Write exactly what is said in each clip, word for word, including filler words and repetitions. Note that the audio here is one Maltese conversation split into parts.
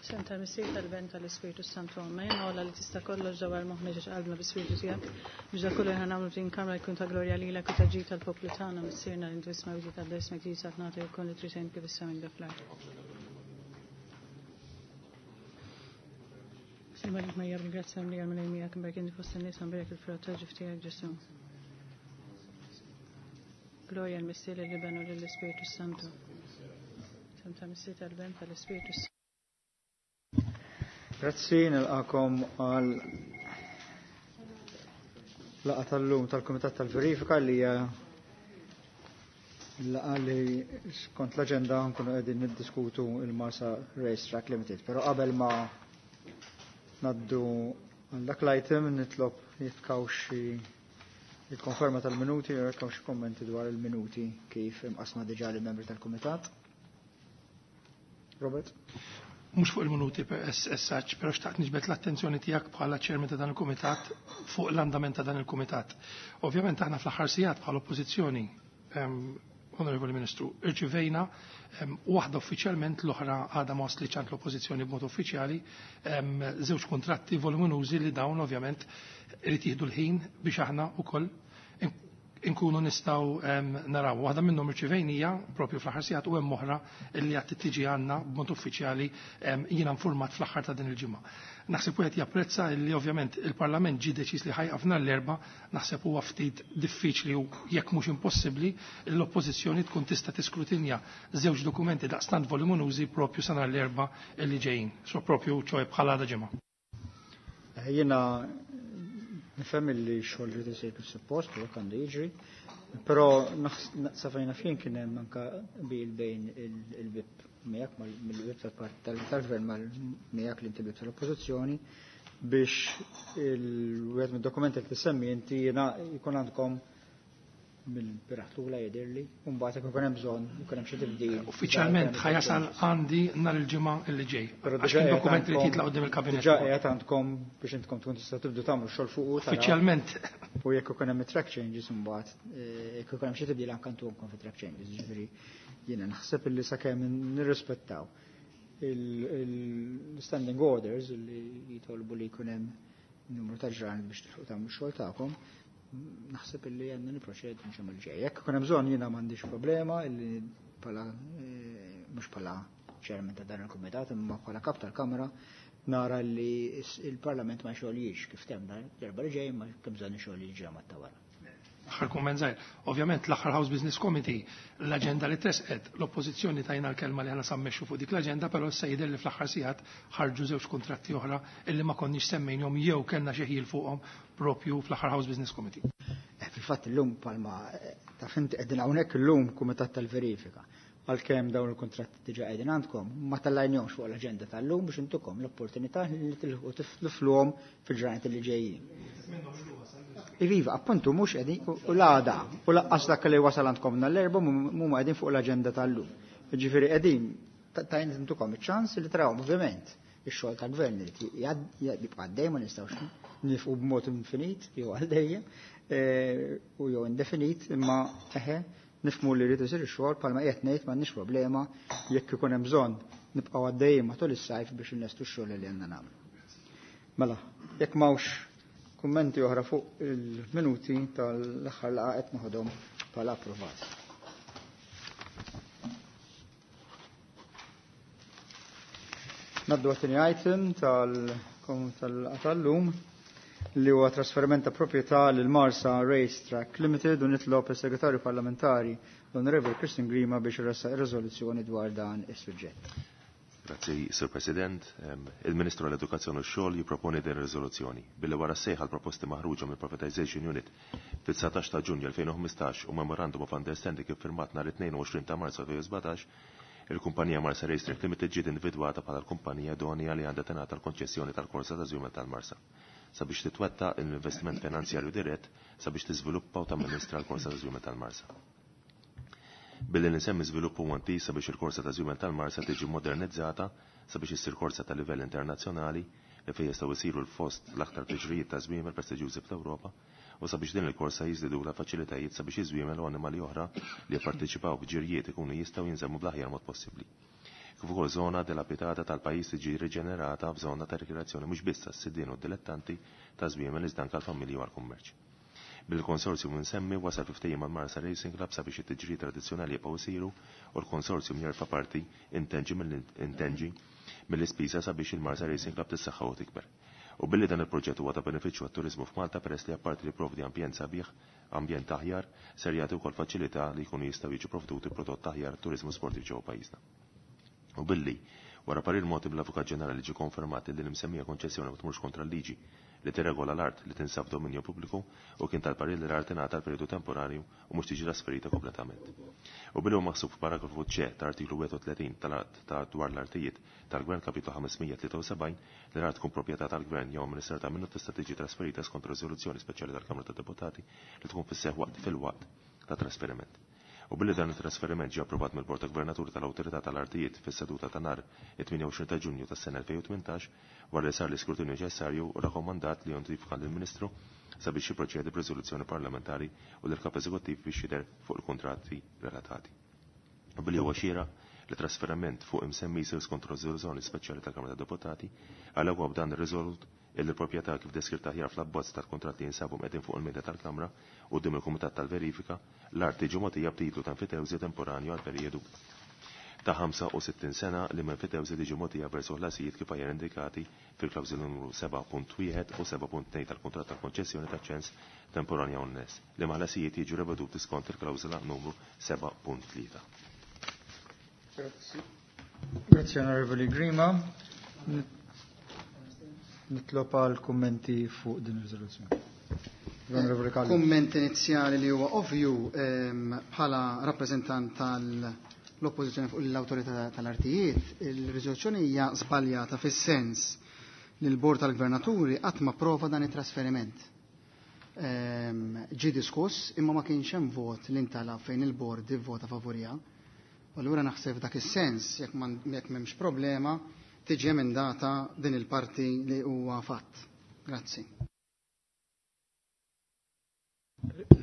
Sem tal-Missier tal-Ben tal-Ispirtu Santu Amen. Ola li tista' kollox dawar moħħna ġiex qalbna bi-Spiritu tiegħek. Biex dak kollu aħna nagħmlu f'din kamra jkun ta' glorja lilek u ta' ġid tal-poplu tagħna Missierna li intu isma' wieħed ta' ismek jisat nagħti jkun li trid kif issa minn dak l-art. Simma li ma ringrazzjam li għal miegħek imberk inti fost in-nies imberek il-frott tal-ġuf tiegħek Ġesu. Glorja l-Missier lill-Iben u lill-Ispirtu Santu. Sem tal-Missier tal-Ben tal-Ispirtu Santu. Grazzi, nilqakom għal laqgħa tal-lum tal-Kumitat tal-Verifika li hija laqgħa li skont l-aġenda nkunu qegħdin niddiskutu il-Marsa Racetrack Limited. Però qabel ma naddu għal dak l-item nitlob jekk hawn xi il-konferma tal-minuti jew jekk hawn xi kommenti dwar il-minuti kif imqasma diġà lill-membri tal-Kumitat. Robert? Mhux fuq il-minuti per S H, però xtaqt niġbed l-attenzjoni tiegħek bħala chairman ta' dan il-kumitat fuq l-andament ta' dan il-kumitat. Ovvjament aħna fl-aħħar sigħat bħala oppożizzjoni, Onorevoli Ministru, irċivejna waħda uffiċjalment, l-oħra għadha ma waslitx għand l-oppożizzjoni b'mod uffiċjali, żewġ kontratti voluminużi li dawn ovvjament irid jieħdu l-ħin biex aħna wkoll inkunu nistgħu naraw. Waħda minnhom irċivejnija propju fl-aħħar sigħat u hemm oħra li qed tiġi għandna b'mod uffiċjali, jiena informat fl-aħħar ta' din il-ġimgħa. Naħseb wieħed japprezza li ovvjament il-Parlament ġie deċiż li ħajqaf nhar l-Erbgħa, naħseb huwa ftit diffiċli u jekk mhux impossibbli l-oppożizzjoni tkun tista' tiskrutinja żewġ dokumenti daqstant voluminużi propju sa nhar l-Erbgħa li ġejjin, so propju ċoe bħala għada ġimgħa. Jiena nifhem li xogħol li isir kif suppost u hekk għandu jiġri, però sa fejn naf jien kien hemm anke qbil bejn il-whip miegħek mill-whip tal-gvern mal miegħek li inti whip tal-oppożizzjoni biex il-wieħed mid-dokumenti li tissemmi inti jiena jkun għandkom mill-bieraħ lura jidhirli, u mbagħad jekk ikun hemm bżonn ikun hemm xi tibdil. Uffiċjalment ħa jasal għandi nhar il-ġimgħa li ġej. Però Għax diġà kien qiegħed dokument li għandkom titla' quddiem il-kabinet. Diġà qiegħed għandkom biex intkom tkun tista' tibdu tagħmlu xogħol fuq u taraw. Uffiċjalment. U jekk ikun hemm track changes imbagħad, eh, jekk ikun hemm xi tibdil anke ntuhomkom fi track changes, jiġifieri jiena naħseb illi sakemm nirrispettaw il-standing orders li jitolbu li jkun hemm numru ta' ġranet biex tilħqu tagħmlu x-xogħol tagħkom, naħseb illi għandna niproċedu nġemmu l-ġej. Jekk ikun hemm bżonn jiena m'għandix problema illi bħala, eh, mhux bħala chairman ta' dan il-kumitat imma bħala kap tal-Kamra nara li il-Parlament ma jxogħlijiex kif temm l-Erbgħa li ġej ma kemm bżonn ixogħli ġimgħa ta' wara. Aħħar kumment żgħir. Ovvjament l-aħħar House Business Committee l-aġenda li tresqet, l-oppożizzjoni tajna l-kelma li aħna sammexxu fuq dik l-aġenda, però issa jidher li fl-aħħar sigħat ħarġu żewġ kontratti oħra illi ma konniex semmejnhom jew kellna xi ħil fuqhom propju fl-aħħar House Business Committee. Eh, fil-fatt illum palma eh, ta' finti qegħdin hawnhekk illum kumitat tal-verifika. Għalkemm dawn il-kontratti diġà qegħdin għandkom, ma tellajnihomx fuq l-aġenda tal-lum biex intukom l-opportunità li tilħu tifluhom fil-ġranet li ġejjin. Iviva, appuntu mhux qegħdin u l-għada u laqqas dak li wasal għandkom nhar l-Erbgħa mhuma qegħdin fuq l-aġenda tal-lum. Jiġifieri qegħdin tajn intukom iċ-ċans li tarawhom ovvjament ix-xogħol tal-gvern li jibqa' għaddej, ma nistgħux nifqu b'mod infinit jew għal dejjem, eh, u jew indefinit, imma eħe nifhmu li rrid isir ix-xogħol bħalma qiegħed ngħid m'għandniex problema jekk ikun hemm bżonn nibqgħu għaddejjin matul is-sajf biex inlestu x-xogħol li għandna nagħmlu. Mela, jekk m'hawnx kummenti oħra fuq il-minuti tal-aħħar laqgħa qed noħodhom bħala approvati. Naddu għat-tieni item tal-lum li huwa trasferiment ta' proprjetà lil Marsa Racetrack Limited u nitlob is-Segretarju Parlamentari l-Onorevoli Christian Grima biex iressaq ir-riżoluzzjoni dwar dan is-suġġett. Grazzi, Sir President. Il-Ministru għall-Edukazzjoni u x-Xogħol jipproponi din ir-riżoluzzjoni billi wara sejħa l-proposti maħruġa mill-Privatization Unit fit-dsatax ta' Ġunju elfejn u ħmistax u Memorandum of Understanding iffirmat nhar it-tnejn u għoxrin ta' Marzu elfejn u sbatax, il-kumpanija Marsa Racetrack Limited ġiet individwata bħala l-kumpanija idonea li għandha tingħata l-konċessjoni tal-korsa ta' żwiemel tal-Marsa sabiex titwettaq l-investiment finanzjarju dirett sabiex tiżviluppa u tamministra l-korsa ta' żwiemel tal-Marsa. Billi l-insemmi żvilupp huwa intiż sabiex il-korsa ta' żwiemel tal-Marsa tiġi modernizzata sabiex issir korsa ta' livell internazzjonali li fejn jistgħu jsiru l-fost l-aktar tiġrijiet ta' żwiemel prestiġjużi fl-Ewropa u sabiex din il-korsa jiżdidulha faċilitajiet sabiex iż-żwiemel u annimali oħra li jipparteċipaw f'ġirjiet ikunu jistgħu jinżammu bl-aħjar mod possibbli. Kif kif ukoll żona dilapidata tal-pajjiż tiġi riġenerata f'żona ta' rikreazzjoni mhux biss għas-sidien u dilettanti ta' żwiemel iżda anke għall-familji u għall-kummerċ. Bil-konsorzjum insemmi wasal fi ftehim mal-Marsa Racing Club sabiex it-tiġri tradizzjonali jibqgħu jsiru u l-konsorzjum jerfa' parti intenġi mill-ispiża sabiex il-Marsa Racing Club tissaħħa u tikber. U billi dan il-proġett huwa ta' benefiċċju għat-turiżmu f'Malta peress li apparti li provdi ambjent sabiħ, ambjent aħjar, ser jagħti wkoll faċilità li jkunu jistgħu jiġu provduti prodott aħjar turiżmu sportiv ġewwa pajjiżna. U billi wara parir mogħti mill-Avukat Ġenerali ġie konfermat li l-imsemmija konċessjoni ma tmurx kontra l-liġi li tirregola l-art li tinsab dominju pubbliku u kien tal-parir li l-art ingħata l-perjodu temporanju u mhux tiġi trasferita kompletament. U billi huwa maħsub f'paragrafu C ta' artiklu wieħed u tletin tal-att ta' dwar l-artijiet tal-Gvern kapitlu ħames mija tlieta u sebgħin li l-art tkun proprjetà tal-Gvern jew amministrata minnu tista' tiġi trasferita skont riżoluzzjoni speċjali tal-Kamra tad-Deputati li tkun fis-seħħ waqt fil-waqt ta' trasferiment. U billi dan it-trasferiment ġie approvat mill-Bord ta' Gvernaturi tal-Awtorità tal-Artijiet fis-seduta ta' nhar it-tmienja u għoxrin ta' Ġunju tas-sena elfejn u tmintax wara li sar l-iskrutinju neċessarju u rakkomandat li jontifika lill-Ministru sabiex jipproċedi b'riżoluzzjoni parlamentari u lill-Kap Eżekuttiv biex jidher fuq il-kuntratti relatati. U billi huwa xieraq li trasferiment fuq imsemmi jsir skont riżoluzzjoni speċjali tal-Kamra tad-Deputati, għalhekk huwa b'dan ir-riżolut illi l-proprjetà kif deskritta aħjar fl-abbozz tal-kuntratt li jinsabu mqegħdin fuq il-mejda tal-Kamra quddiem il-Kumitat tal-Verifika, l-art tiġi mogħtija b'titlu ta' enfitewżi temporanju għal perjodu ta' ħamsa u sittin sena li minn enfitewżi tiġi mogħtija versu ħlasijiet kif aħjar indikati fil-klawżoli numru seba' punt wieħed u seba' punt tnejn tal-kuntratt tal-konċessjoni ta' ċens temporanja u n-nes li ma' ħlasijiet jiġu reveduti skont il-klawżola numru seba' punt tlieta. Grazzi. Grazzi, Onorevoli Grima. Nitlob għal kummenti fuq din ir-riżoluzzjoni. Onorevoli Callus. Kumment inizjali li huwa ovvju bħala rappreżentant tal-oppożizzjoni fuq l-awtorità tal-artijiet, il-riżoluzzjoni hija żbaljata fis-sens li l-Bord tal-Gvernaturi qatt ma prova dan it-trasferiment. Ġie diskuss imma ma kienx hemm vot li ntalab fejn il-bord ivvota favorija. U allura naħseb dak is-sens jekk m'hemmx problema tiġi emendata din il-parti li huwa fatt. Grazzi.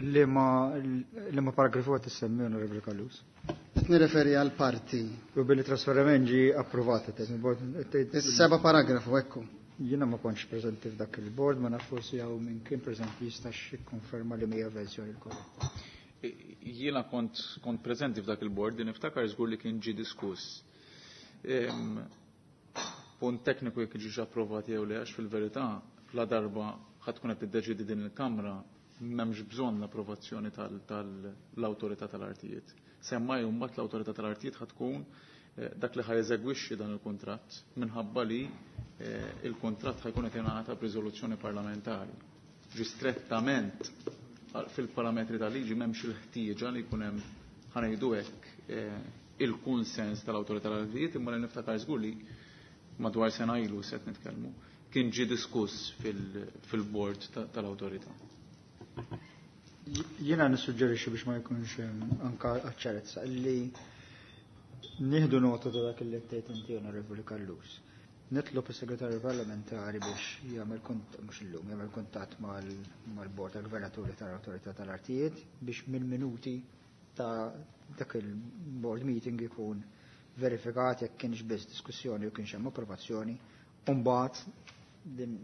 Li ma paragrafu għat issemmi, Onorevoli Callus? Qed nirreferi għal parti. U billi trasferiment ġie approvata. Is-seba' paragrafu, ekku. Jiena ma kontx preżenti f'dak il-bord, ma naf forsi hawn minn kien preżenti jistax jikkonferma li mija verżjoni l-korretta. Jiena kont kont preżenti f'dak il-bord, din niftakar żgur li kien ġie diskuss. Punt tekniku jekk ġiex approvat jew le, għax fil-verità la darba ħadd tkun qed tiddeċidi din il-Kamra m'hemmx bżonn l-approvazzjoni tal-awtorità tal-artijiet. Semmai mbagħad l-awtorità tal-artijiet ħad tkun dak li ħajeżegwixxi dan il-kuntratt minħabba li il-kuntratt ħajkun qed jingħata b'riżoluzzjoni parlamentari. Ġi strettament fil-parametri tal-liġi m'hemmx il-ħtieġa li jkun hemm ħanejdu hekk il-kunsens tal-awtorità tal-artijiet, imma li niftakar żgur li madwar sena ilu set nitkellmu, kien ġie diskuss fil-bord tal-awtorità. Jiena nissuġġerixxi biex ma jkunx anka ċarezza li nieħdu nota ta' dak li tgħid inti, Onorevoli Callus. Nitlob is-segretarju parlamentari biex jagħmel mhux illum, jagħmel kuntatt mal-bord tal-gvernaturi tal-awtorità tal-artijiet biex mill-minuti ta' dak il-board meeting ikun verifikat jekk kienx biss diskussjoni u kienx hemm approvazzjoni, u mbagħad din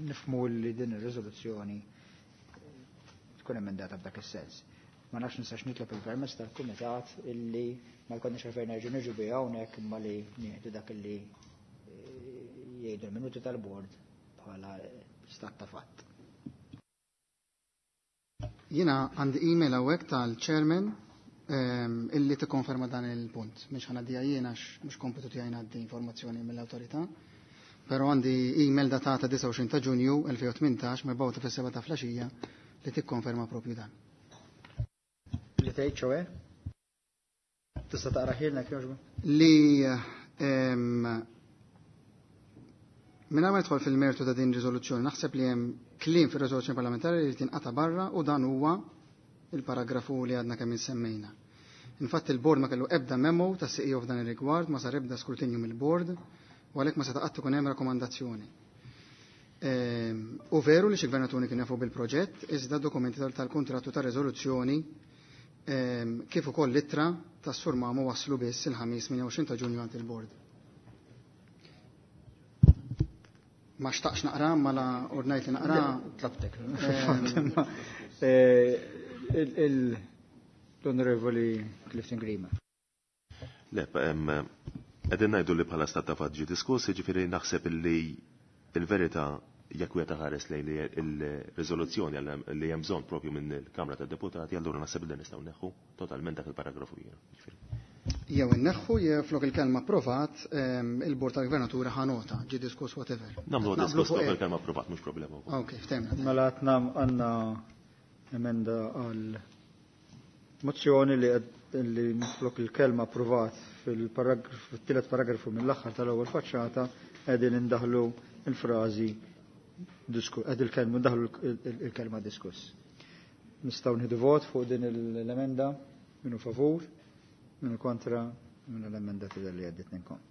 nifhmu li din ir-riżoluzzjoni tkun emendata f'dak is-sens. Ma nafx nistax nitlob il-permess tal-kumitat illi ma jkollniex għalfejn nerġgħu niġu biha hawnhekk imma li nieħdu dak illi jgħidu l-minuti tal-bord bħala stat ta' fatt. Jiena għandi email hawnhekk tal-chairman illi tikkonferma dan il-punt. Mhux ħanaddiha jiena għax mhux kompitu tiegħi ngħaddi informazzjoni mill-awtorità. Però għandi email datata disgħa u għoxrin ta' Ġunju elfejn u tmintax mibgħuta fis-seba' ta' flaxija li tikkonferma propju dan. Li tgħid ċoe? Tista' taqra ħilna jogħġbu? Li mingħajr ma nidħol fil-mertu ta' din riżoluzzjoni, naħseb li hemm kliem fir-riżoluzzjoni parlamentari li tinqata' barra u dan huwa il-paragrafu li għadna kemm insemmejna. Infatti il-bord ma kellu ebda memo ta' C E O f'dan ir-rigward, ma sar ebda skrutinju mill-bord, u għalhekk ma seta' qatt ikun hemm rakkomandazzjoni. Ehm, u veru li xi gvernaturi kien jafu bil-proġett, iżda dokumenti tal-kontrattu ta' riżoluzzjoni, ehm, kif ukoll l-ittra tas-Sur Mamo waslu biss il-ħamis tmienja u għoxrin ta' Ġunju għand il-bord. Ma xtaqx naqra, ma la ordnajt li naqra. Tlabtek. L-Onorevoli Clifton Grima. Le, qegħdin ngħidu li bħala stat ta' fatt ġie diskuss, jiġifieri naħseb li il-verità jekk wieħed ħares lejn il-riżoluzzjoni li hemm bżonn propju minn il-Kamra tad-Deputati, allura naħseb li nistgħu neħħu totalment dak il-paragrafu jiena. Jew inneħħu jew flok il-kelma approvat, il-Bord tal-Gvernatura ħa nota, ġie diskuss whatever. Nagħmlu diskuss flok il-kelma approvat, mhux problema. Ok, ftemna. Mela qed għandna emenda għal mozzjoni li li flok il-kelma approvat fil-paragrafu, fit-tielet paragrafu mill-aħħar tal-ewwel faċċata qegħdin indaħlu il-frażi qed il-kelma ndaħlu il-kelma diskuss. Nistgħu nieħdu vot fuq din l-emenda, minnu favur, minnu kontra, minnu l-emenda tidher li għaddiet minnkom.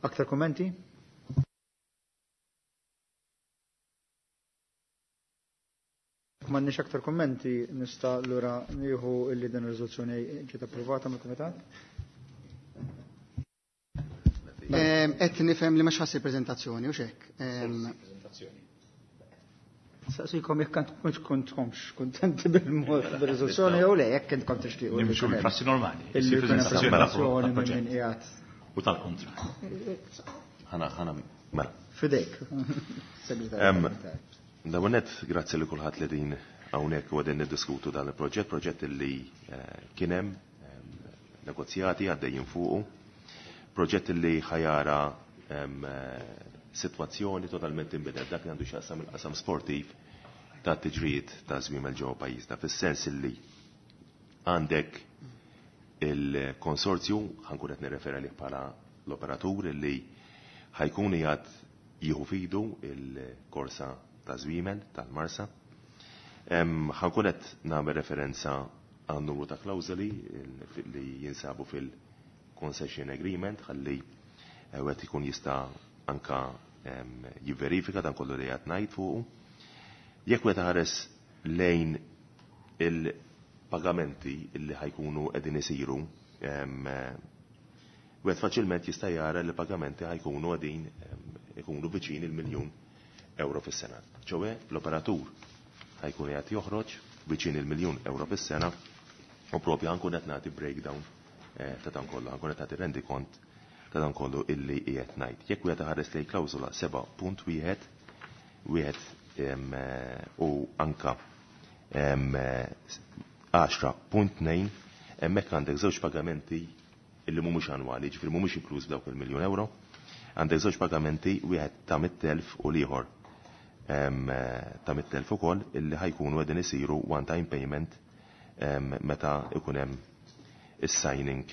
Aktar kommenti? M'għandniex aktar kommenti, nista' lura nieħu illi din ir-riżoluzzjoni ġiet approvata mill-Kumitat. Qed nifhem li mhux ħassir preżentazzjoni u x'hekk. Saqsikom jekk kontkomx kontenti bil-mod bir-riżoluzzjoni jew le, jekk intkom tixtiequ. Nimxu bil-prassi normali. Illi preżentazzjoni minn min qiegħed. U tal-kontra. Ħana ħana mela. Fidejk. Segretarju. Dawonet, grazzi li kulħadd li din hawnhekk u qegħdin niddiskutu dan il-proġett, proġett li kien hemm negozjati għaddejjin fuqu, proġett li ħajara sitwazzjoni totalment inbidel dak li għandu x'jaqsam il-qasam sportiv ta' tiġrijiet ta' żwiemel ġewwa pajjiżna, fis-sens li għandek il-konsorzju, ħankun qed nirreferi għalih bħala l-operatur li ħajkun qiegħed jieħu fidu il-korsa ta' żwiemel tal-Marsa. Ħankun qed nagħmel referenza għan numru ta' klawżoli li jinsabu fil-concession agreement ħalli wieħed ikun jista' anka jivverifika dan kollu li qed ngħid fuqu. Jekk wieħed ħares lejn il-pagamenti li ħajkunu qegħdin isiru, wieħed faċilment jista' jara li pagamenti ħajkunu qegħdin ikunu viċin il-miljun euro fis-sena. Ċowe l-operatur ħajkun qed joħroġ viċin il-miljun euro fis-sena u propju ħankun qed nagħti breakdown ta' dan kollu, ħankun qed nagħti rendikont ta' dan kollu illi qiegħed ngħid. Jekk wieħed ħares lejn klawżola seba' punt wieħed wieħed u anka għaxra punt tnejn, hemmhekk għandek żewġ pagamenti illi mhumiex annwali, ġifieri mhumiex inkluż f'dawk il-miljun euro. Għandek żewġ pagamenti, wieħed ta' mitt elf u l-ieħor ta' mitt elf ukoll illi ħajkunu qegħdin isiru one time payment meta ikun hemm is-signing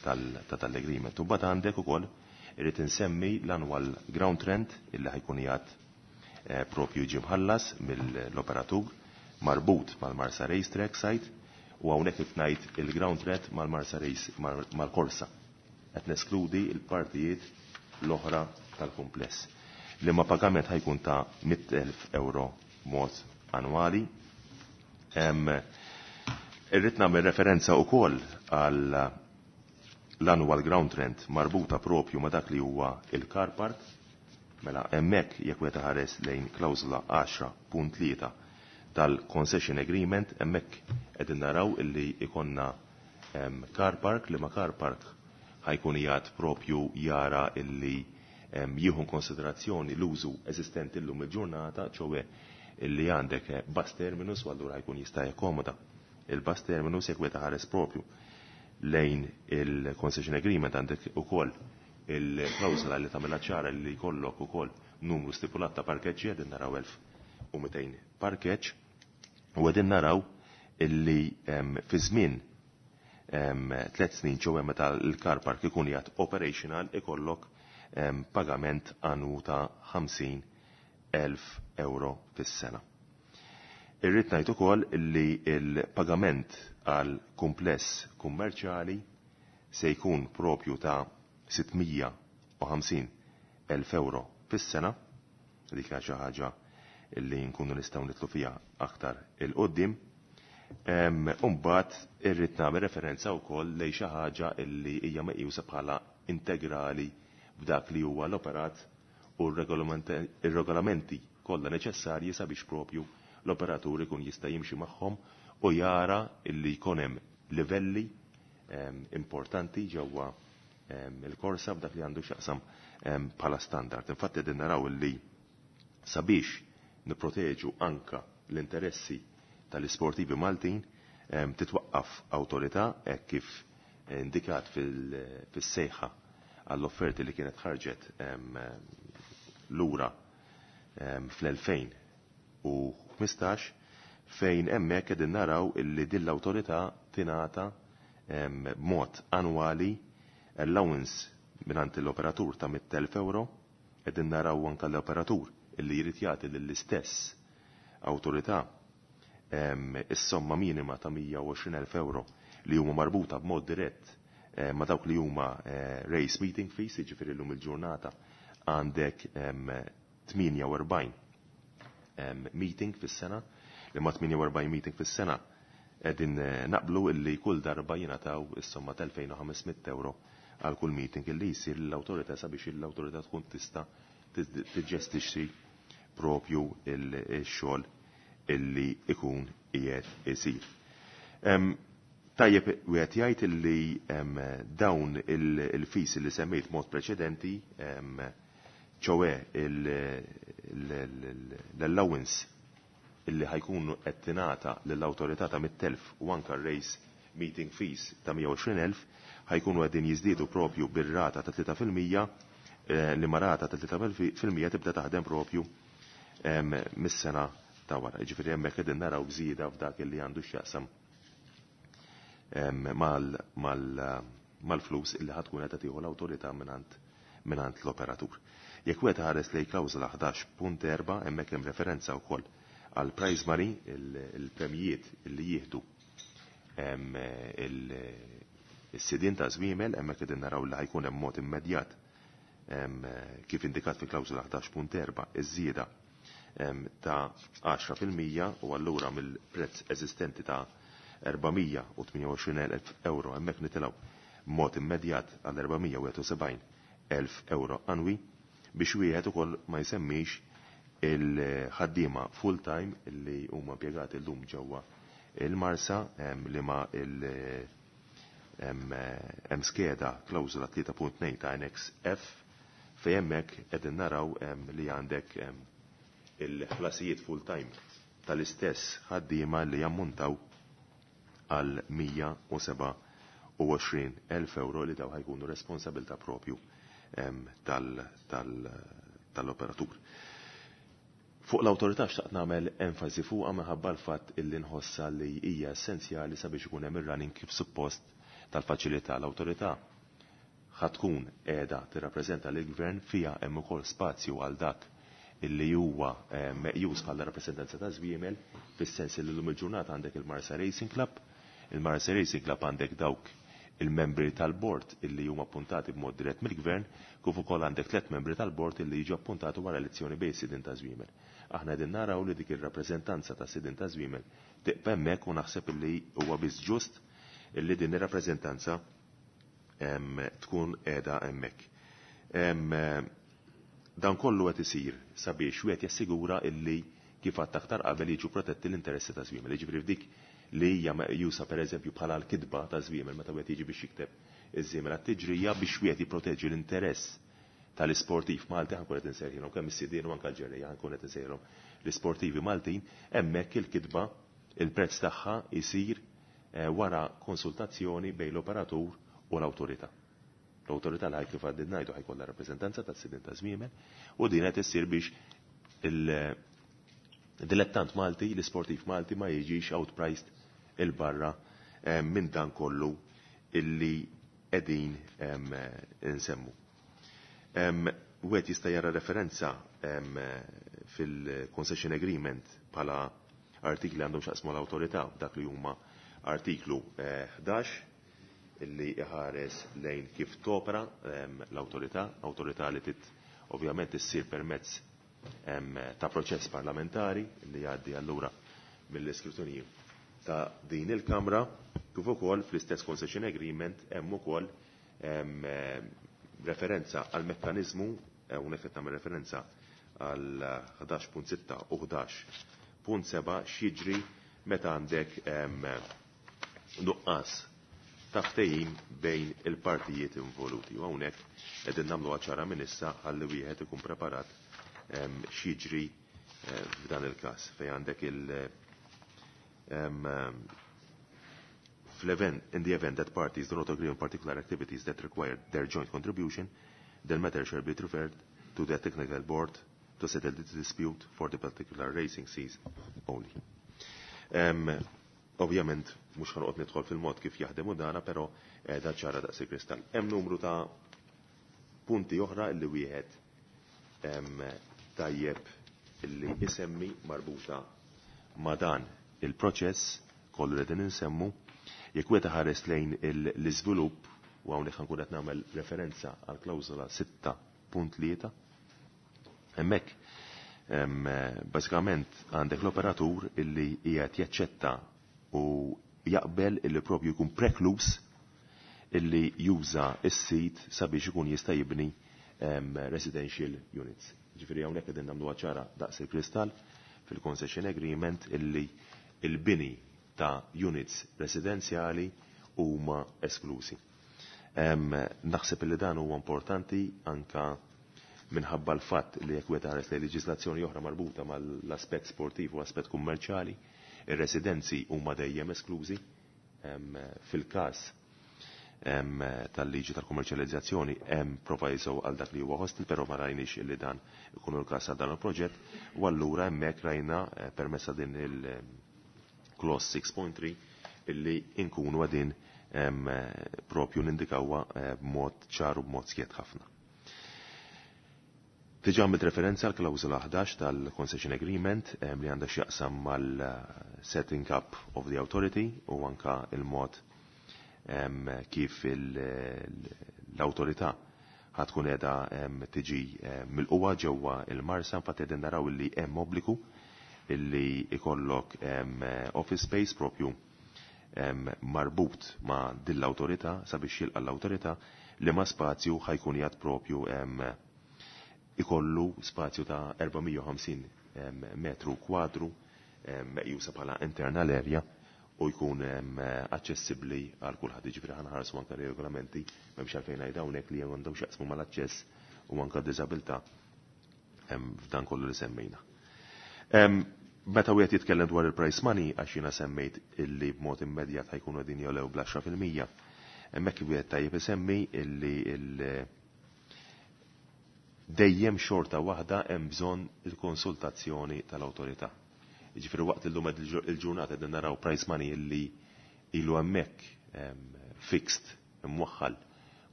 ta' tal-agreement. U mbagħad għandek ukoll irid insemmi l-annual ground rent illi ħajkun qiegħed propju jiġi mħallas mill-operatur marbut mal-Marsa Racetrack site, u hawnhekk qed ngħid il-ground rent mal-Marsa Race mal-korsa. Qed neskludi l-partijiet l-oħra tal-kumpless. Li ma pagament ħajkun ta' mitt elf euro mod annwali. Irrid nagħmel referenza wkoll għal l-annual ground rent marbuta propju ma' dak li huwa il-car park. Mela hemmhekk jekk wieħed ħares lejn klawżola għaxra punt tlieta tal-concession agreement, hemmhekk qegħdin naraw illi ikonna car park li ma car park ħajkun qiegħed propju jara illi jieħu konsiderazzjoni l-użu eżistenti llum il-ġurnata, ċowe illi għandek bus terminus, u allura ħajkun jista' jakkomoda il-bus terminus jekk wieħed ħares propju lejn il-concession agreement għandek ukoll il-klawżola li tagħmilha ċara li jkollok ukoll numru stipulat ta' parkeġġi, qegħdin naraw elf u mitejn parkeġġ, u qegħdin naraw illi fi żmien tliet snin, ċowe meta l-car park ikun qiegħed operational, ikollok pagament annu ta' ħamsin elf euro fis-sena. Irrid ngħid ukoll li l-pagament għal kumpless kummerċjali se jkun propju ta' sittmija u ħamsin elf euro fis-sena, dik hija xi ħaġa li nkunu nistgħu nitlu fiha aktar il-qoddim. Imbagħad irrid nagħmel referenza wkoll lejn xi ħaġa li hija meqjusa bħala integrali f'dak li huwa l-operat u r-regolamenti kollha neċessarji sabiex propju l-operatur ikun jista' jimxi magħhom u jara illi jkun hemm livelli importanti ġewwa il-korsa b'dak li għandu x'jaqsam bħala standard. Infatti qegħdin naraw illi sabiex nipproteġu anka l-interessi tal-isportivi Maltin titwaqqaf awtorità hekk kif indikat fis-sejħa għall-offerti li kienet ħarġet lura fl-elfejn u ħmistax, fejn hemmhekk qegħdin naraw illi din l-awtorità tingħata b'mod annwali allowance mingħand l-operatur ta' mitt elf euro, qegħdin naraw anke l-operatur illi jrid jagħti lill-istess awtorità is-somma minima ta' mija u għoxrin elf euro li huma marbuta b'mod dirett ma' dawk li huma race meeting fees, jiġifieri llum il-ġurnata għandek tmienja u erbgħin meeting fis-sena, li ma' tmienja u erbgħin meeting fis-sena qegħdin naqblu illi kull darba jingħataw is-somma ta' elfejn u ħames mitt euro għal kull meeting illi jsir lill-awtorità sabiex l-awtorità tkun tista' tiġġestixxi propju il-xogħol illi ikun qiegħed isir. Tajjeb wieħed jgħid illi dawn il-fees li semmejt mod preċedenti, ċowe l-allowance illi ħajkunu qed tingħata lill-awtorità ta' mitt elf u anke r-race meeting fees ta' mija u għoxrin elf ħajkunu qegħdin jiżdiedu propju bir-rata ta' tlieta fil-mija, li ma rata ta' tlieta fil-mija tibda taħdem propju mis-sena ta' wara. Jiġifieri hemmhekk qegħdin naraw bżieda f'dak illi għandu x'jaqsam mal-flus illi ħatkun qed tieħu l-awtorità mingħand mingħand l-operatur. Jekk wieħed ħares lejn klawżola ħdax punt erba' hemmhekk hemm referenza wkoll għal prize money, il-premjijiet illi jieħdu is-sidien ta' żwiemel, hemmhekk qegħdin naraw li ħajkun hemm mod immedjat kif indikat fi klawżola ħdax punt erba' iż-żieda ta' għaxra fil-mija u allura mill-prezz eżistenti ta' erba' mija u tmienja u għoxrin elf euro hemmhekk nitilgħu mod immedjat għal erba' mija u wieħed u sebgħin elf euro annwi, biex wieħed ukoll ma jsemmix il-ħaddiema full-time illi huma impjegati llum ġewwa il-Marsa, li ma il-, hemm skeda klawżola tlieta punt tnejn ta' Annex F fejn hemmhekk qegħdin naraw li għandek il-ħlasijiet full-time tal-istess ħaddiema li jammuntaw għal mija u seba' u għoxrin elf euro li daw ħajkunu responsabilta propju tal-operatur. Fuq l-awtorità xtaqt nagħmel enfasi fuqha minħabba l-fatt illi nħossa li hija essenzjali sabiex ikun hemm ir-running kif suppost tal-faċilità. L-awtorità ħatkun qiegħda tirrappreżenta lill-gvern, fiha hemm ukoll spazju għal dak illi huwa meqjus bħala rappreżentanza ta' żwiemel, fis-sens li llum il-ġurnata għandek il-Marsa Racing Club, il-Marsa Racing Club għandek dawk il-membri tal-bord illi huma appuntati b'mod dirett mill-gvern, kif ukoll għandek tliet membri tal-bord illi jiġu appuntati wara elezzjoni bejn sidien ta' żwiemel. Aħna qegħdin naraw li dik ir-rappreżentanza ta' sidien ta' żwiemel tiqpa' hemmhekk u naħseb illi huwa biss ġust illi din ir-rappreżentanza tkun qiegħda hemmhekk. Dan kollu qed isir sabiex wieħed jassigura illi kif għadt aktar qabel jiġu protetti l-interessi ta' żwiemel. Jiġifieri f'dik li hija meqjusa pereżempju bħala l-kitba ta' żwiemel meta wieħed jiġi biex jikteb iż-żwiemel għat-tiġrija biex wieħed jipproteġi l-interess tal-isportiv Malti, ħankun qed insejħilhom kemm is-sidien u anke l-ġerrejja, ħankun qed insejħilhom l-isportivi Maltin, hemmhekk il-kitba il-prezz tagħha jsir wara konsultazzjoni bejn l-operatur u l-awtorità. L-awtorità li kif għaddid ngħidu ħajkollha rappreżentanza tas-sidien ta' żwiemel u din qed issir biex il-dilettant Malti, l-isportiv Malti ma jiġix outpriced il-barra minn dan kollu illi qegħdin insemmu. Wieħed jista' jara referenza fil-concession agreement bħala artikli għandhom x'jaqsmu l-awtorità, dak li huma artiklu ħdax illi iħares lejn kif topera l-awtorità, awtorità li tit ovvjament issir permezz ta' proċess parlamentari li jgħaddi allura mill-iskrutinju ta' din il-Kamra, kif ukoll fl-istess concession agreement hemm ukoll referenza għal mekkaniżmu, hawnhekk qed nagħmel referenza għal ħdax punt sitta u ħdax punt seba' x'jiġri meta għandek nuqqas ta' ftehim bejn il-partijiet involuti. U hawnhekk qegħdin nagħmlu ċara minn issa ħalli wieħed ikun preparat x'jiġri f'dan il-każ fejn għandek il- fl-event, in the event that parties do not agree on particular activities that require their joint contribution, the matter shall be referred to the technical board to settle the dispute for the particular racing season only. Um, ovvjament, mhux ħanqod nidħol fil-mod kif jaħdem u dana, però eh, da ċara daqs il-kristall. Hemm numru ta' punti oħra illi wieħed tajjeb illi isemmi marbuta ma' dan il-proċess kollu li qegħdin insemmu. Jekk wieħed ħares lejn l-iżvilupp, u hawnhekk ħankun qed nagħmel referenza għal klawżola sitta punt tlieta, hemmhekk bażikament għandek l-operatur illi qiegħed jaċċetta u jaqbel illi propju jkun preklus illi juża s-sit sabiex ikun jista' jibni residential units. Ġifieri hawnhekk qegħdin nagħmluha ċara daqs il-kristall fil-concession agreement illi il-bini ta' units residenzjali huma esklusi. Naħseb illi dan huwa importanti anka minħabba l-fatt li jekk wieħed ħares lejn leġiżlazzjoni oħra marbuta mal-aspett sportiv u aspett kummerċjali, ir-residenzi huma dejjem esklużi. Fil-każ tal-liġi tal-kummerċjalizzazzjoni hemm proviso għal dak li huwa hostel, però ma rajniex illi dan ikun il-każ għal dan il-proġett, u allura hemmhekk rajna permezz din il-clause six point three illi inkunu għadin propju nindikawha b'mod ċar u b'mod skjett ħafna. Diġà għamilt referenza għal klawżola ħdax tal-Concession Agreement li għandha x'jaqsam mal-setting up of the authority u anka il-mod kif l-awtorità ħatkun qiegħda tiġi mill-qwa ġewwa il-Marsa. Infatti qegħdin naraw illi hemm obbligu illi ikollok office space propju marbut ma' din l-awtorità sabiex jilqa' l-awtorità li ma' spazju ħajkun jgħad propju ikollu spazju ta' erba' mija u ħamsin metru kwadru meqjusa bħala internal area u jkun aċċessibbli għal kulħadd. Jiġifieri ħanħarsu anke regolamenti m'hemmx għalfejn ngħid hawnhekk li għandhom x'jaqsmu mal-aċċess u anke diżabilità f'dan kollu li semmejna. Meta wieħed jitkellem dwar il-price money, għax jiena semmejt illi b'mod immedjat ħajkunu qegħdin jolew bl-għaxra fil-mija, hemmhekk wieħed tajjeb isemmi illi il- dejjem xorta waħda hemm bżonn il-konsultazzjoni tal-awtorità. Jiġifieri waqt illum il-ġurnata qegħdin naraw price money illi ilu hemmhekk fixed imwaħħal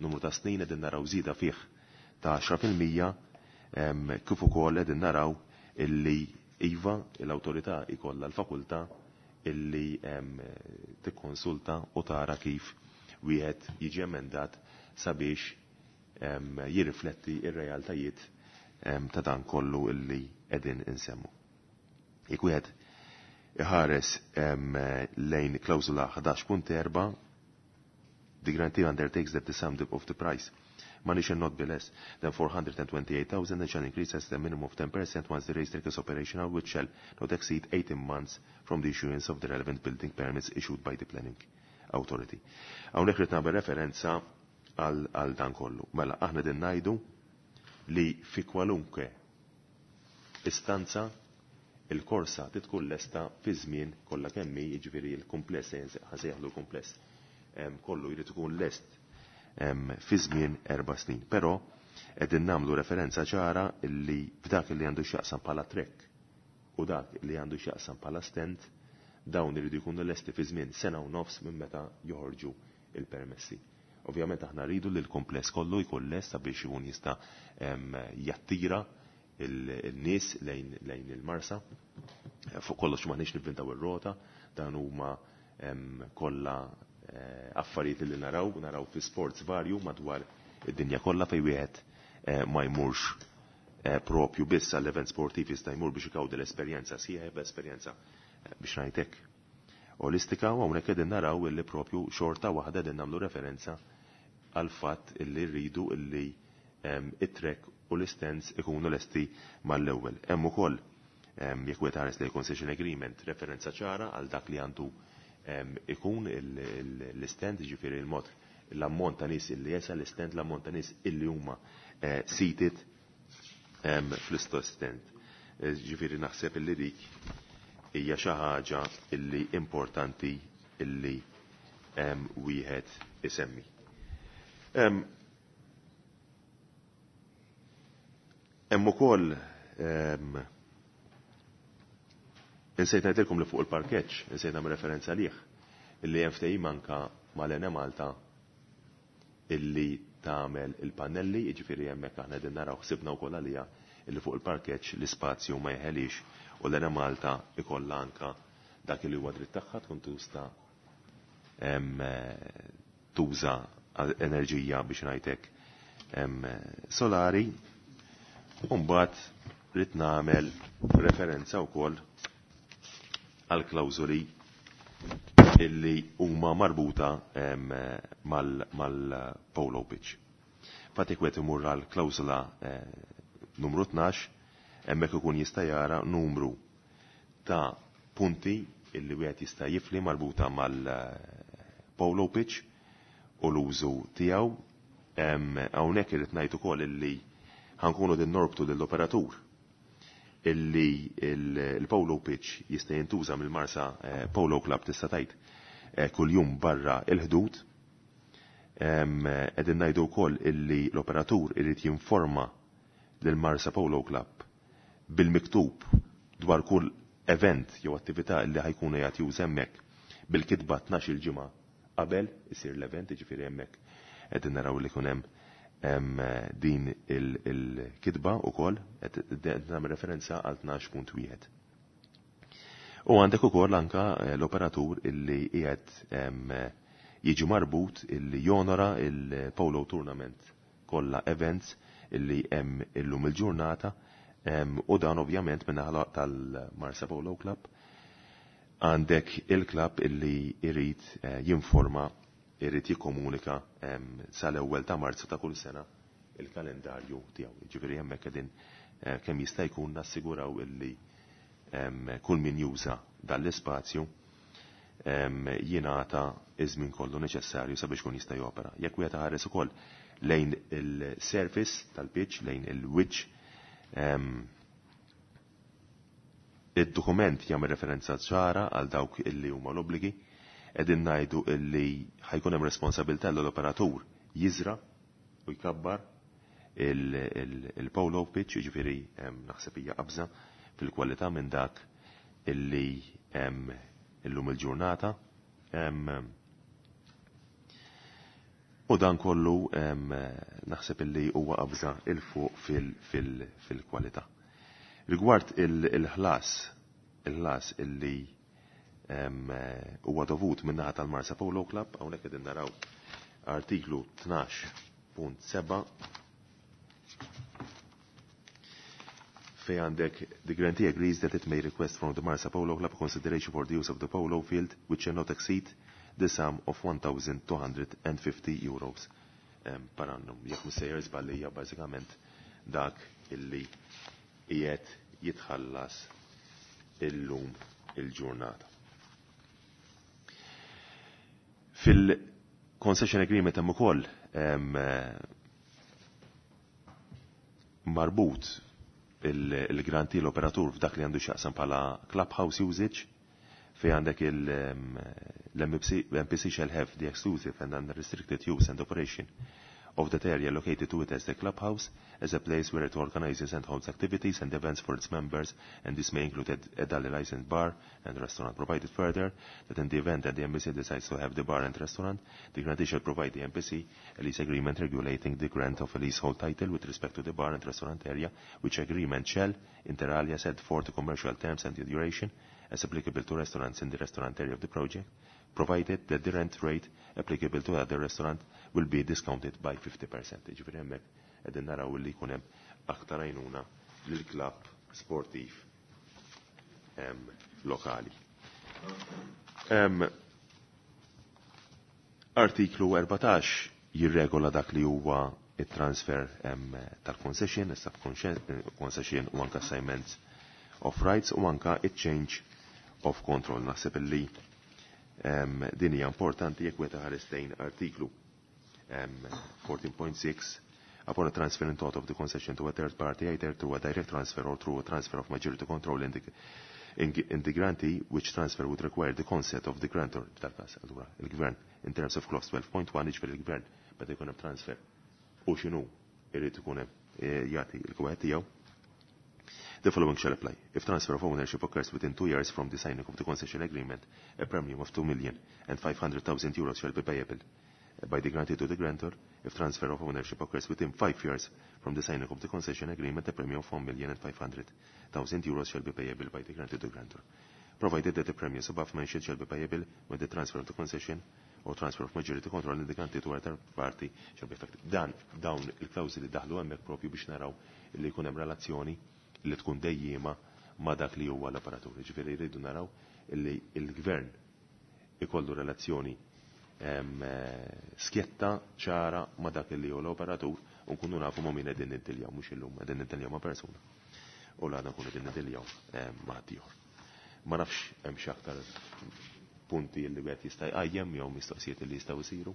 numru ta' snin, qegħdin naraw żieda fih ta' għaxra fil-mija, kif ukoll qegħdin naraw illi iva l-awtorità ikollha l-fakultà illi tikkonsulta u tara kif wieħed jiġi emendat sabiex jirrifletti ir-realtajiet ta' dan kollu illi qegħdin insemmu. Jekk wieħed iħares lejn klawżola ħdax punt erba', the grantee undertakes that the sum of the price money shall not be less than four hundred and twenty-eight thousand and shall increase as the minimum of ten percent once the racetrack is operational, which shall not exceed eighteen months from the issuance of the relevant building permits issued by the planning authority. Hawnhekk rid nagħmel referenza għal dan kollu. Mela aħna din ngħidu li fi kwalunkwe istanza il-korsa titkun lesta fi żmien kollha kemm hi, jiġifieri l-kumpless, ħasejħlu l-kumpless, kollu jrid ikun lest fi żmien erba' snin. Però qegħdin nagħmlu referenza ċara li f'dak li għandu x'jaqsam bħala trek u dak li għandu x'jaqsam bħala stand, dawn iridu jkunu lesti fi żmien sena u nofs minn meta joħorġu il-permessi. Ovvjament aħna rridu li l-kompless kollu jkun lest sabiex ikun jista', em, jattira il-nies lejn, lejn il-Marsa. Fuq kollox m'aħniex nivvintaw ir-rota, dan huma, em, kollha, eh, affarijiet li naraw, naraw fi sports varju madwar id-dinja kollha fejn wieħed, eh, ma jmurx, eh, propju biss għall-event sportiv, jista' jmur biex ikawdi l-esperjenza sieħeb, esperjenza, eh, biex ngħidlek olistika, u hawnhekk qegħdin naraw illi propju xorta waħda qegħdin nagħmlu referenza għal fatt illi rridu illi it-trek u l-istens ikunu lesti mal-ewwel. Hemm ukoll jekk wieħed ħares li concession agreement referenza ċara għal dak li għandu ikun l-istand, jiġifieri il-mod l-ammont ta' nies illi jesa l-istand, l-ammont ta' nies illi huma seated fl-istess stand. Ġifieri naħseb illi dik hija xi ħaġa illi importanti illi wieħed isemmi. Hemm ukoll insejt ngħidilkom li fuq il-parkeġġ, insejt nagħmel referenza għalih, illi hemm ftehim anke mal-Enemalta illi tagħmel il-pannelli, jiġifieri hemmhekk aħna qegħdin naraw ħsibna wkoll għaliha illi fuq il-parkeġġ l-ispazju ma jeħelix u l-Enemalta ikollha anke dak li huwa dritt tagħha tkun tuża tuża enerġija biex ngħidlek solari. U mbagħad rrid nagħmel referenza wkoll għal klawżoli illi huma marbuta mal-polo pitch. Fatik wieħed imur għal klawżola numru tnax, hemmhekk ikun jista' jara numru ta' punti illi wieħed jista' jifli marbuta mal-polo pitch u l-użu tiegħu. Hawnhekk irid ngħid ukoll illi ħankunu din norbtu lill-operatur illi il-polo pitch jista' jintuża mill-Marsa Polo Club tista' tgħid kuljum barra il-ħdud. Qegħdin ngħidu wkoll illi l-operatur irid jinforma lill-Marsa Polo Club bil-miktub dwar kull event jew attività illi ħajkunu jagħti juża hemmhekk bil-kitba tnax-il ġimgħa qabel isir l-event, jiġifieri hemmhekk qegħdin naraw li jkun hemm din il-kitba wkoll qed nagħmel referenza għal tnax punt wieħed. U għandek ukoll anka l-operatur illi qiegħed jiġi marbut illi jonora il-Polo Tournament kollha events illi hemm illum il-ġurnata, u dan ovvjament min-naħa tal-Marsa Polo Club għandek il-klab illi irid jinforma, irid jikkomunika sal-ewwel ta' Marzu ta' kull sena il-kalendarju tiegħu. Jiġifieri hemmhekk qegħdin kemm jista' jkun nassiguraw illi kull min juża dan l-ispazju jingħata iż-żmien kollu neċessarju sabiex kun jista' jopera. Jekk wieħed ħares ukoll lejn il-surface tal-pitch, lejn il-wiċċ, id-dokument jagħmel referenza ċara għal dawk illi huma l-obbligi, qegħdin ngħidu illi ħajkun hemm responsabilità l-operatur jiżra u jkabbar il-polo pitch, jiġifieri naħseb hija qabża fil-kwalità minn dak illi hemm illum il-ġurnata. U dan kollu naħseb illi huwa qabża il fuq fil-kwalità. Rigward il-ħlas, il-ħlas illi huwa dovut min-naħa tal-Marsa Polo Club, hawnhekk qegħdin naraw artiklu tnax punt seba' fej għandek the grantee agrees that it may request from the Marsa Polo Club consideration for the use of the polo field which shall not exceed the sum of one thousand two hundred and fifty euros per annum. Jekk mhux sejjer żball hija bażikament dak illi qiegħed jitħallas illum il-ġurnata. Fil-concession agreement hemm ukoll marbut il-granti l-operatur f'dak li għandu x'jaqsam bħala clubhouse usage, fej għandek il-M P C shall have the exclusive and unrestricted use and operation of that area located to it as the clubhouse, as a place where it organizes and holds activities and events for its members, and this may include a, a daily licensed bar and restaurant. Provided further that in the event that the M P C decides to have the bar and restaurant, the grantee shall provide the M P C a lease agreement regulating the grant of a leasehold title with respect to the bar and restaurant area, which agreement shall, inter alia, set forth the commercial terms and the duration as applicable to restaurants in the restaurant area of the project, provided that the rent rate applicable to other restaurant will be discounted by fifty percent. Ġifieri hemmhekk qegħdin naraw li jkun hemm aktar għajnuna lill-klabb sportiv lokali. Um, artiklu erbatax jirregola dak li huwa it-transfer um, tal-concession, sub-concession u anka assignment of rights u anka it-change of control. Naħseb li um, din hija importanti jekk wieħed ħares lejn artiklu um, fourteen point six upon a transfer in total of the concession to a third party, either through a direct transfer or through a transfer of majority control in the, in, in the grantee, which transfer would require the consent of the grantor, tal-kas, allura, il-gvern, in terms of clause twelve point one, jiġifieri il-gvern, meta jkun hemm transfer. U x'inhu irid ikun hemm, eh, jagħti l-kwet tiegħu. The following shall apply. If transfer of ownership occurs within two years from the signing of the concession agreement, a premium of two million and five hundred thousand euros shall be payable by the grantee to the grantor. If transfer of ownership occurs within five years from the signing of the concession agreement, a premium of one million and five hundred thousand euros shall be payable by the grantee to the grantor, provided that the premiums above mentioned shall be payable when the transfer of the concession or transfer of majority control in the grantee to a third party shall be effective. Dan, dawn il-klawżi li daħlu hemmhekk propju biex naraw li jkun hemm relazzjoni li tkun dejjima ma' dak li huwa l-operatur. Ġifieri jridu naraw li l-gvern ikollu relazzjoni, em, eh, skjetta ċara ma' dak li huwa l-operatur u nkunu nafu ma' min qegħdin niddiljaw, mhux illum qegħdin niddiljaw ma' persuna. U l-għada nkunu qegħdin niddiljaw, em, ma' ħaddieħor. Ma nafx hemm xi aktar punti li wieħed jista' jqajjem jew mistoqsijiet li jistgħu jsiru.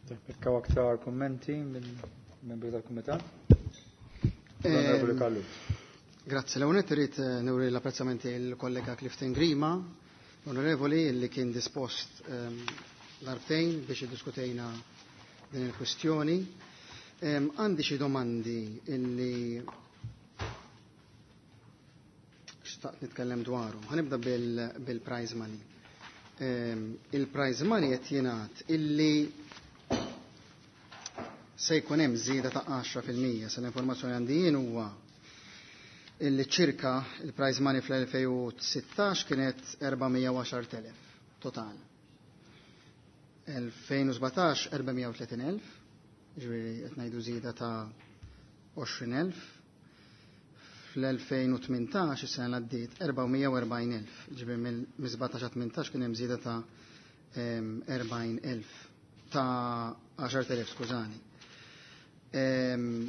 Jekk hawn aktar kummenti minn membri tal-kumitat? Onorevoli Ehm, Kallu. Grazzi. L-ewwel nett irid, eh, nuri l-apprezzamenti l-kollega Clifton Grima, onorevoli li kien dispost, ehm, darbtejn biex iddiskutejna din il-kwistjoni. Ehm, għandi xi domandi illi xtaqt nitkellem dwarhom. Ħanibda bil-, bil-prize money. Ehm, il-prize money qed jingħad illi se jkun hemm żieda ta' għaxra fil-mija. Se l-informazzjoni għandi jien huwa illi ċirka il-prize money fl-elfejn u sittax kienet erba' mija u għaxar telef total. elfejn u sbatax erba' mija u tletin elf, ġifieri qed ngħidu żieda ta' għoxrin elf. Fl-elfejn u tmintax is-sena li għaddiet erba' mija u erbgħin elf, ġifieri mill-sbatax għal tmintax kien hemm żieda ta', em, erbgħin elf, ta' għaxar telef, skużani. Em,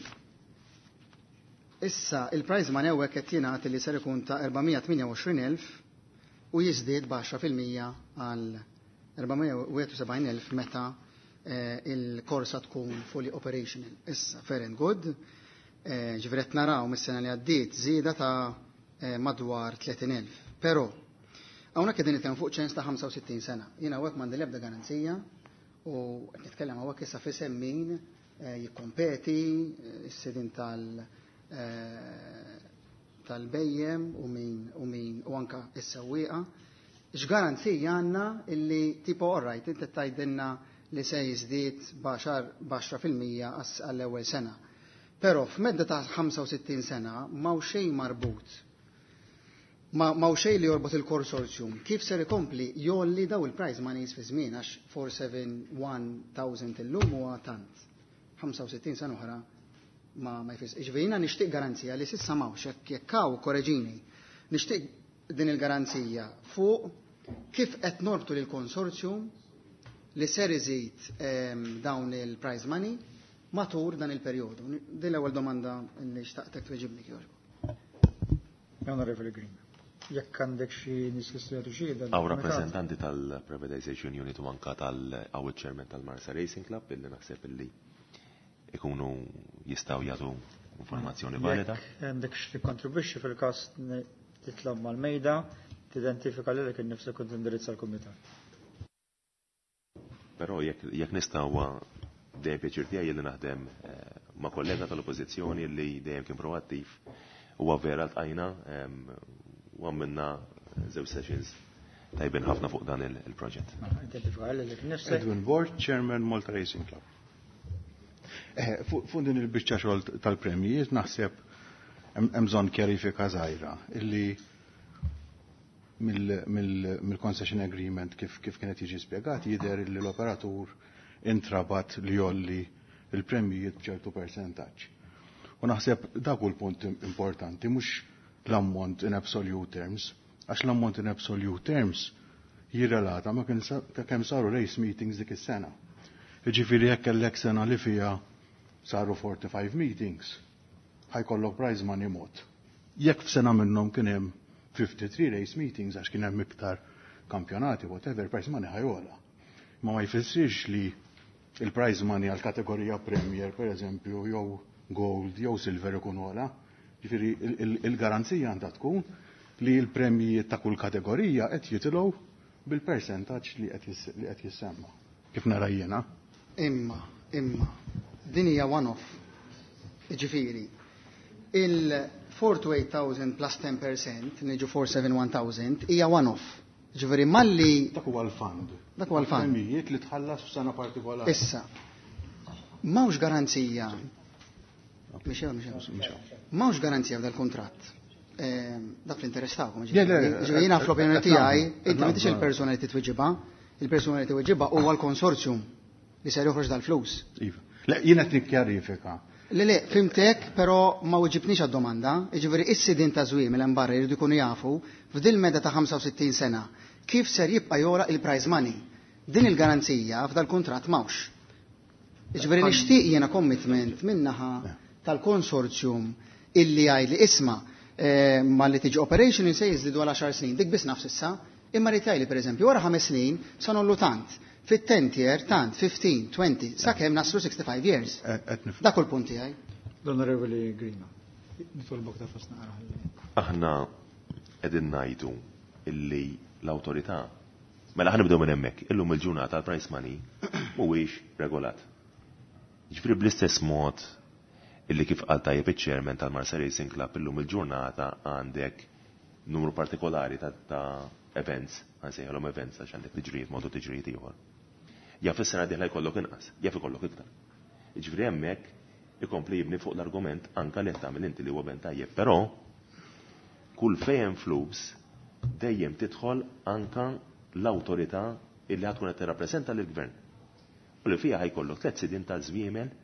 issa, il-prize money hawnhekk qed jingħad li ser ikun ta' erba' mija tminja u għoxrin elf u jiżdied b'għaxra fil-mija għal erba' mija u wieħed u sebgħin elf meta, eh, il-korsa tkun fully operational. Issa, fair and good, eh, ġifieri qed naraw mis-sena li għaddiet żieda ta', eh, madwar tletin elf. Però, hawnhekk qegħdin nitkellmu fuq ċens ta' ħamsa u sittin sena. Jiena hawnhekk m'għandi l-ebda garanzija u qed nitkellem hawnhekk issa f'isem min, eh, jikkompeti, eh, is-sidin tal-, eh, tal-bejjem u min, u min, u anka is-sewwieqa. X'garanzija għandna illi tipo all right, inti tgħidilna li se jiżdied b'għaxar, b'għaxra fil-mija għas-, għall-ewwel sena. Però f'medda ta' ħamsa u sittin sena m'hawn xejn marbut. Ma, m'hawn xejn li jorbot il-konsorzjum. Kif ser ikompli jolli daw il-prize monies fi żmien għax four seven one thousand illum huwa tant. ħamsa u sittin sena oħra ma, ma jfis. Ġifieri jiena nixtieq garanzija li s'issa m'hawnx, jekk, jekk hawn korreġini, nixtieq din il-garanzija fuq kif qed norbtu lil konsorzjum li ser iżid, ehm, dawn il-prize money matur dan il-perjodu. Din l-ewwel domanda li xtaqtek tweġibni kjoġbu. Onorevoli Green, jekk għandek xi nies li jistgħu xi dan Hawn il-kumitat. rappreżentanti tal-Privatization Unit u anka tal-Awed Chairman tal-Marsa Racing Club illi naħseb illi ikunu jistgħu jagħtu informazzjoni valida. Jekk għandek xi tikkontribwixxi fil-każ titlob mal-mejda, tidentifika lilek innifsek u tindirizza l-kumitat. Però jekk, jekk nista' huwa dejjem pjaċir tiegħi li naħdem, eh, ma' kollega tal-Oppożizzjoni li dejjem kien proattiv. Huwa vera ltqajna, em, u għamilna żewġ sessions tajbin ħafna fuq dan il-, il-proġett. Identifika lilek innifsek. Edwin Borg, Chairman Malta Racing Club. Eh, fu-, fuq din il-biċċa xogħol tal-premjijiet naħseb hemm, hemm bżonn kjarifika żgħira illi mill-, mill-, mill-concession agreement kif, kif kienet jiġi spjegat jidher illi l-operatur intrabat li jolli il-premjijiet b'ċertu percentaġġ. U naħseb dak hu l-punt importanti, mhux l-ammont in absolute terms, għax l-ammont in absolute terms jirrelata ma kien kemm saru race meetings dik is-sena. Jiġifieri jekk kellek sena li fiha saru forty-five meetings, ħa jkollok prize money mod. Jekk f'sena minnhom kien hemm fifty-three race meetings għax kien hemm iktar kampjonati, whatever, prize money ħa jogħla. Ma ma jfissirx li il-prize money għal kategorija Premier, per eżempju, jew Gold, jew Silver ikun ogħla. Ġifieri il-garanzija għandha tkun li l-premjijiet ta' kull kategorija qed jitilgħu bil-percentaġġ li qed jissemma. Kif nara jiena? Imma, imma, din hija one-off. Ġifieri, il four to eight thousand plus ten percent, niġu four seven one thousand, hija one-off. Ġifieri malli Dak huwa l-fund. Dak huwa l-fund. Premjijiet li tħallas f'sena partikolari. Issa, m'hawnx garanzija. Mhix hawn, mhix hawn. M'hawnx garanzija f'dal kuntratt. Dak l-interess tagħkom, ġifieri. Ġifieri jiena fl-opinjoni tiegħi, inti m'intix il-persuna li titweġibha, il-persuna li titweġibha huwa l-konsorzjum li ser joħroġ dal-flus. Iva. Le, jiena qed nikkjarifika. Le, le, fimtek, però ma weġibtnix għad-domanda. Jiġifieri is-sidien ta' żwiemel hemm barra jridu jkunu jafu f'dil meda ta' ħamsa u sittin sena kif ser jibqa' jogħla il-prize money. Din il-garanzija f'dal-kuntratt m'hawnx. Jiġifieri nixtieq jiena commitment min-naħa tal-konsorzjum illi jgħid li isma' ma li tiġi operation se jiżdiedu għal għaxar snin, dik biss nafs issa, imma rrid jgħidli pereżempju wara ħames snin sa nollu tant, fit-tenth year tant, fifteen, twenty, sakemm naslu sixty-five years. Dak hu l-punt tiegħi. L-Onorevoli Grima, nitolbok ta' fost naqra ħalli. Aħna qegħdin ngħidu illi l-awtorità, mela ħa nibdew minn hemmhekk, illum il-ġurnata l-price money mhuwiex regolat. Ġifieri bl-istess mod illi kif qal tajjeb iċ-chairman tal-Marsa Racing Club illum il-ġurnata għandek numru partikolari ta', ta' events, għansejħalhom events għax għandek tiġrijiet mod u tiġrijiet ieħor. Jaf is-sena dieħla jkollok inqas, jaf ikollok iktar. Jiġifieri hemmhekk ikompli jibni fuq l-argument anka li qed tagħmel inti li huwa ben tajjeb, però kull fejn flus dejjem tidħol anka l-awtorità illi ħatkun qed tirrappreżenta lill-gvern. U li fiha ħajkollok tliet sidien ta' żwiemel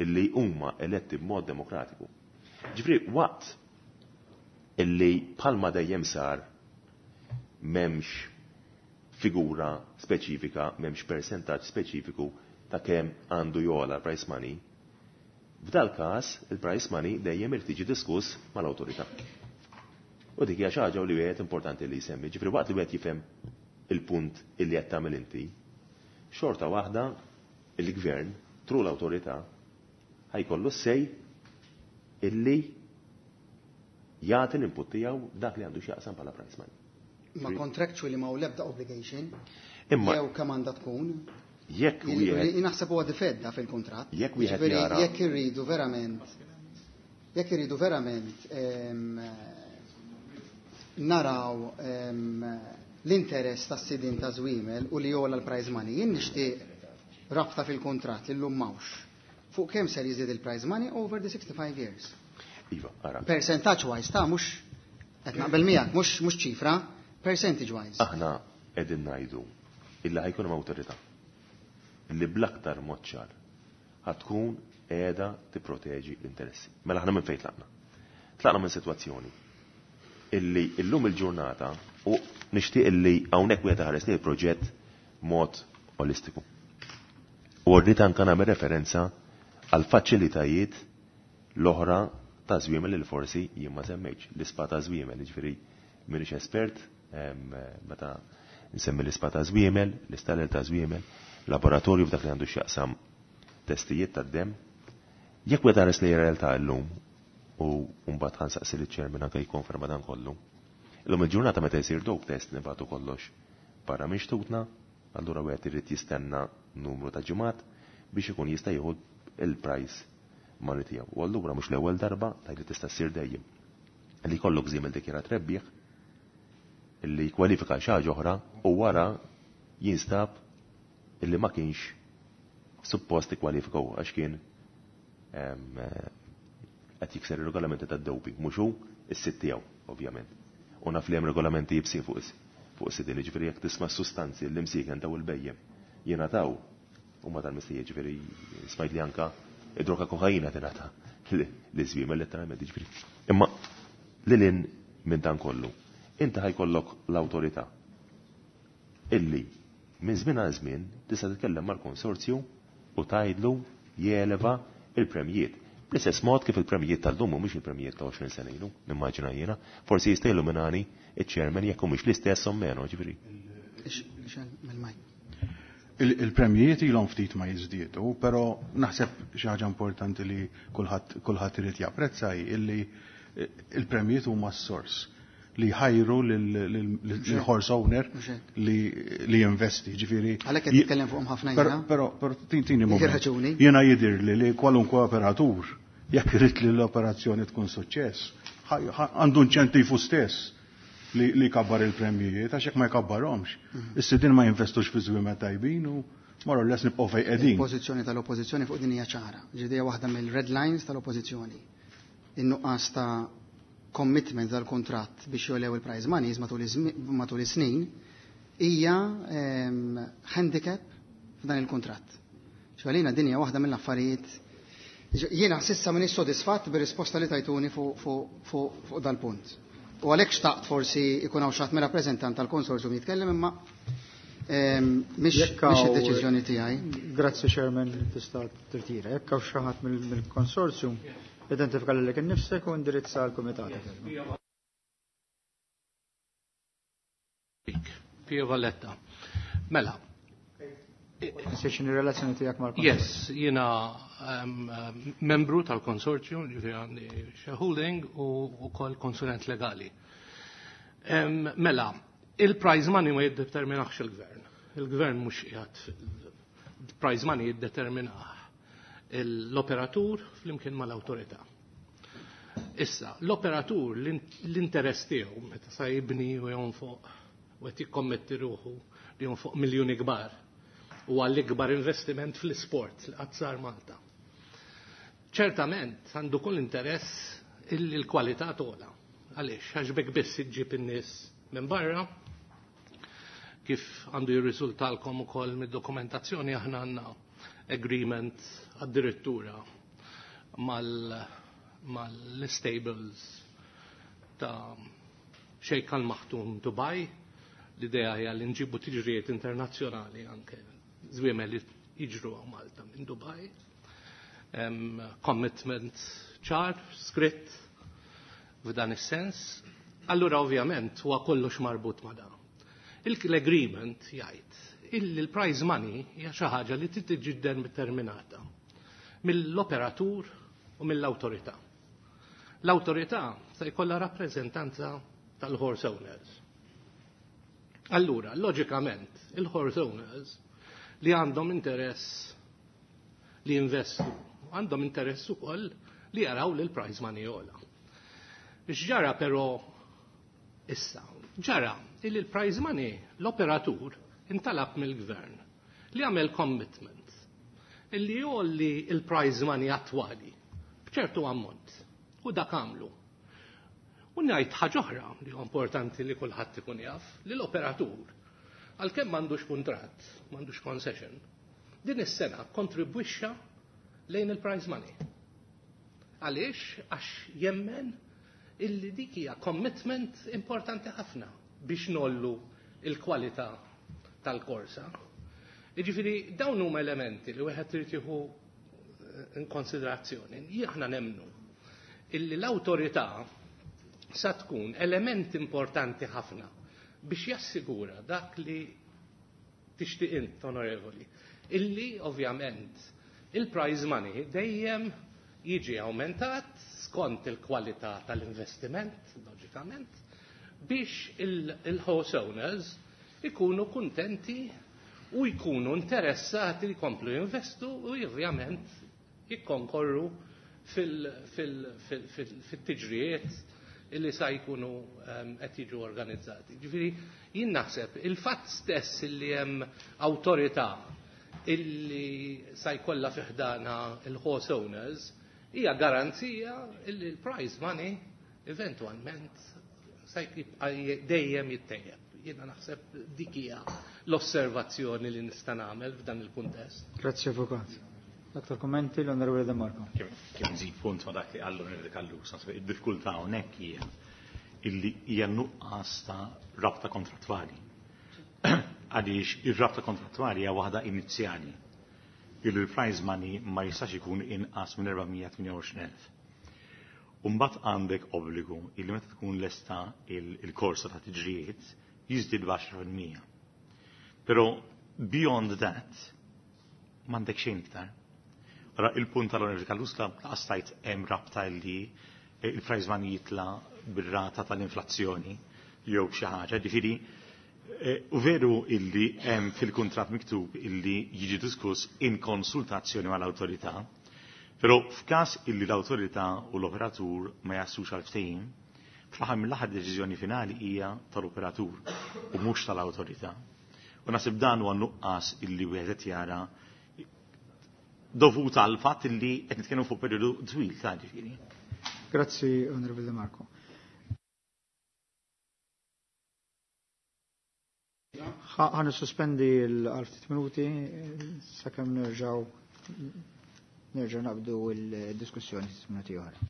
illi huma eletti b'mod demokratiku. Ġifieri waqt illi bħalma dejjem sar m'hemmx figura speċifika, m'hemmx percentaġġ speċifiku ta' kemm għandu jogħla l-price money, f'dal każ il-price money dejjem irid jiġi diskuss mal-awtorità. U dik hija xi ħaġa li wieħed importanti li jsemmi. Ġifieri waqt li wieħed jifhem il-punt illi qed tagħmel inti, xorta waħda il-gvern tru l-awtorità ħajkollu sej illi jagħti l-input tiegħu dak li għandu x'jaqsam bħala price money. Ma contractually ma hu l-ebda obligation. Imma jew kemm għandha tkun. Jekk Jien wieħed jien naħseb huwa difedda fil-kuntratt. Jekk wieħed Jiġifieri jara jekk irridu verament, jekk irridu verament, ehm, naraw, ehm, l-interess tas-sidien ta' żwiemel u li jogħla l-prize money, jien nixtieq rabta fil-kuntratt li llum m'hawnx. Fuq kemm ser jiżdied il-prize money over the sixty-five years. Iva, ara. Percentage wise ta' mhux qed naqbel miegħek, mhux, mhux ċifra, percentage wise. Aħna qegħdin ngħidu illi ħajkun hemm awtorità li bl-aktar mod ċar ħatkun qiegħda tipproteġi l-interessi. Mela aħna minn fejn tlaqna? Tlaqna minn sitwazzjoni illi illum il-ġurnata u nixtieq illi hawnhekk wieħed ħares li l-proġett mod olistiku. U rrid anke nagħmel referenza għal faċilitajiet l-oħra ta' żwiemel li forsi jien ma semmejtx, l-ispa ta' żwiemel, jiġifieri m'iniex espert, em, meta nsemmi l-ispa ta' żwiemel, l-istaller ta' żwiemel, laboratorju f'dak li għandu x'jaqsam testijiet tad-demm. Jekk wieħed ħares li realtà llum u mbagħad ħansaqsi liċ-chairman anke jikkonferma dan kollu. Illum il-ġurnata meta jsir dope test nibgħatu kollox barra minn xtutna, allura wieħed irid jistenna numru ta' ġimgħat biex ikun jista' jieħu il-price money tiegħu. U allura mhux l-ewwel darba tgħid li tista' ssir dejjem. Li jkollok żiemel dikjarat rebbieħ illi jkwalifika xi ħaġa oħra u wara jinstab illi ma kienx suppost ikkwalifika hu għax kien, em, qed jikser ir-regolamenti tad-doping, mhux hu is-sitt tiegħu, ovvjament. U naf li hemm regolamenti jibsin fuq is-, fuq is-sidien, jiġifieri jekk tisma' sustanzi li msieken daw il-bejjem jingħataw huma tal-mistija, jiġifieri smajt li anka id-droga kokaina tingħata li żwiemel letteralment, jiġifieri. Imma lil hinn minn dan kollu, inti ħajkollok l-awtorità illi minn żmien għal żmien tista' titkellem mal-konsorzju u tgħidlu jeleva il-premjiet. Bl-istess mod kif il-premjiet tal-lum mhumiex il-premjiet ta' għoxrin sena ilu, nimmaġina jiena, forsi jista' jilluminani iċ-chairman jekk humiex l-istess o meno, ġifieri. Il-premjiet ilhom ftit ma jiżdiedu, però naħseb xi ħaġa importanti li kulħadd kulħadd irid japprezza hi illi il-premjiet huma s-sors li ħajru lil-horse owner li jinvesti, ġifieri. Għalhekk qed nitkellem fuqhom ħafna jiena. Però però tini moment. Jiena jidhir li li kwalunkwe operatur jekk irid li l-operazzjoni tkun suċċess, għandu inċentivu stess li jkabbar il-premjijiet, għax jekk ma jkabbarhomx. Is-sidien ma jinvestux fi żwiemel tajbin u more or less nibqgħu fejn qegħdin. Il-pożizzjoni tal-Oppożizzjoni fuq din hija ċara. Ġifieri waħda mill-red lines tal-Oppożizzjoni. In-nuqqas ta' commitment tal-kontratt biex jolew il-prize monies matul is-snin hija handicap f'dan il-kontratt. Għalina din hija waħda mill-affarijiet. Jiena s'issa m'iniex sodisfatt bir-risposta li tajtuni fuq dal-punt. U għalhekk xtaqt forsi ikun hawn xi ħadd mir-rappreżentant tal-konsorzju jitkellem, imma mhix id-deċiżjoni tiegħi. Grazzi Chairman, tista' tirtira. Jekk hawn xi ħadd mill-konsorzju, identifika lilek innifsek u indirizza l-kumitat. Pio Valletta. Mela. X'inhi r-relazzjoni tiegħek mal-konsorzju? Yes, jiena membru tal-konsorzju, ġifieri għandi shareholding u wkoll konsulent legali. Mela, il-prize money ma jiddeterminax il-gvern. Il-gvern mhux qiegħed il-prize money jiddeterminah l-operatur flimkien mal-awtorità. Issa, l-operatur l-interess tiegħu meta sa jibni u jonfoq u qed jikkommetti ruħu li jonfoq miljuni kbar u għall-ikbar investiment fl-isport li qatt sar Malta. Ċertament għandu kull interess illi l-kwalità togħla. Għaliex, għax bek biss iġġib in-nies minn barra, kif għandu jirriżultalkom ukoll mid-dokumentazzjoni aħna għandna agreement addirittura mal-stables ta' Sheikh Al Maktoum Dubai. L-idea hija li nġibu tiġrijiet internazzjonali anke żwiemel li jiġru għaw Malta minn Dubai. Um, commitment ċar, skritt f'dan is-sens. Allura ovvjament huwa kollox marbut ma' dan. L-agreement jgħid illi l-prize money hija xi ħaġa li trid tiġi determinata mill-operatur u mill-awtorità. L-awtorità se jkollha rappreżentanza tal-horse owners. Allura, loġikament, il-horse owners li għandhom interess li investu, għandhom interess ukoll li jaraw li l-prize money jogħla. X'ġara però issa? Ġara illi l-prize money l-operatur intalab mill-gvern li għamel commitment illi jgħolli il-prize money attwali b'ċertu ammont u dak għamlu. U ngħid ħaġa oħra li huwa importanti li kulħadd ikun jaf li l-operatur għalkemm m'għandux kuntratt, m'għandux concession, din is-sena kontribwixxa lejn il-prize money. Għaliex? Għax jemmen illi dik hija commitment importanti ħafna biex nollu il-kwalità tal-korsa. Jiġifieri dawn huma elementi li wieħed irid jieħu in konsiderazzjoni. Aħna nemmnu illi l-awtorità sa tkun element importanti ħafna biex jassigura dak li tixtieq int, onorevoli, illi ovvjament il-prize money dejjem jiġi aumentat skont il-kwalità tal-investiment, loġikament, biex il-horse owners ikunu kuntenti u jkunu interessati li jkomplu jinvestu u ovvjament jikkonkorru fil-tiġrijiet illi sa jkunu qed jiġu organizzati. Ġifieri jien naħseb il-fatt stess illi hemm awtorità illi sa jkollha fi ħdana il-horse owners hija garanzija illi l-prize money eventwalment sa jibqa' dejjem jittejjeb. Jiena naħseb dik hija l-osservazzjoni li nista' nagħmel f'dan il-kuntest. Grazzi Avukat. Aktar kommenti l-Onorevole De Marco. Kif nżid punt ma dak li qallu l-Onorevole Callus, naħseb id-diffikultà hawnhekk hija illi hija nuqqas ta' rabta kontrattwali. Għaliex ir-rabta kontrattwali hija waħda inizjali. Il-prize money ma jistax ikun inqas minn erba' mija tmienja u għoxrin elf. Umbagħad għandek obbligu illi meta tkun lesta il-korsa ta' tiġrijiet jiżdied b'għaxra fil-mija. Però beyond that m'għandek xejn iktar. Ara il-punt tal-Onorevoli Callus laqas tajt hemm rabta li il-prize money jitla bir-rata tal-inflazzjoni jew xi ħaġa, ġifieri u veru illi hemm fil-kuntratt miktub illi jiġi diskuss in konsultazzjoni mal-awtorità, però f'każ illi l-awtorità u l-operatur ma jaslux għal ftehim, fl-aħħar mill-aħħar deċiżjoni finali hija tal-operatur u mhux tal-awtorità. U naħseb dan huwa nuqqas illi wieħed qed jara dovut għal fatt illi qed nitkellmu fuq perjodu twil ta' ġifieri. Grazzi, Onorevole De Marco. Ħa nissuspendi l-għal ftit minuti sakemm nerġgħu nerġgħu naqbdu l-diskussjoni ftit minuti oħra.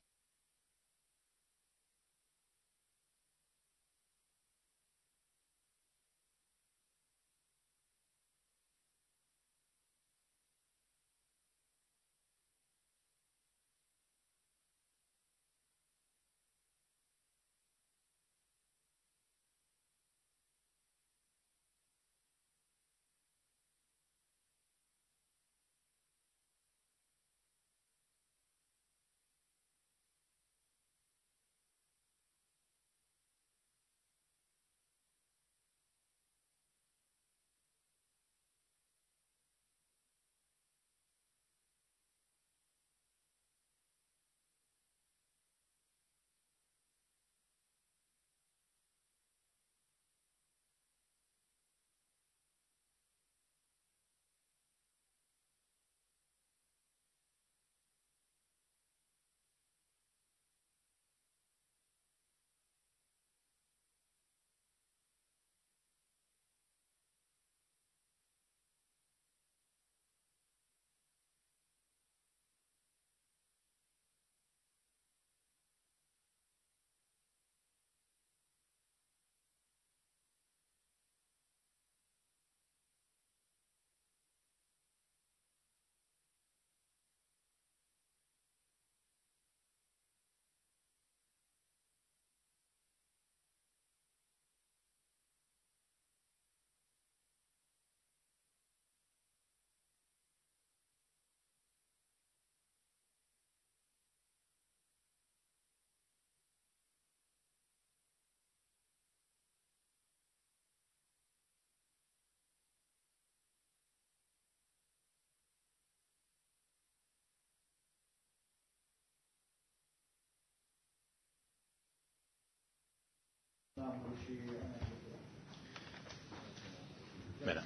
Mela.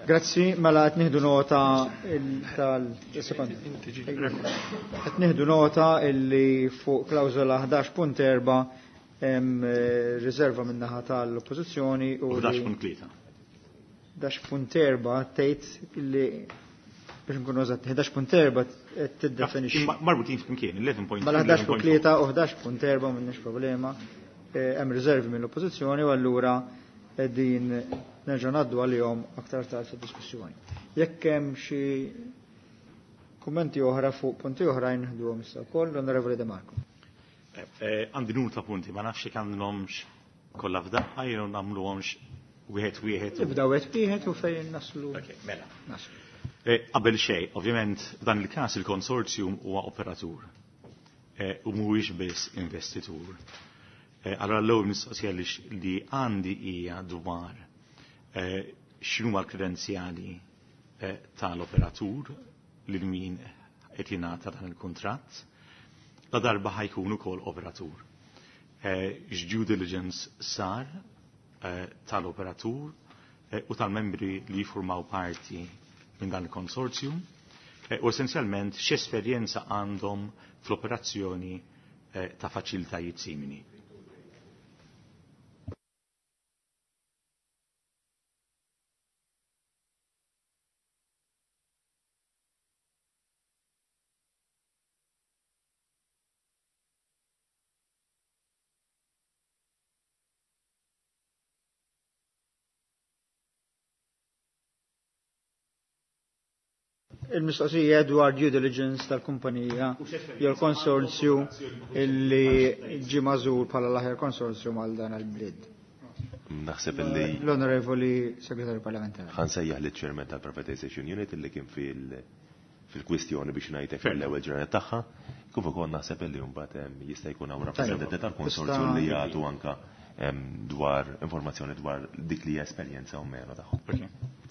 Grazzi, mela qed nieħdu nota tal-sekond. Qed nieħdu nota illi fuq klawżola ħdax punt erba' hemm riserva min-naħa tal-oppożizzjoni u ħdax punt tlieta. ħdax punt erba' tgħid illi biex nkunu eżatti, ħdax punt erba' qed tiddefinixxi. Marbutin flimkien, eleven point Mela ħdax punt tlieta u ħdax punt erba' m'għandniex problema. Hemm riservi mill-oppożizzjoni u allura qegħdin nerġa' ngħaddu għalihom aktar tard fid-diskussjoni. Jekk hemm xi kummenti oħra fuq punti oħrajn nieħduhom issa wkoll, l-Onorevoli De Marco. Għandi numru ta' punti, ma nafx jekk għandhomx kollha f'daqqa jew nagħmluhomx wieħed wieħed. Nibda wieħed wieħed u fejn naslu. Ok, mela. Naslu. Qabel xejn, ovvjament f'dan il-każ il-konsorzjum huwa operatur u mhuwiex biss investitur. Allora l-ewwel mistoqsija li għandi hija dwar x'inhuma l-kredenzjali tal-operatur lil min qed jingħata dan il-kuntratt. La darba ħajkun ukoll operatur. X'due diligence sar tal-operatur u tal-membri li jiffurmaw parti minn dan il-konsorzjum u essenzjalment x'esperjenza għandhom fl-operazzjoni ta' faċilitajiet simili. Il-mistoqsija dwar due diligence tal-kumpanija jew l-konsorzju illi ġie magħżul bħala l-aħjar konsorzju għal dan il-bid. Naħseb illi L-Onorevoli Segretarju Parlamentari. Ħa nsejjaħ liċ-chairman tal-Privatization Unit illi kien fil- fil-kwistjoni biex ngħidlek fil-ewwel ġranet tagħha, kif ukoll naħseb illi mbagħad em, jista' jkun hawn rappreżentanti tal-konsorzju li jagħtu anka em, dwar informazzjoni dwar dik li hija esperjenza u meno tagħhom.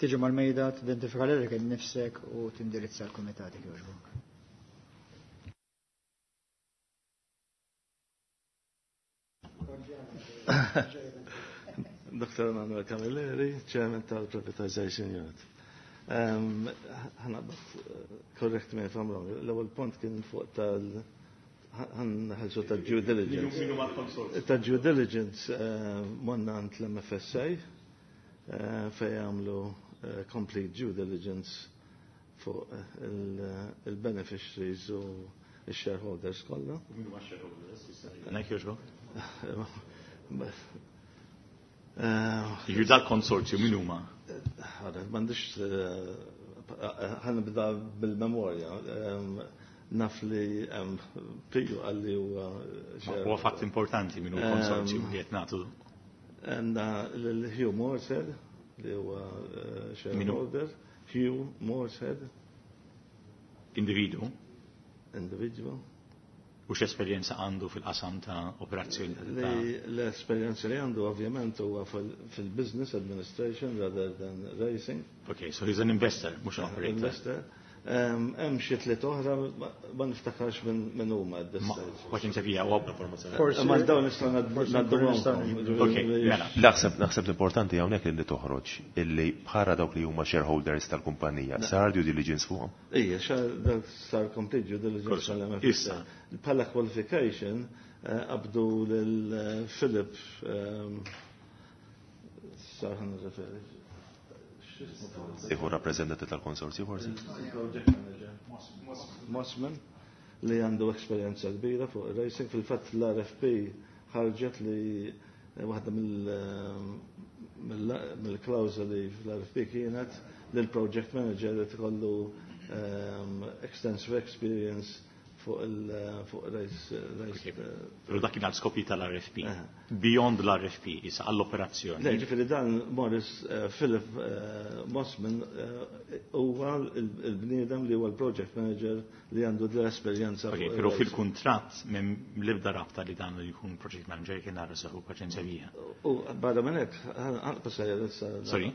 Tiġi mal-mejda, tidentifika lilek innifsek u tindirizza l-kumitati jogħġbok. Doctor Emanuel Camilleri, Chairman tal-Privatization Unit. Ħa naqbad, correct me if I'm wrong, l-ewwel punt kien fuq tal ħa nħallsu ta' due diligence. Ta' due diligence morna għand l-M F S A fejn jagħmlu complete due diligence fuq il-beneficiaries u il-shareholders kollha. Nek jogħġbok? Jiġifieri dal-konsorzju min huma? Ħara, m'għandix, ħa nibda bil-memorja. Naf li Piju għalli huwa. Huwa fatt importanti min hu konsorzju li qed nagħtu. Għandna l-Hugh Morshead li huwa shareholder. Hugh Morshead. Individu? Individual. U x'esperjenza għandu fil-qasam ta' operazzjoni? L-esperjenza li għandu ovvjament huwa fil-business administration rather than racing. Okay, so he's an investor, mhux an operator. Investor. Hemm xi tliet oħra, ma niftakarx minn huma at this stage. Paċenzja fija, u Ma dawn nistgħu ngħadduhom. Ok, mela. Naħseb naħseb l-importanti hawnhekk li toħroġ illi bħala dawk li huma shareholders tal-kumpanija sar due diligence fuqhom. Ija, sar complete due diligence tal-M F S A. Issa. Bħala qualification qabdu lil Philip, sar ħa nirreferi. Iħu rappresentanti tal-konsorzju forsi? Project manager. Mossman, li għandu esperjenza kbira fuq racing. Fil-fatt l-R F P ħarġet li waħda mill-klawżoli fl-R F P kienet li l-project manager li tkollu extensive experience fuq il-fuq race race. Pero dak kien għal skopi tal-R F P. Beyond l-R F P, issa għall-operazzjoni. Le, ġifieri dan Morris Philip Mossman huwa il-bniedem li huwa l-project manager li għandu l-esperjenza. Ok, pero fil-kuntratt m'hemm l-ebda rabta li dan li jkun project manager kien nara seħu paċenzja bija. U barra minn hekk, ħanqas. Sorry?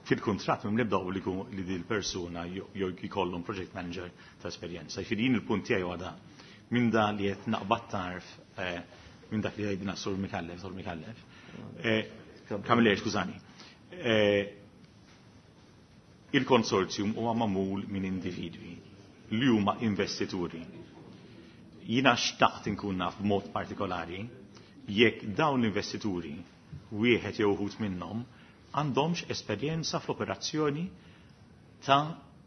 Fil-kuntratt m'hemm l-ebda obbligu li di l-persuna jew jkollhom project manager ta' esperjenza. Jiġifieri jien il-punt tiegħi huwa da. Minn da li qed naqbad tarf minn dak li għidna Sur Mikallef, Sur Mikallef. Camilleri, skużani. Il-konsorzjum huwa magħmul minn individwi li huma investituri. Jiena xtaqt inkun naf b'mod partikolari jekk dawn l-investituri, wieħed jew uħud minnhom, għandhomx esperjenza fl-operazzjoni ta'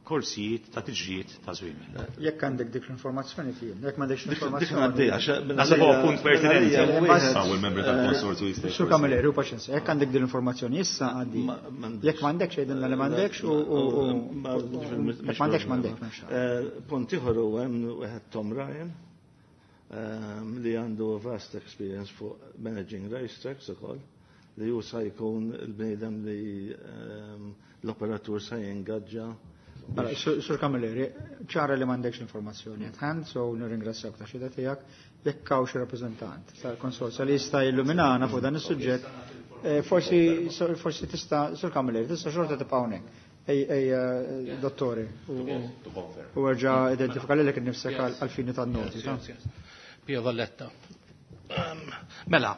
korsijiet ta' tiġrijiet ta' żwiemel. Jekk għandek dik l-informazzjoni fien, jekk m'għandekx Dik l-informazzjoni. Naħseb huwa punt pertinenti. Hawn il-membri tal-konsorzju jista' Sur Camilleri, u paċenzja, jekk għandek din l-informazzjoni issa għaddi. Jekk m'għandekx għidilna li m'għandekx u jekk m'għandekx m'għandekx. Punt ieħor huwa hemm wieħed Tom Ryan li għandu vast experience fuq managing racetracks ukoll, li hu sa jkun il-bniedem li l-operatur sa jingaġġa. Mela, Sur Camilleri, ċara li m'għandekx informazzjoni at hand, so nirringrazzjak ta' xhieda tiegħek. Jekk hawn xi rappreżentant tal-konsorzju li jista' jilluminana fuq dan is-suġġett, forsi forsi tista', Sur Camilleri, tista' xorta tibqa' hawnhekk. Ej, ej, dottore, u erġa' identifika lilek innifsek għal-fini tan-noti. Pio Valletta. Mela,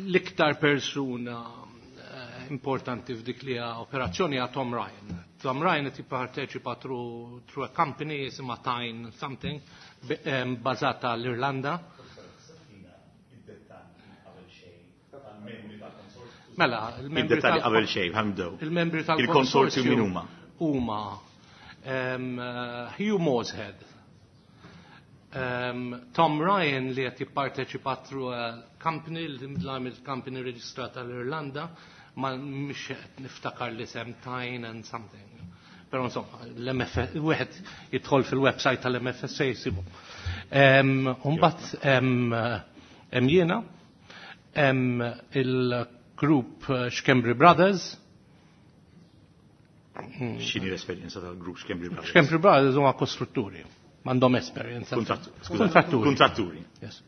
l-iktar persuna importanti f'dik li operazzjoni għa Tom Ryan. Tom Ryan qed jipparteċipa through, through a company jisimha Tyne something, bażata l-Irlanda. Mela, il-membri tal qabel xejn, ħa nibdew. Il-membri tal-konsorzju min huma? Huma um, Hugh Morshead, um, Tom Ryan li qed jipparteċipa through a company, l-company reġistrata l-Irlanda, ma mhix qed niftakar li sem Tyne and something. Però insomma, wieħed jidħol fil-website tal-M F S A jsibu. Imbagħad hemm jiena, hemm il-group Schembri Brothers. X'inhi l-esperjenza tal-grupp Schembri Brothers? Schembri Brothers huma kostrutturi, m'għandhom esperjenza. Kontratturi. Kontratturi. Yes.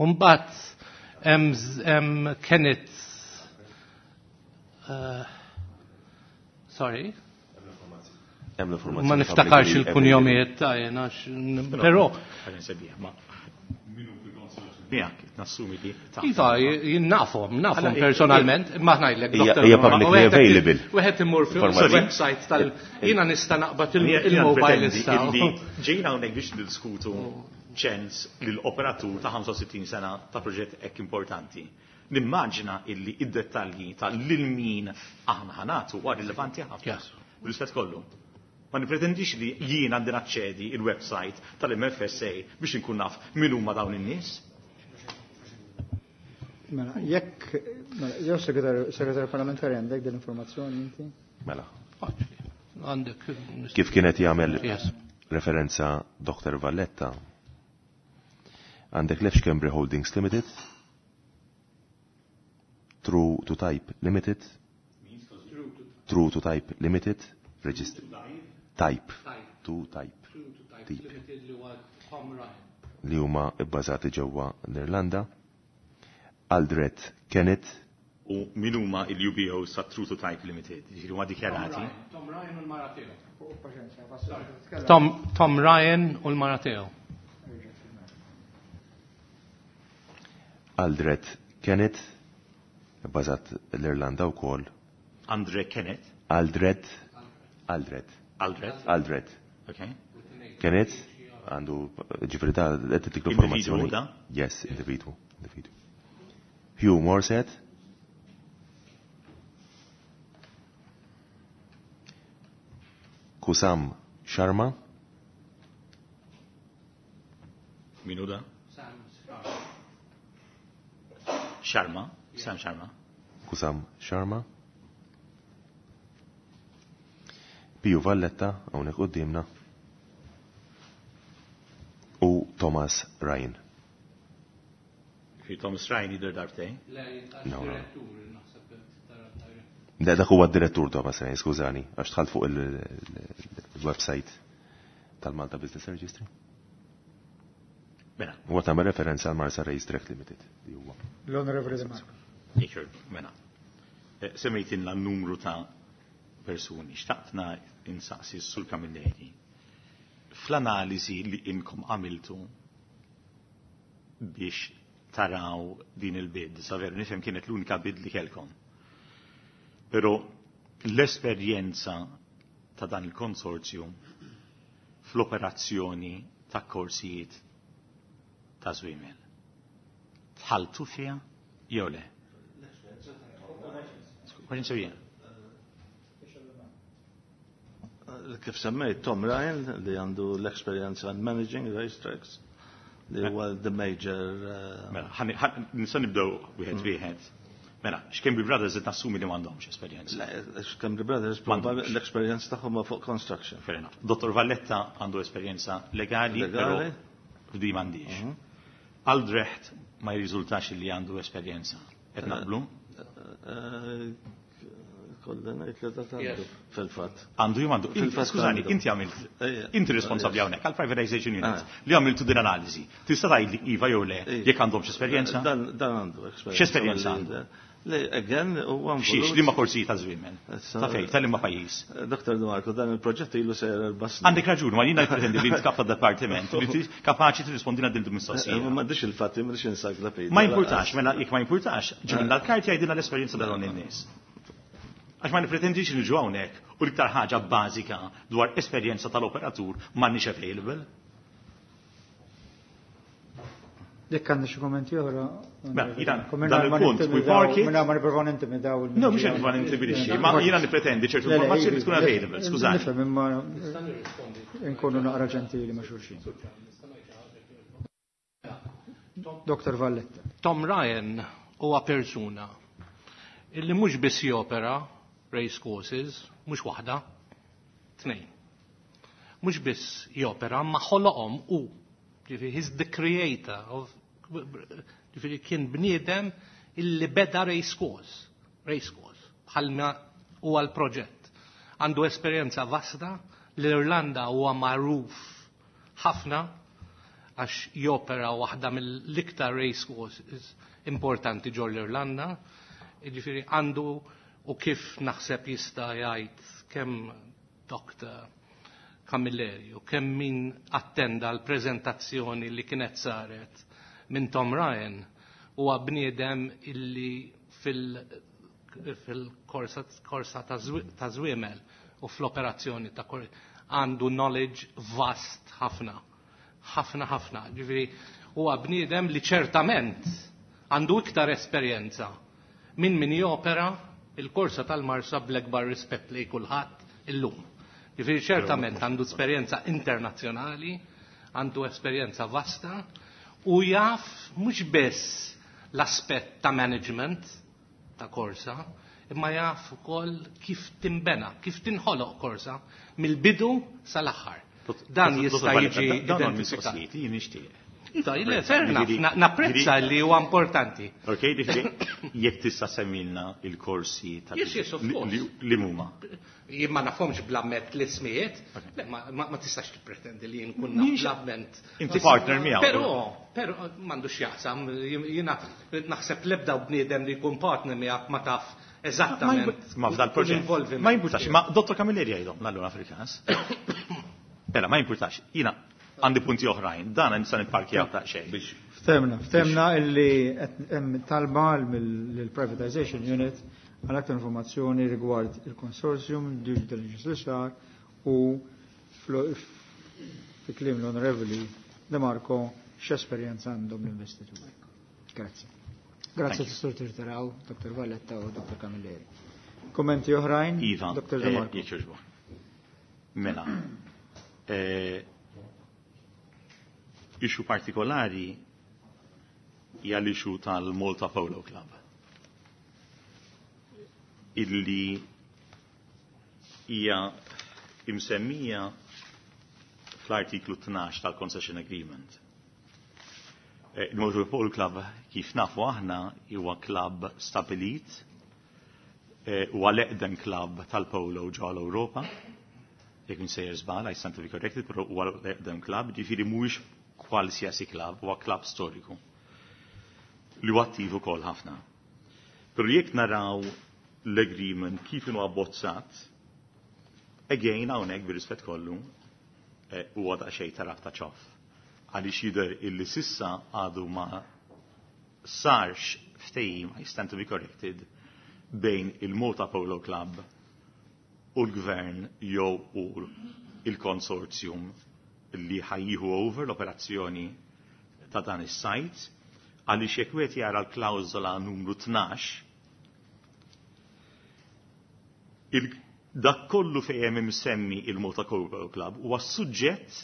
Imbagħad hemm Kenneth, uh, sorry. Ma niftakarx il-kunjomijiet ta' jena, però. Miegħek, nassumi li. Iva, jien nafhom, nafhom personalment, imma ngħidlek. Hija publicly available. Wieħed imur fil-website tal. Jiena nista' naqbad il-mobile issa. Ġejna hawnhekk biex niddiskutu ċens lill-operatur ta' ħamsa u sittin sena ta' proġett hekk importanti. Nimmaġina illi id-dettalji ta' lil min aħna ħa nagħtu huwa rilevanti ħafna. Bl-istess kollu. Ma nipretendix li jien għandi naċċedi il-website tal-M F S A biex inkun naf min huma dawn in-nies. Mela, jekk, mela, jew segretarju parlamentari, għandek dell-informazzjoni inti? Mela. Għandek. Kif kienet jagħmel referenza Doktor Valletta? Għandek Lef Schembri Holdings Limited, True to Type Limited, True to Type Limited, Register. Type. To Type. Type. Li huma bbażati ġewwa l-Irlanda. Aldred Kenneth. U min huma il-U B O sa True to Type Limited? Ġifieri huma dikjarati? Tom Ryan u l-mara tiegħu. Tom, Tom Ryan u l-mara tiegħu. Aldred Kenneth, bbażat l-Irlanda wkoll. Andre Kenneth? Aldred, Aldred. Aldred? Aldred. Okay. Kenneth, għandu ġifieri da qed tik l-informazzjoni. Individwu da? Yes, individwu, individwu. Hugh Morset. Kusam Sharma. Min hu da? Sharma, Sam Sharma. Kusam Sharma. Piju Valletta, hawnhekk quddiemna. U Thomas Ryan. Fi Thomas Ryan jidher darbtejn? No, no. Da dak huwa d-direttur Thomas Ryan, skużani, għax dħalt fuq il-website tal-Malta Business Registry. Mela. Huwa tagħmel referenza għal Marsa Race Track Limited li huwa. L-Onorevoli De Marco. Iker, mela. Eh, Semmejtilna numru ta' persuni. Xtaqtna insaqsi s-Sur Camilleri. Fl-analiżi li inkom għamiltu biex taraw din il-bid, sa veru nifhem kienet l-unika bid li kelkom. Pero l-esperjenza ta' dan il-konsorzju fl-operazzjoni ta' korsijiet ta' żwiemel. Dħaltu fiha jew le? Kwaġin sewija? Kif semmejt Tom Ryan li għandu l-experience on managing racetracks li huwa the major uh, Mela, ħani- ħan- nista' nibdew wieħed wieħed. Mela, Schembri Brothers qed nassumi li m'għandhomx esperjenza. Schembri Brothers M'għandhomx. L-experience tagħhom fuq construction. Fair enough. Dottor Valletta għandu esperjenza legali, però Legali. f'di m'għandix. Aldrecht ma jirriżultax li għandu esperjenza. Qed naqblu? Eh, Kolli ngħid li dat għandu fil-fatt. Għandu jew għandu. Fil-fatt Skużani, għandu. inti għamilt, Ejja. inti responsabbli hawnhekk għal privatization unit Ah. li għamiltu din analiżi. Tista' tgħidli iva jew le Ejja. jekk għandhomx esperjenza? Dan dan għandu esperjenza. X'esperjenza għandu? Le, again, huwa Xiex, liema korsijiet ta' żwiemel? Ta' fejn, ta' liema pajjiż? Doktor De Marco, dan il-proġett ilu sejjer erba' snin. Għandek raġun, ma jiena pretendi li inti kap ta' departiment, li inti kapaċi tirrispondina din Eh, il-mistoqsija. Ma m'għandix il-fatti, m'għandix encyclopedia. Ma importax, mela jekk ma importax, ġibilna l-karti, għidilna l-esperjenza ta' dawn in-nies. Għax ma nipretendix li niġu hawnhekk u l-iktar ħaġa bażika dwar esperjenza tal-operatur m'għandniex available. Jekk għandna xi kommenti oħra. Mela, jiena dan il-punt, we park it. Minna ma nipprovaw nintimidaw il- No, mhux qed nipprova nintimidixxi, ma jiena nipretendi ċertu informazzjoni li tkun available, skużani. Nifhem, imma nkunu naqra ġentili ma' xulxin. Doktor Valletta. Tom Ryan huwa persuna illi mhux biss jopera race courses, mhux waħda, tnejn. Mhux biss jopera, ma ħoloqhom u ġifieri he's the creator of, ġifieri kien bniedem illi beda race course, race course, bħalma huwa l-proġett. Għandu esperjenza vasta, l-Irlanda huwa magħruf ħafna għax jopera waħda mill-iktar race courses importanti ġol l-Irlanda. Ġifieri għandu, u kif naħseb jista' jgħid kemm Doctor Camilleri u kemm min attenda l-preżentazzjoni li kienet saret minn Tom Ryan, huwa bniedem illi fil- fil-korsa korsa ta' zwi- ta' żwiemel u fl-operazzjoni ta' kor għandu knowledge vast ħafna. Ħafna ħafna. Ġifieri huwa bniedem li ċertament għandu iktar esperjenza minn min jopera il-korsa tal-Marsa, bl-akbar rispett li kulħadd illum. Ġifieri ċertament għandu esperjenza internazzjonali, għandu esperjenza vasta u jaf mhux biss l-aspett ta' management ta' korsa, imma jaf ukoll kif timbena, kif tinħoloq korsa mill-bidu sal-aħħar. Dan jista' jiġi Dan identifikat. mistoqsijiet li nixtieq. Iva, le, fair enough, na- napprezza li huwa importanti. Ok, ġifieri jekk tista' semmilna il-korsi ta' Yes, yes, of course. li- li huma. Jien ma nafhomx bl-amment l-ismijiet, le, ma, ma, ma tistax tippretendi li jien kun naf bl-amment. Inti partner miegħu. Però, però m'għandux x'jaqsam, jiena naħseb l-ebda bniedem li jkun partner miegħek ma taf eżattament. Ma f'dal proġett. l-involviment. Ma jimpurtax, ma Dottor Camilleri jgħidhom allura fil-każ. Mela, ma jimpurtax. Jiena għandi punti oħrajn, dan nista' nipparkjaw ta' xejn. Ftemna, ftemna illi qed hemm talba mill-Privatization Unit għal aktar informazzjoni rigward il-consortium, due diligence li sar u fl- fi kliem l-Onorevoli De Marco x'esperjenza għandhom l-investituri. Grazzi. Grazzi Sur Tirtaraw, Dottor Valletta u Dottor Camilleri. Kommenti oħrajn? Iva, Dottor De eh, Marco. jekk jogħġbok. Mela, eh, issue partikolari hija l-issue tal-Malta Polo Club. Illi hija imsemmija fl-artiklu tnax tal-Concession Agreement. Eh, Il-Malta Polo Club, kif nafu aħna, huwa club stabilit, eh, huwa l-eqdem club tal-polo ġewwa l-Ewropa. Jekk m'iniex sejjer żball, I stand to be corrected, però huwa l-eqdem club, ġifieri mhuwiex qualsiasi club, huwa club storiku li huwa attiv ukoll ħafna. Però jekk naraw l-agreement kif inhu abbozzat, again hawnhekk bir-rispett kollu eh, huwa daqsxejn ta' rabta ċoff. Għaliex jidher illi s'issa għadu ma sarx ftehim, I stand to be corrected, bejn il-Malta Polo Club u l-gvern jew u il-konsorzjum li ħa jieħu over l-operazzjoni ta' dan is-site, għaliex jekk wieħed jara l-klawżola numru tnax, il dak kollu fejn hemm imsemmi il-Malta Polo Club huwa suġġett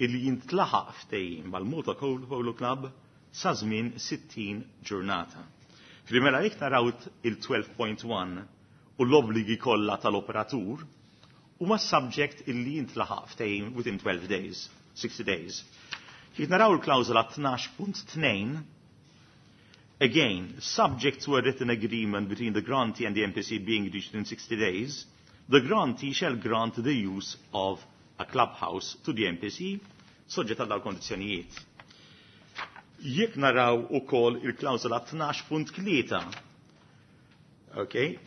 illi jintlaħaq ftehim mal-Malta Polo Club sa żmien sittin ġurnata. Primera jekk naraw il-tnax punt wieħed u l-obbligi kollha tal-operatur huma subject illi jintlaħaq ftehim within twelve days, sixty days. Jekk naraw il-klawżola tnax punt tnejn, again, subject to a written agreement between the grantee and the M P C being reached in sixty days, the grantee shall grant the use of a clubhouse to the M P C, soġġett għal kondizzjonijiet. Jekk naraw ukoll il-klawżola tnax punt tlieta, okay,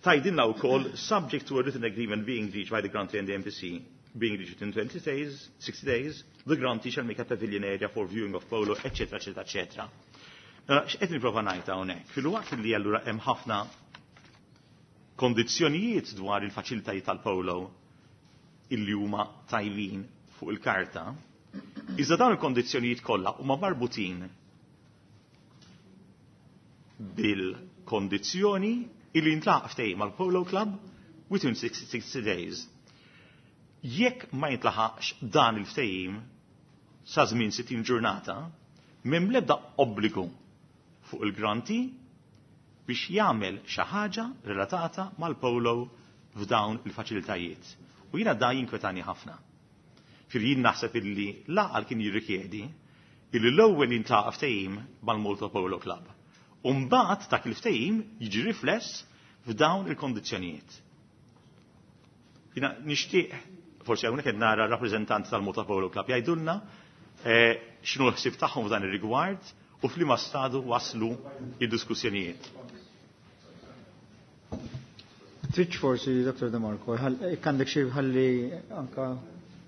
tgħidilna wkoll subject to a written agreement being reached by the grantee and the M P C being reached in twenty days, sixty days, the grantee shall make a pavilion area for viewing of polo, et cetera, et cetera, et cetera. X'qed nipprova ngħid hawnhekk? Filwaqt li allura hemm ħafna kondizzjonijiet dwar il-faċilitajiet tal-polo illi huma tajbin fuq il-karta, iżda dawn il-kondizzjonijiet kollha huma marbutin bil-kondizzjoni illi jintlaħaq ftehim mal-Polo Club within sixty days. Jekk ma jintlaħaqx dan il-ftehim sa żmien sittin ġurnata, m'hemm l-ebda obbligu fuq il-grantee biex jagħmel xi ħaġa relatata mal-polo f'dawn il-faċilitajiet. U jiena da jinkwetani ħafna. Fir jien naħseb illi l-għaqal kien jirrikjedi illi l-ewwel jintlaqa ftehim mal-Malta Polo Club. U mbagħad dak il-ftehim jiġi rifless f'dawn il-kondizzjonijiet. Jiena nixtieq, forsi hawnhekk qed nara rappreżentanti tal-Malta Polo Club jgħidulna x'inhu l-ħsieb tagħhom f'dan ir-rigward u f'liema stadu waslu id-diskussjonijiet. Tridx forsi, Dottor De Marco, jekk għandek xi ħalli anka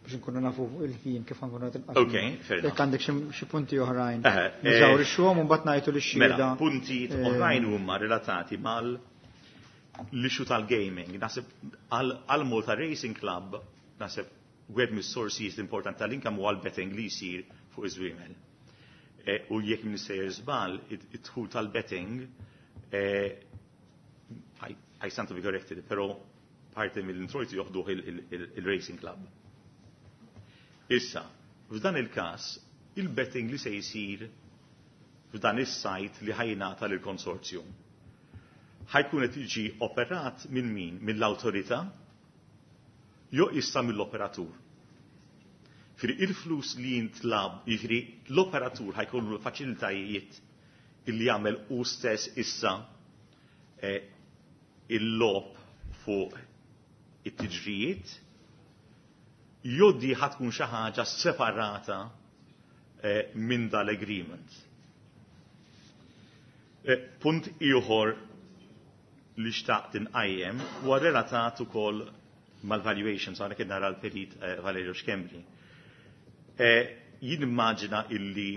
biex nkunu nafu il-ħin kif nkunu qed inqassmu. Ok, fair enough. Jekk għandek xi punti oħrajn. Nużaw ix-xogħol u mbagħad ngħidu lix-xhieda. Mela, punti oħrajn huma relatati mal l-issue tal-gaming. Naħseb għal Malta Racing Club, naħseb wieħed mis-sources importanti tal-income huwa l-betting li jsir fuq iż-żwiemel. U jekk m'iniex sejjer żball, id-dħul tal-betting, I stand to be corrected, però parti mill-introjtu joħduh il-Racing Club. Issa, f'dan il-każ, il-betting li se jsir f'dan is-site li ħa jingħata lill-konsorzjum ħa jkun qed jiġi operat minn min? Mill-awtorità jew issa mill-operatur? Jiġifieri il-flus li jintlab, jiġifieri l-operatur ħa jkollu l-faċilitajiet illi jagħmel hu stess issa il-logħob fuq it-tiġrijiet, jew di ħa tkun xi ħaġa separata minn dal-agreement. Punt ieħor li xtaqt inqajjem huwa relatat ukoll mal-valuations, hawnhekk qed nara l-perit Valerio Schembri. Jien immaġina illi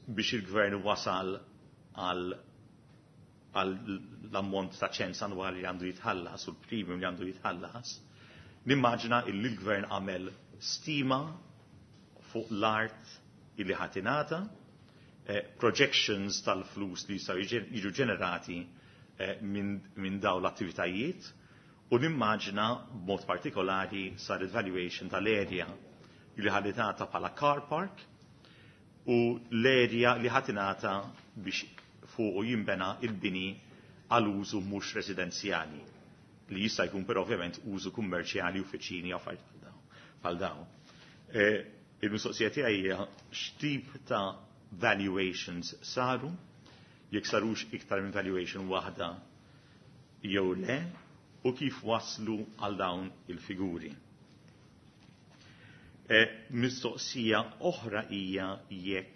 biex il-gvern wasal għal l-ammont ta' ċens annwali li għandu jitħallas u l-premium li għandu jitħallas, nimmaġina illi l-gvern għamel stima fuq l-art illi ħa tingħata, projections tal-flus li jistgħu jiġu ġenerati minn dawn l-attivitajiet, u nimmaġina b'mod partikolari sar il-valuation tal-area li ħa tingħata bħala car park u l-area li ħa tingħata biex fuq jinbena il-bini għal użu mhux residenzjali li jista' jkun però ovvjament użu kummerċjali, uffiċini, affarijiet bħal dawn. Il-mistoqsija tiegħi hija x'tip ta' valuations saru, jekk sarux iktar minn valuation waħda jew le, u kif waslu għal dawn il-figuri. Mistoqsija oħra hija jekk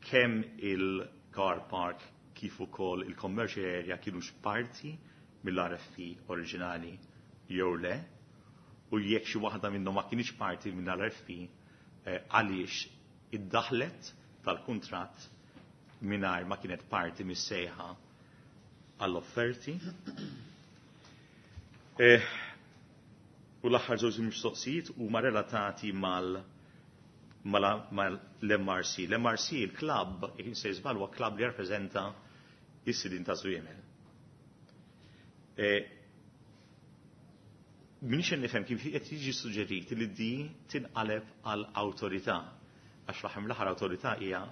kemm il-car park kif ukoll il-commercial area kienux parti mill-R F P oriġinali jew le, u jekk xi waħda minnhom ma kienx parti mill-R F P għaliex iddaħlet tal-kuntratt mingħajr ma kienet parti mis-sejħa għall-offerti. U l-aħħar żewġ mistoqsijiet huma relatati mal-M R C. L-M R C, il-klabb, jekk se żball, huwa klabb li jirrappreżenta s-sidin ta' żwiemel. Minix nifhem kif qed jiġi suġġerit li di tinqaleb għal awtorità, għax fl-aħħar mill-aħħar awtorità hija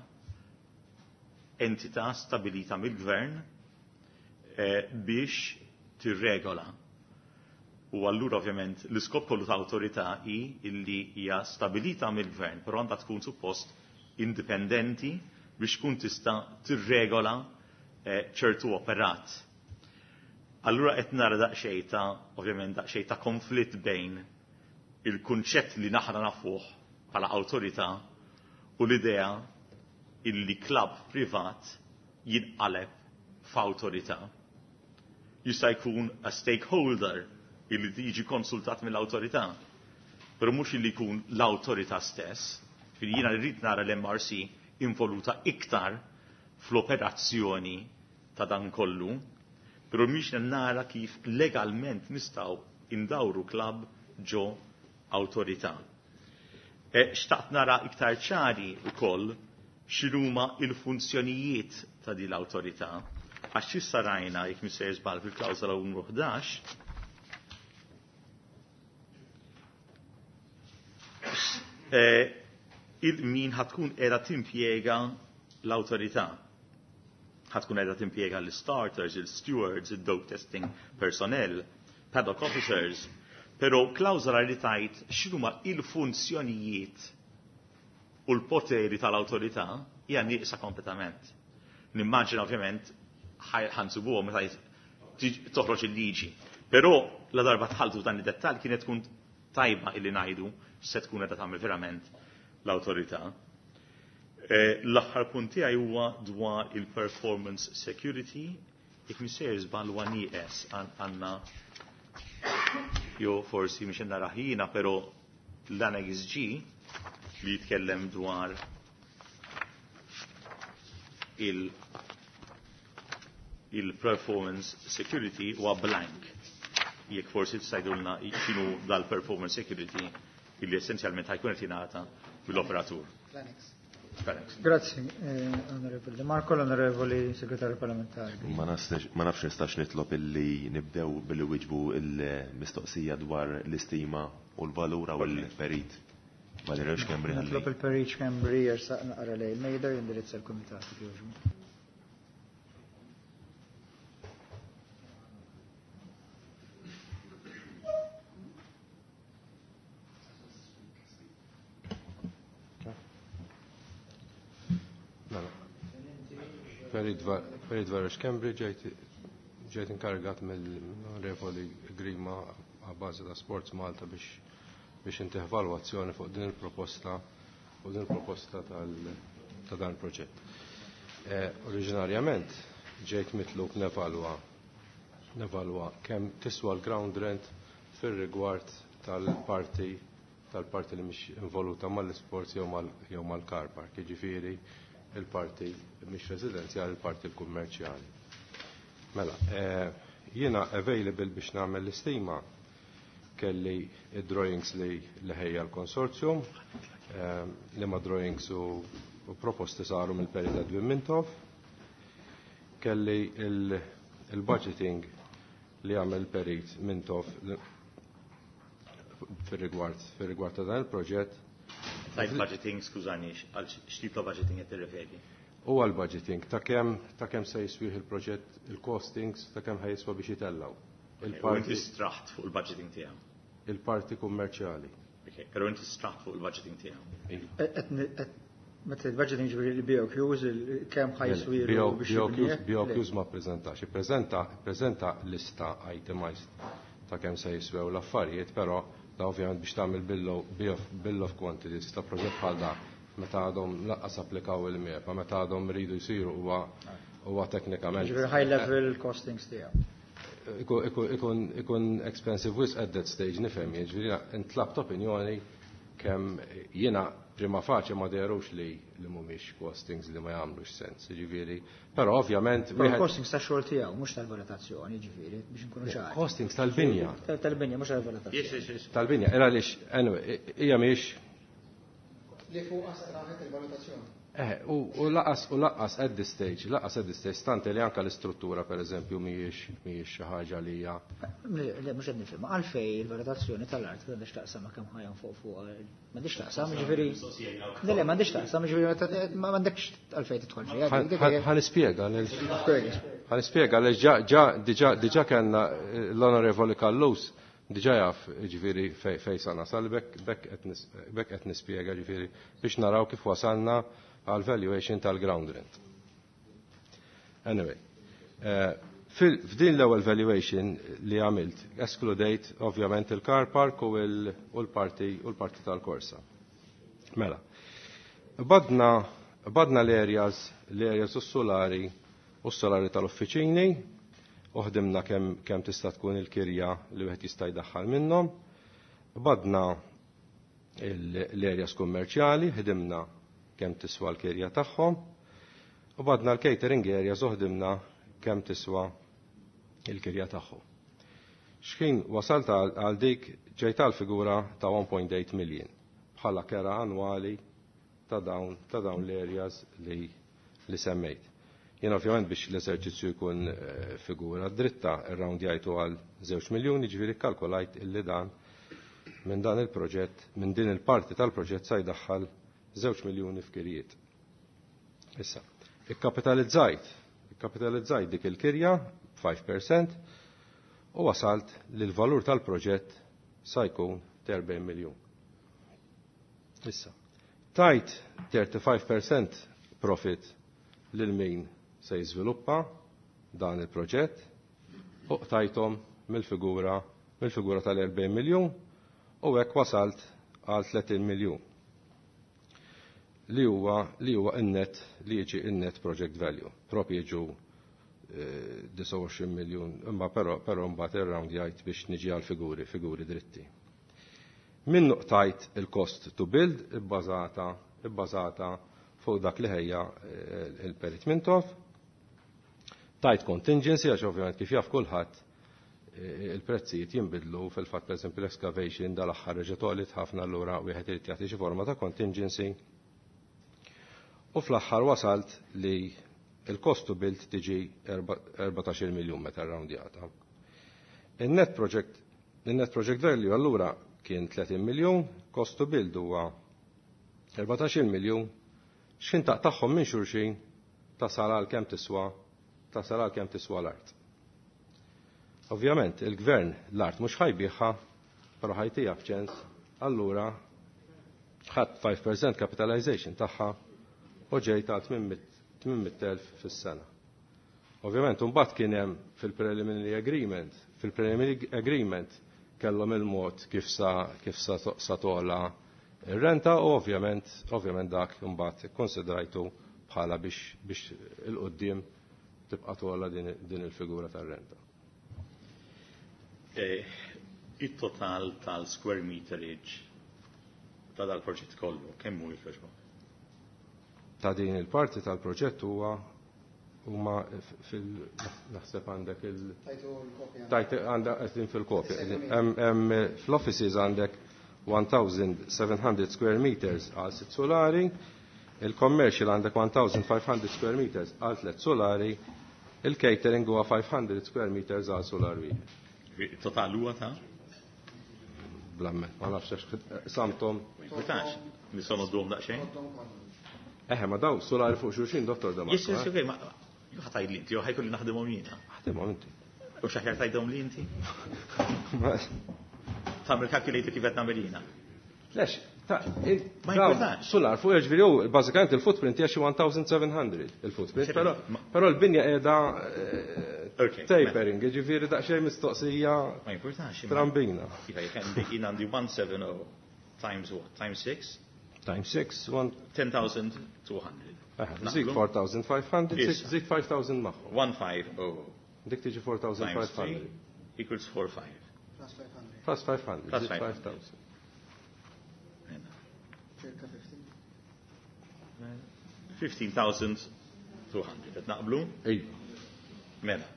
entità stabilita mill-gvern biex tirregola. U allura ovvjament l-iskop kollu ta' awtorità hi illi hija stabilita mill-gvern, però għandha tkun suppost indipendenti biex tkun tista' tirregola ċertu operat. Allura qed nara daqsxejn ta' ovvjament daqsxejn ta' konflitt bejn il-kunċett li naħra nafuh bħala awtorità u l-idea illi klabb privat jinqaleb f'awtorità. Jista' jkun a stakeholder illi jiġi konsultat mill-awtorità, però mhux illi jkun l-awtorità stess. Ġifieri jiena rrid nara l-M R C involuta iktar fl-operazzjoni ta' dan kollu, però mhix nara kif legalment nistgħu indawru klabb ġo awtorità. Xtaqt nara iktar ċari wkoll x'inhuma il-funzjonijiet ta' din l-awtorità, għax issa rajna jekk mhux sejjer żball fil-klawżola numru ħdax, il-min ħatkun qiegħda timpjega l-awtorità. Ħa tkun qiegħda timpjega l-starters, il-stewards, il-dope testing personnel, paddock officers, però klawżola li tgħid x'inhuma il-funzjonijiet u l-poteri tal-awtorità hija nieqsa kompletament. Nimmaġina ovvjament ħa nsibuhom meta toħroġ il-liġi. Però la darba dħaltu dan id-dettall kienet tkun tajba illi ngħidu se tkun qiegħda tagħmel verament l-awtorità. L-aħħar punt tiegħi huwa dwar il-performance security. Jekk missejjer żball huwa nieqes għandna jew forsi mhix nara ħina, però l-Annex G li jitkellem dwar il- il-performance security huwa blank. Jekk forsi tgħidulna x'inhu dal-performance security illi essenzjalment ħa jkun qed jingħata mill-operatur. Grazzi, Onorevoli De Marco, l-Onorevoli Segretarju Parlamentari. Ma nafx nistax nitlob illi nibdew billi wieġbu il-mistoqsija dwar l-istima u l-valura u l-perit. Valerio Schembri. Nitlob il-perit Schembri jersaq naqra lejn mejda jindirizza l-Kumitat jogħġbu. Perit Valerio Schembri ġejt inkarigat mill-Onorevoli Grima għabbażi ta' Sports Malta biex biex intih evalwazzjoni fuq din il-proposta fuq din il-proposta ta' dan il-proġett. Oriġinarjament ġejt mitlub nevalwa nevalwa kemm tiswa l-ground rent fir-rigward tal-parti tal-parti li mhix involuta mal-isports jew mal-car park, jiġifieri il-parti mhix residenzjali, il-parti l-kummerċjali. Mela, jiena available biex nagħmel l-istima kelli id-drawings li ħejja l-konsorzjum, li ma drawings u proposti saru mill-perit Edwin Mintoff, kelli il-budgeting li għamel perit Mintoff fir-rigward fir-rigward ta' dan il-proġett. Tajt budgeting, skużani, għal x'tip ta' budgeting qed tirreferi? U għal budgeting ta' kemm ta' kemm se jiswih il-proġett, il-costings ta' kemm ħa jiswa biex jitellgħu. Il-parti straħt fuq il-budgeting tiegħu. Il-parti kummerċjali. Però inti straħt fuq il-budgeting tiegħu. Meta il-budgeting ġifieri il-B O Qs, kemm ħa jiswilu biex B O Qs ma ppreżentax, ippreżenta ippreżenta lista itemized ta' kemm se jiswew l-affarijiet, però da ovvjament biex tagħmel bill of quantities ta' proġett bħal da meta għadhom lanqas applikaw il-MEPA, meta għadhom ridu jsiru huwa huwa teknikament. Ġifieri high level costings tiegħu. Ikun ikun expensive wisq at that stage nifhem, jiġifieri intlabt opinjoni kemm jiena prima facie ma dehrux li li mhumiex costings li ma jagħmlux sens, jiġifieri. Però ovvjament wieħed costings tax-xogħol tiegħu mhux tal-valutazzjoni, jiġifieri biex inkunu ċari. Costings tal-binja. Tal-binja mhux tal-valutazzjoni. Tal-binja, era għaliex anyway, hija mhix li fuq straħet il-valutazzjoni. Eh, u laqas u laqas at this stage, laqas at this stage, stante li anka l-istruttura per eżempju mhijiex mhijiex xi ħaġa li hija. Le mhux qed nifhem, għalfej il-valutazzjoni tal-art m'għandix taqsam ma kemm ħajja fuq fuq m'għandix taqsam, jiġifieri. Le le m'għandix taqsam, jiġifieri m'għandekx għalfej tidħol fiha. Ħa nispjega ħa nispjega għaliex ġa ġa diġà diġà kellna l-Onorevoli Callus diġà jaf jiġifieri fejn sa nasal bekk bekk qed nispjega jiġifieri biex naraw kif wasalna għal valuation tal-ground rent. Anyway, f'din l-ewwel valuation li għamilt, eskludejt ovvjament il-car park u l-parti u l-parti tal-korsa. Mela, badna badna l-areas, l-areas u s-solari u s-solari tal-uffiċini, u ħdimna kemm kemm tista' tkun il-kirja li wieħed jista' jdaħħal minnhom. Badna l-areas kummerċjali, ħdimna kemm tiswa l-kirja tagħhom, u badna l-catering areas u ħdimna kemm tiswa l-kirja tagħhom. X'ħin wasalt għal dik ġejt għal figura ta' one point eight million bħala kera annwali ta' dawn ta' dawn l-areas li li semmejt. Jien ovvjament biex l-eżerċizzju jkun figura dritta ir-round jgħidu għal żewġ miljuni, ġifieri kkalkulajt illi dan minn dan il-proġett, minn din il-parti tal-proġett sa jdaħħal żewġ miljuni f'kirijiet. Issa, ikkapitalizzajt, Kapitalizzajt dik il-kirja five percent u wasalt li l-valur tal-proġett sa jkun erbgħin miljun. Issa, tajt thirty-five percent profit lil min se jiżviluppa dan il-proġett u qtajthom mill-figura mill-figura tal-erbgħin miljun u hekk wasalt għal tletin miljun li huwa li huwa in-net li jiġi in-net project value. Propju jiġu disgħa u għoxrin miljun, imma però però mbagħad ir-round jgħid biex niġi għal figuri, figuri dritti. Minnu qtajt il-cost to build ibbażata ibbażata fuq dak li ħejja eh, il-Perit Mintoff. Tajt contingency għax ovvjament, kif jaf kulħadd, eh, il-prezzijiet jinbidlu. Fil-fatt, pereżempju, l-excavation dal-aħħar reġgħet għoliet ħafna, allura wieħed irid jagħti xi forma ta' contingency. U fl-aħħar wasalt li il-cost to build tiġi erbatax-il miljun meta roundjata. Il-net project, il-net project value allura kien tletin miljun, cost to build huwa erbatax-il miljun, x'ħin taqtagħhom minn xulxin tasal għal kemm tiswa tasal għal kemm tiswa l-art. Ovvjament, il-gvern l-art mhux ħa jbigħha, però ħa jtiha b'ċens, allura ħadd five percent capitalization tagħha u ġejt għal tmien mitt elf fis-sena. Ovvjament, mbagħad kien hemm fil-preliminary agreement, fil-preliminary agreement kellhom il-mod kif sa kif sa, sa tola ir-renta u ovvjament ovvjament dak imbagħad ikkonsidrajtu bħala biex biex il-qudiem tibqa' tola din, din il-figura tar-renta. Eh, Il-total tal-square meterage ta' dal-proġett kollu, kemm hu, jogħġbok? Ta' din il-parti tal-proġett huwa huma fil naħseb għandek il Tajtu l-kopja. Tajt għandek qegħdin fil-kopja. Hemm hemm fl-offices għandek one thousand seven hundred square meters għal sitt solari, il-commercial għandek one thousand five hundred square meters għal tliet solari, il-catering huwa five hundred square meters għal solar wieħed. Il-total huwa ta' Blammet, ma nafx għax samtom. Ma jimpurtax, nistgħu ngħodduhom daqsxejn. Eħe, ma daw solari fuq xulxin, dottor Damarco. Yes, yes, okay, ma jew ħa tgħid li inti, jew ħa jkolli naħdimhom jiena. Ħdimhom inti. U x'aħjar tgħidhom li inti? Tagħmel calculator kif qed nagħmel jiena. Lex, ta' Ma daw, jimpurtax. Solar fuq, ġifieri hu bażikament il-footprint hija xi one thousand seven hundred il-footprint, però però l-binja qiegħda eh, Okay, tapering, ġifieri daqsxejn mistoqsija Ma jimpurtax. imma- trambina. Iva, jekk għandek jien għandi one seven zero times what? Times six? Times six, one ten thousand two hundred. Żid four thousand five hundred, Issa. żid five thousand magħhom. one five zero Dik tiġi times four thousand five hundred. three equals four five. Plus five hundred. Plus five hundred, Plus żid five hundred. five thousand. Circa fifteen. fifteen thousand two hundred. Qed naqblu? Iva. Mela.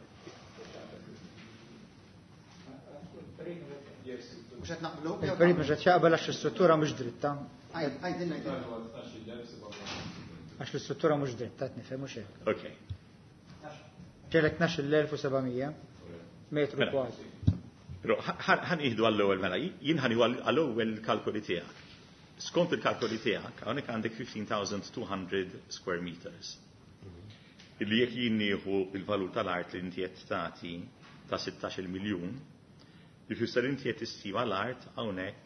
Mhux qed naqblu? Il-perit mhux qed jaqbel għax l-istruttura mhux dritta. Għajdilna. Għax l-istruttura mhux dritta, qed nifhem, mhux hekk? Okay. Ġelek tnax-il elf u seba' mija metru Mela. kważi. Però ħa nieħdu għall-ewwel mela, jien ħa nieħu għall-ewwel kalkoli tiegħek. Skont il-kalkoli tiegħek, hawnhekk għandek fifteen thousand two hundred square meters. Illi jekk jien nieħu il-valur tal-art li inti qed tagħti ta' sittax-il miljun, jfisser inti qed tistima l-art hawnhekk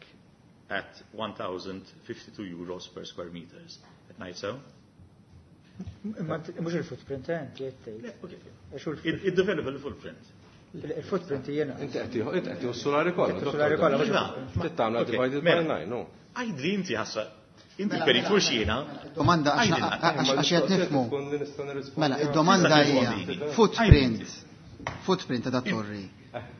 at one thousand fifty-two euros per square meters. Qed ngħid sew? Imma mhux il-footprint, eh, inti qed tgħid. Għax hu l- Il-developable footprint. Il-footprint jiena. Inti qed tieħu inti qed tieħu s-solari kollha. Is-solari kollha, mhux Iva, Trid tagħmel ok, divided by mela. nine, no. Għajd li inti ħassa. Inti Mela, perit mela, mhux jiena. Domanda għax Għajdilna. għax għax qed nifhmu. Tkun li nista' nirrispondi. Mela, id-domanda Tista' hija tirrispondi. footprint. Footprint ta' dat torri.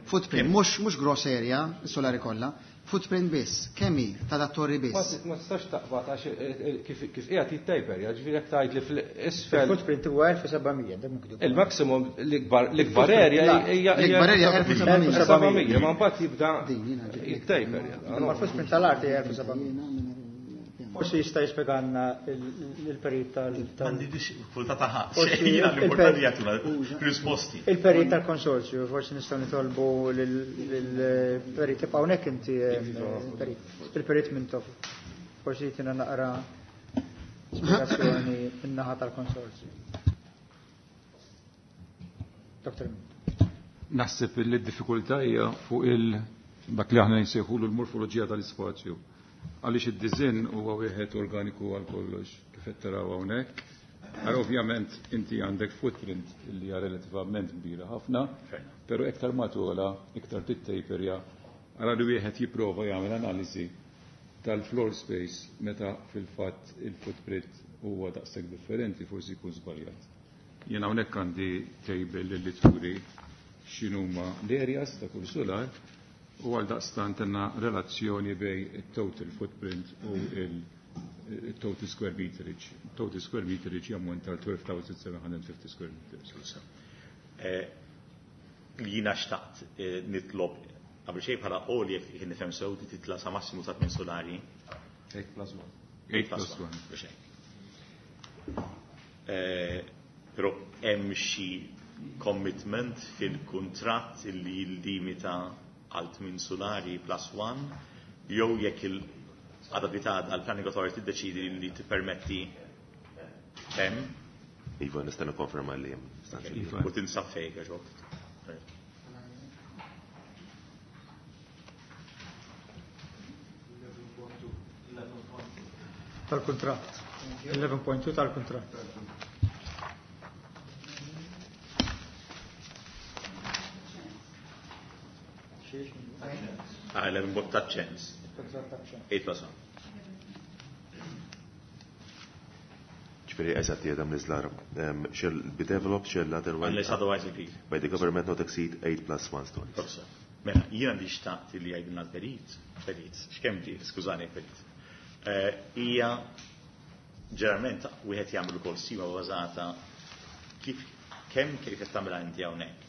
Footprint, mhux mhux gross area, is-solari kollha, footprint biss, kemm hi ta' dat torri Ma biss? ma tistax taqbad għax eh, eh, kif kif qiegħed jittaper, ġifieri jekk tgħid li fl-isfel Il-footprint huwa elf u seba' mija, dak miktub. Il-maximum l-ikbar l-ikbar area hija L-ikbar area elf u seba' mija. elf u seba' mija, ma mbagħad jibda Din, jiena ġibt. jittaper. Imma l-footprint tal-art hija elf u seba' mija. Forsi jista' jispjegalna il-perit tal- tal- Għandi diffikultà ta' ħadd. Forsi Jiena l-importanti il-per- jagħtuna risposti. Il-perit tal-konsorzju, forsi nistgħu nitolbu lill-perit tibqa' hawnhekk inti, eh, il-perit. Il-perit Mintoff. Forsi jtina naqra spjegazzjoni min-naħa tal-konsorzju. Doctor Naħseb li d-diffikultà hija fuq il dak li aħna nsejħulu l-morfoloġija tal-ispazju. Għaliex id-diżinn huwa wieħed organiku għal kollox kif qed taraw hawnhekk. Ara ovvjament inti għandek footprint li hija relattivament kbira ħafna, però iktar ma tola, iktar tittejperja. Ara li wieħed jipprova jagħmel analiżi tal-floor space meta fil-fatt il-footprint huwa daqshekk differenti forsi jkun żbaljat. Jien hawnhekk għandi table li turi x'inhuma l-areas ta' kull solar u għal daqstant għandna relazzjoni bej il-total footprint u il-total square meterage. Total square meterage jammonta għal twelve thousand seven hundred fifty square meters. Li jiena xtaqt nitlob qabel xejn bħala għoli, jekk nifhem sew, titla' sa massimu ta' tmien solari. eight plus one. eight plus one. Però hemm xi commitment fil-kuntratt li jillimita għal tmien solari plus one, jew jekk il-għada għada l-Planning Authority tiddeċidi li tippermetti hemm? Iva, nista' nikkonferma li hemm. Iva. U tinsab fejn, għax Tal-kuntratt. eleven point two tal-kuntratt. Ah, eleven ta' ċens. eight plus one. Ġifieri eżatt hija mniżla, shall be developed shall otherwise Unless otherwise agreed. by the government not exceed eight plus one stories. Forse. Mela, jiena li xtaqt li jgħidilna l-perit, perit, x'kemm ġie, skużani perit. Hija ġeneralment wieħed jagħmel ukoll stima bażata kif kemm kif qed tagħmilha inti hawnhekk.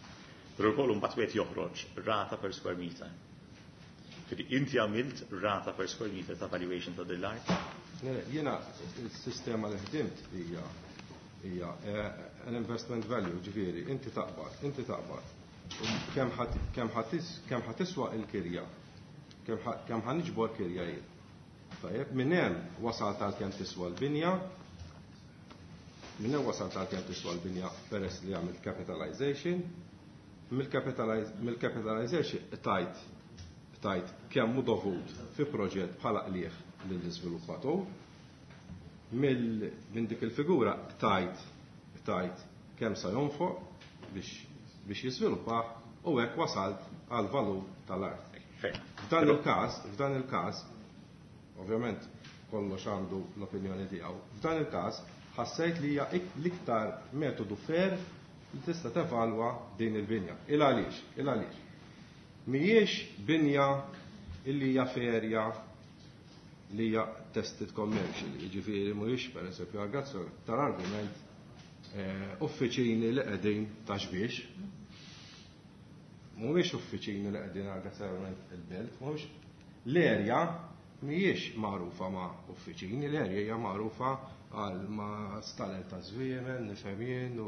Però wkoll imbagħad wieħed joħroġ rata per square meter. Ġifieri inti għamilt rata per square meter ta' valuation ta' dil-art? Jiena il-sistema li ħdimt hija hija an investment value, ġifieri inti taqbad, inti taqbad. Kemm kemm ħa tiswa il-kirja, kemm ħa niġbor kirja jien. Tajjeb, minn hemm wasalt għal kemm tiswa l-binja, minn hemm wasalt għal kemm tiswa l-binja peress li għamilt capitalization, mill-capitalization tajt tajt kemm hu dovut fi proġett bħala qliegħ lill-iżviluppatur, minn dik il-figura tajt tajt kemm sa jonfoq biex biex jiżviluppah u hekk wasalt għal valur tal-art. F'dan il-każ, f'dan il-każ, ovvjament kollox għandu l-opinjoni tiegħu. F'dan il-każ ħassejt li hija l-iktar metodu fair li tista' tevalwa din il-binja. Il għaliex, il għaliex. Mhijiex binja illi hija ferja li hija tested commercially, jiġifieri mhuwiex pereżempju għal tal-argument uffiċini li qegħdin Ta' Xbiex. Mhuwiex uffiċini li qegħdin għal il-belt, mhuwiex l-erja mhijiex magħrufa ma' uffiċini, l-erja hija magħrufa għal ma' stalel ta' żwiemel, nifhem jien u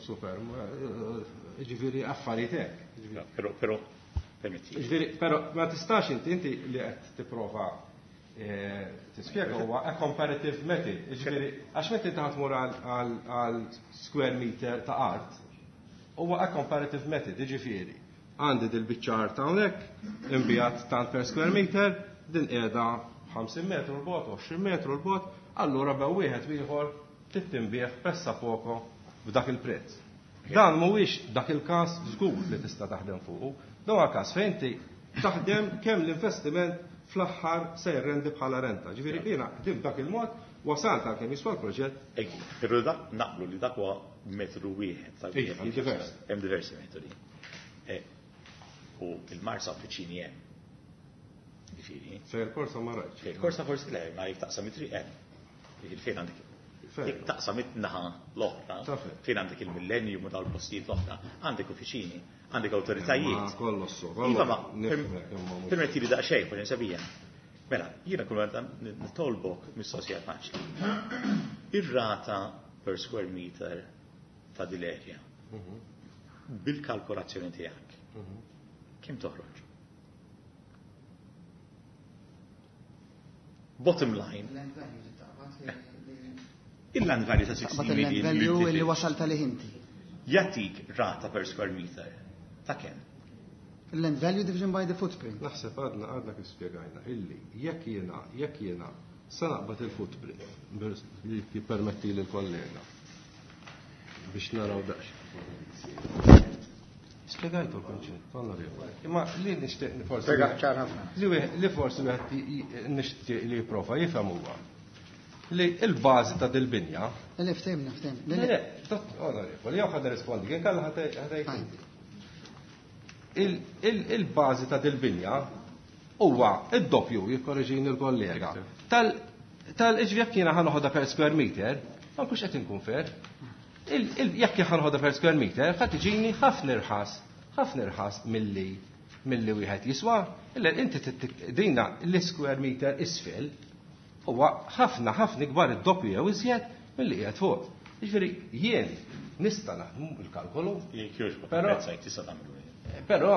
super, ġifieri affarijiet hekk. Però, però, permetti. Ġifieri, però ma tistax inti inti li qed tipprova tispjega huwa a comparative method. Ġifieri, għax meta inti ħatmur għal square meter ta' art, huwa a comparative method, ġifieri. Għandi dil-biċċa art hawnhekk, inbiegħet tant per square meter, din qiegħda ħamsin metru 'l bogħod, għoxrin metru 'l bogħod, allura bejn wieħed u ieħor tittinbiegħ pressappoco b'dak il-prezz. Dan mhuwiex dak il-każ żgur li tista' taħdem fuqu. Dan huwa każ fejn inti taħdem kemm l-investiment fl-aħħar se jirrendi bħala renta. Ġifieri jiena ħdim dak il-mod, wasalt għal kemm jiswa l-proġett. Però dak naqblu li dak huwa metodu wieħed. Iva, hemm diversi. Hemm diversi metodi. U il-Marsa uffiċini hemm. Ġifieri. Fejn il-korsa ma rajtx. Fejn il-korsa forsi le, ma jekk taqsam it-triq hemm. Ġifieri fejn għandek jekk taqsam it-naħa l-oħra, fejn għandek il-Millennium u dal-postijiet l-oħra, għandek uffiċini, għandek awtoritajiet. Ma kollox so, Iva, ma permetti li daqsxejn, forsi nsabija. Mela, jiena kull meta nitolbok mistoqsija faċli. Ir-rata per square meter ta' dil-area bil-kalkolazzjoni tiegħek, kemm toħroġ? Bottom line. Il-land value ta' sixteen Taqbad il-land million. Value li wasalt għalih inti. Jagħtik rata per square meter ta' kemm? Land value division by the footprint. Naħseb għadna għadna kif spjegajna illi jekk jiena jekk jiena sa naqbad il-footprint jippermetti lil kollega biex naraw daqs. Spjegajtu l-konċett, onorevoli. Imma li nixtieq forsi. Li forsi wieħed nixtieq li jipprova jifhem huwa li l-bażi ta' dil-binja. Le ftehimna, ftehimna. Le, onorevoli, jew ħad nirrispondi, kien kellha ħadd Il-bażi ta' dil-binja huwa id-doppju, jikkorreġini l-kollega. Tal-iġvi jekk jiena ħa noħodha per square meter, ma nkunx qed inkun fair. Jekk ħa noħodha per square meter, ħa tiġini ħafna irħas, ħafna irħas milli milli wieħed jiswa. Illa inti dina l-square meter isfel huwa ħafna ħafna ikbar id-doppju jew iżjed milli qiegħed fuq. Jiġifieri jien nista' naħdmu il-kalkolu. Però tista' tagħmlu. Però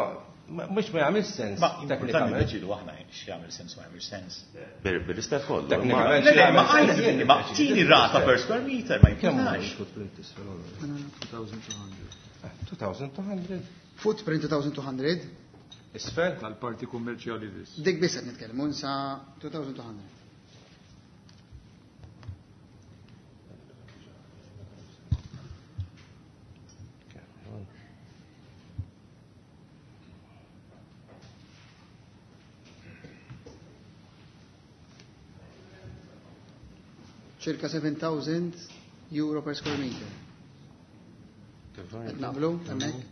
mhux ma jagħmel sens. Ma teknikament deċidu aħna x'jagħmel sens ma jagħmel sens. Bir-rispett kollu. Teknikament ma tini rata per square meter ma jimportax. Footprint isfel. two thousand two hundred. Footprint two thousand two hundred. Isfel tal-parti kummerċjali biss. Dik biss qed nitkellmu sa two thousand two hundred. Circa seven thousand euro per square meter. Qed naqblu hemmhekk?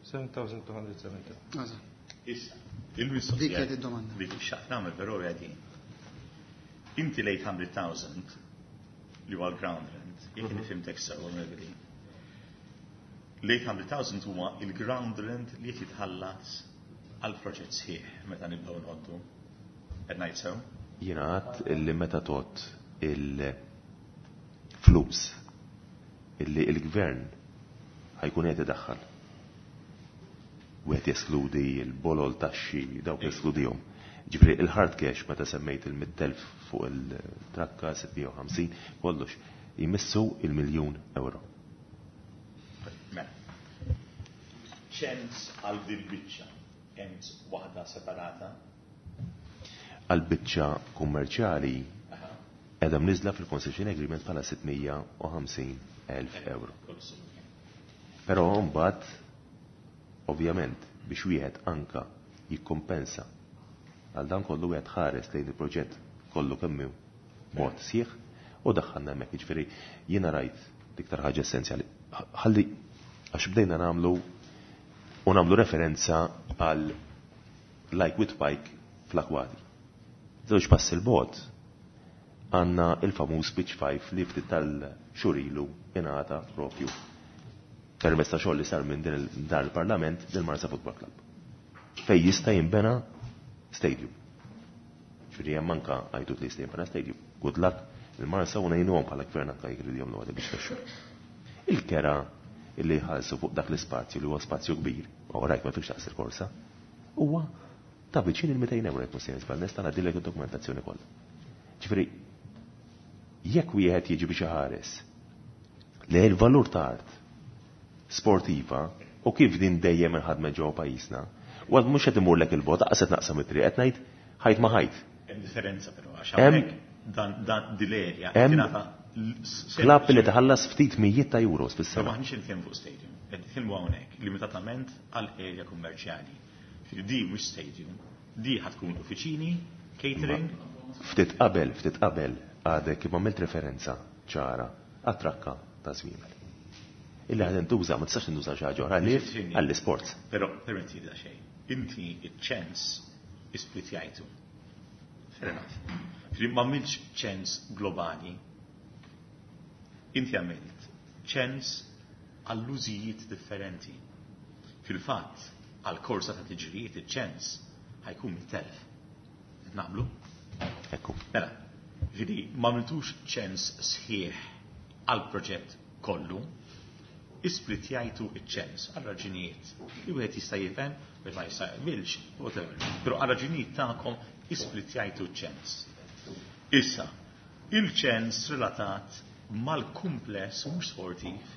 seven thousand two hundred seventy. Issa, il-mistoqsija. Dik kienet id-domanda. Li xaqt nagħmel però hija din. Inti l-eight hundred thousand li huwa l-ground rent, jekk nifhimtek sew onorevoli. L-eight hundred thousand huwa il-ground rent li qed jitħallas għal proġett sħiħ meta nibdew nqoddu. Qed ngħid sew? Jiena għadt illi meta tot il-flus illi il-gvern ħajkun qed idaħħal. Wieħed jeskludi l-bolol taxxi dawk jeskludihom. Ġifieri il-hard cash meta semmejt il-mitt elf fuq il-trakka sitt mija u ħamsin kollox jmissu il-miljun euro. Mela. Ċens għal din biċċa, hemm waħda separata. Għal biċċa kummerċjali qiegħda mniżla fil-concession agreement bħala sitt mija u ħamsin elf euro. Però mbagħad ovvjament biex wieħed anka jikkompensa għal dan kollu wieħed ħares lejn il-proġett kollu kemm hu mod sieħ u daħħalna hemmhekk. Jiġifieri jiena rajt l-iktar ħaġa essenzjali. Ħalli għax bdejna nagħmlu u nagħmlu referenza għal like with pike fl-akwati. Żewġ pass il-bot għandna il-famuż Pitch five li ftit tal-xurilu ingħata propju permezz ta' xogħol li sar minn din dan il-Parlament lil Marsa Football Club. Fej jista' jinbena stadium. Ġifieri hemm anke għajtut li jista' jinbena stadium. Good luck il-Marsa u ngħinuhom bħala gvern anke jekk iridu jagħmlu għadha biex taxxu. Il-kera illi jħallsu fuq dak l-ispazju li huwa spazju kbir, u rajt ma fix taqsir korsa, huwa ta' viċin il-mitejn euro jekk mhux żball, nista' ngħaddilek id-dokumentazzjoni kollha. Ġifieri jekk wieħed jiġi biex iħares li l-valur ta' art sportiva u kif din dejjem inħadmet ġewwa pajjiżna, u għad mhux qed imurlek il-bogħod, aqas qed naqsam it-triq, qed ngħid ħajt ma ħajt. Hemm differenza però għax Hemm hawnhekk dan, dan dil-erja Hemm tingħata l-, klabb li tħallas ftit mijiet ta' euros fis-sena. Però maħniex nitkellmu fuq stadium, qed nitkellmu hawnhekk limitatament għal erja kummerċjali. Ġifieri di mhux stadium, di ħad tkun uffiċini, catering. Ma ftit qabel, ftit qabel għadek kif għamilt referenza ċara għat-trakka ta' żwiemel. Illi ħad intuża, ma tistax tintuża xi ħaġa oħra għalli Ġifieri. għall-isports. Però permetti da xejn. Inti iċ-ċens isplitjajtu. Fair enough. Ġifieri ma għamiltx ċens globali. Inti għamilt ċens għall-użijiet differenti. Fil-fatt, għall-korsa ta' tiġrijiet iċ-ċens ħajkun mit-telf. Naqblu? Ekku. Mela, ġifieri ma għamiltux ċens sħiħ għall-proġett kollu, isplitjajtu iċ-ċens għal raġunijiet li wieħed jista' jifhem, wieħed ma jista' jaqbilx, whatever. Però għal raġunijiet tagħkom isplitjajtu iċ-ċens. Issa, il-ċens relatat mal-kumpless mhux sportiv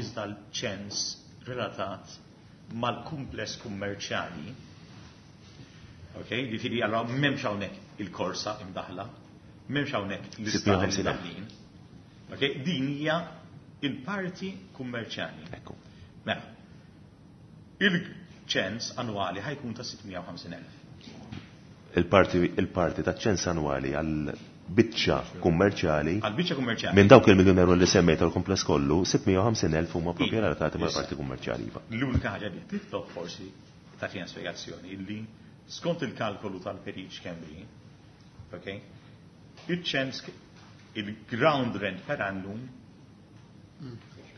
iżda l-ċens relatat mal-kumpless kummerċjali. Ok, ġifieri allora m'hemmx hawnhekk il-korsa imdaħla, m'hemmx hawnhekk l-istadji imdaħlin. Ok, din hija il-parti kummerċjali. Ekku. Mela, il-ċens annwali ħa jkun ta' sitt mija u ħamsin elf. Il-parti il-parti ta' ċens annwali għal biċċa kummerċjali. Għal biċċa kummerċjali. Minn dawk il-miljun euro li semmejt għal-kumpless kollu, sitt mija u ħamsin elf huma propju relatati mal-parti kummerċjali. Iva. L-unika ħaġa li titlob forsi tagħtina spjegazzjoni illi skont il-kalkolu tal-Perit Schembri, ok, il-ċens, il-ground rent per annum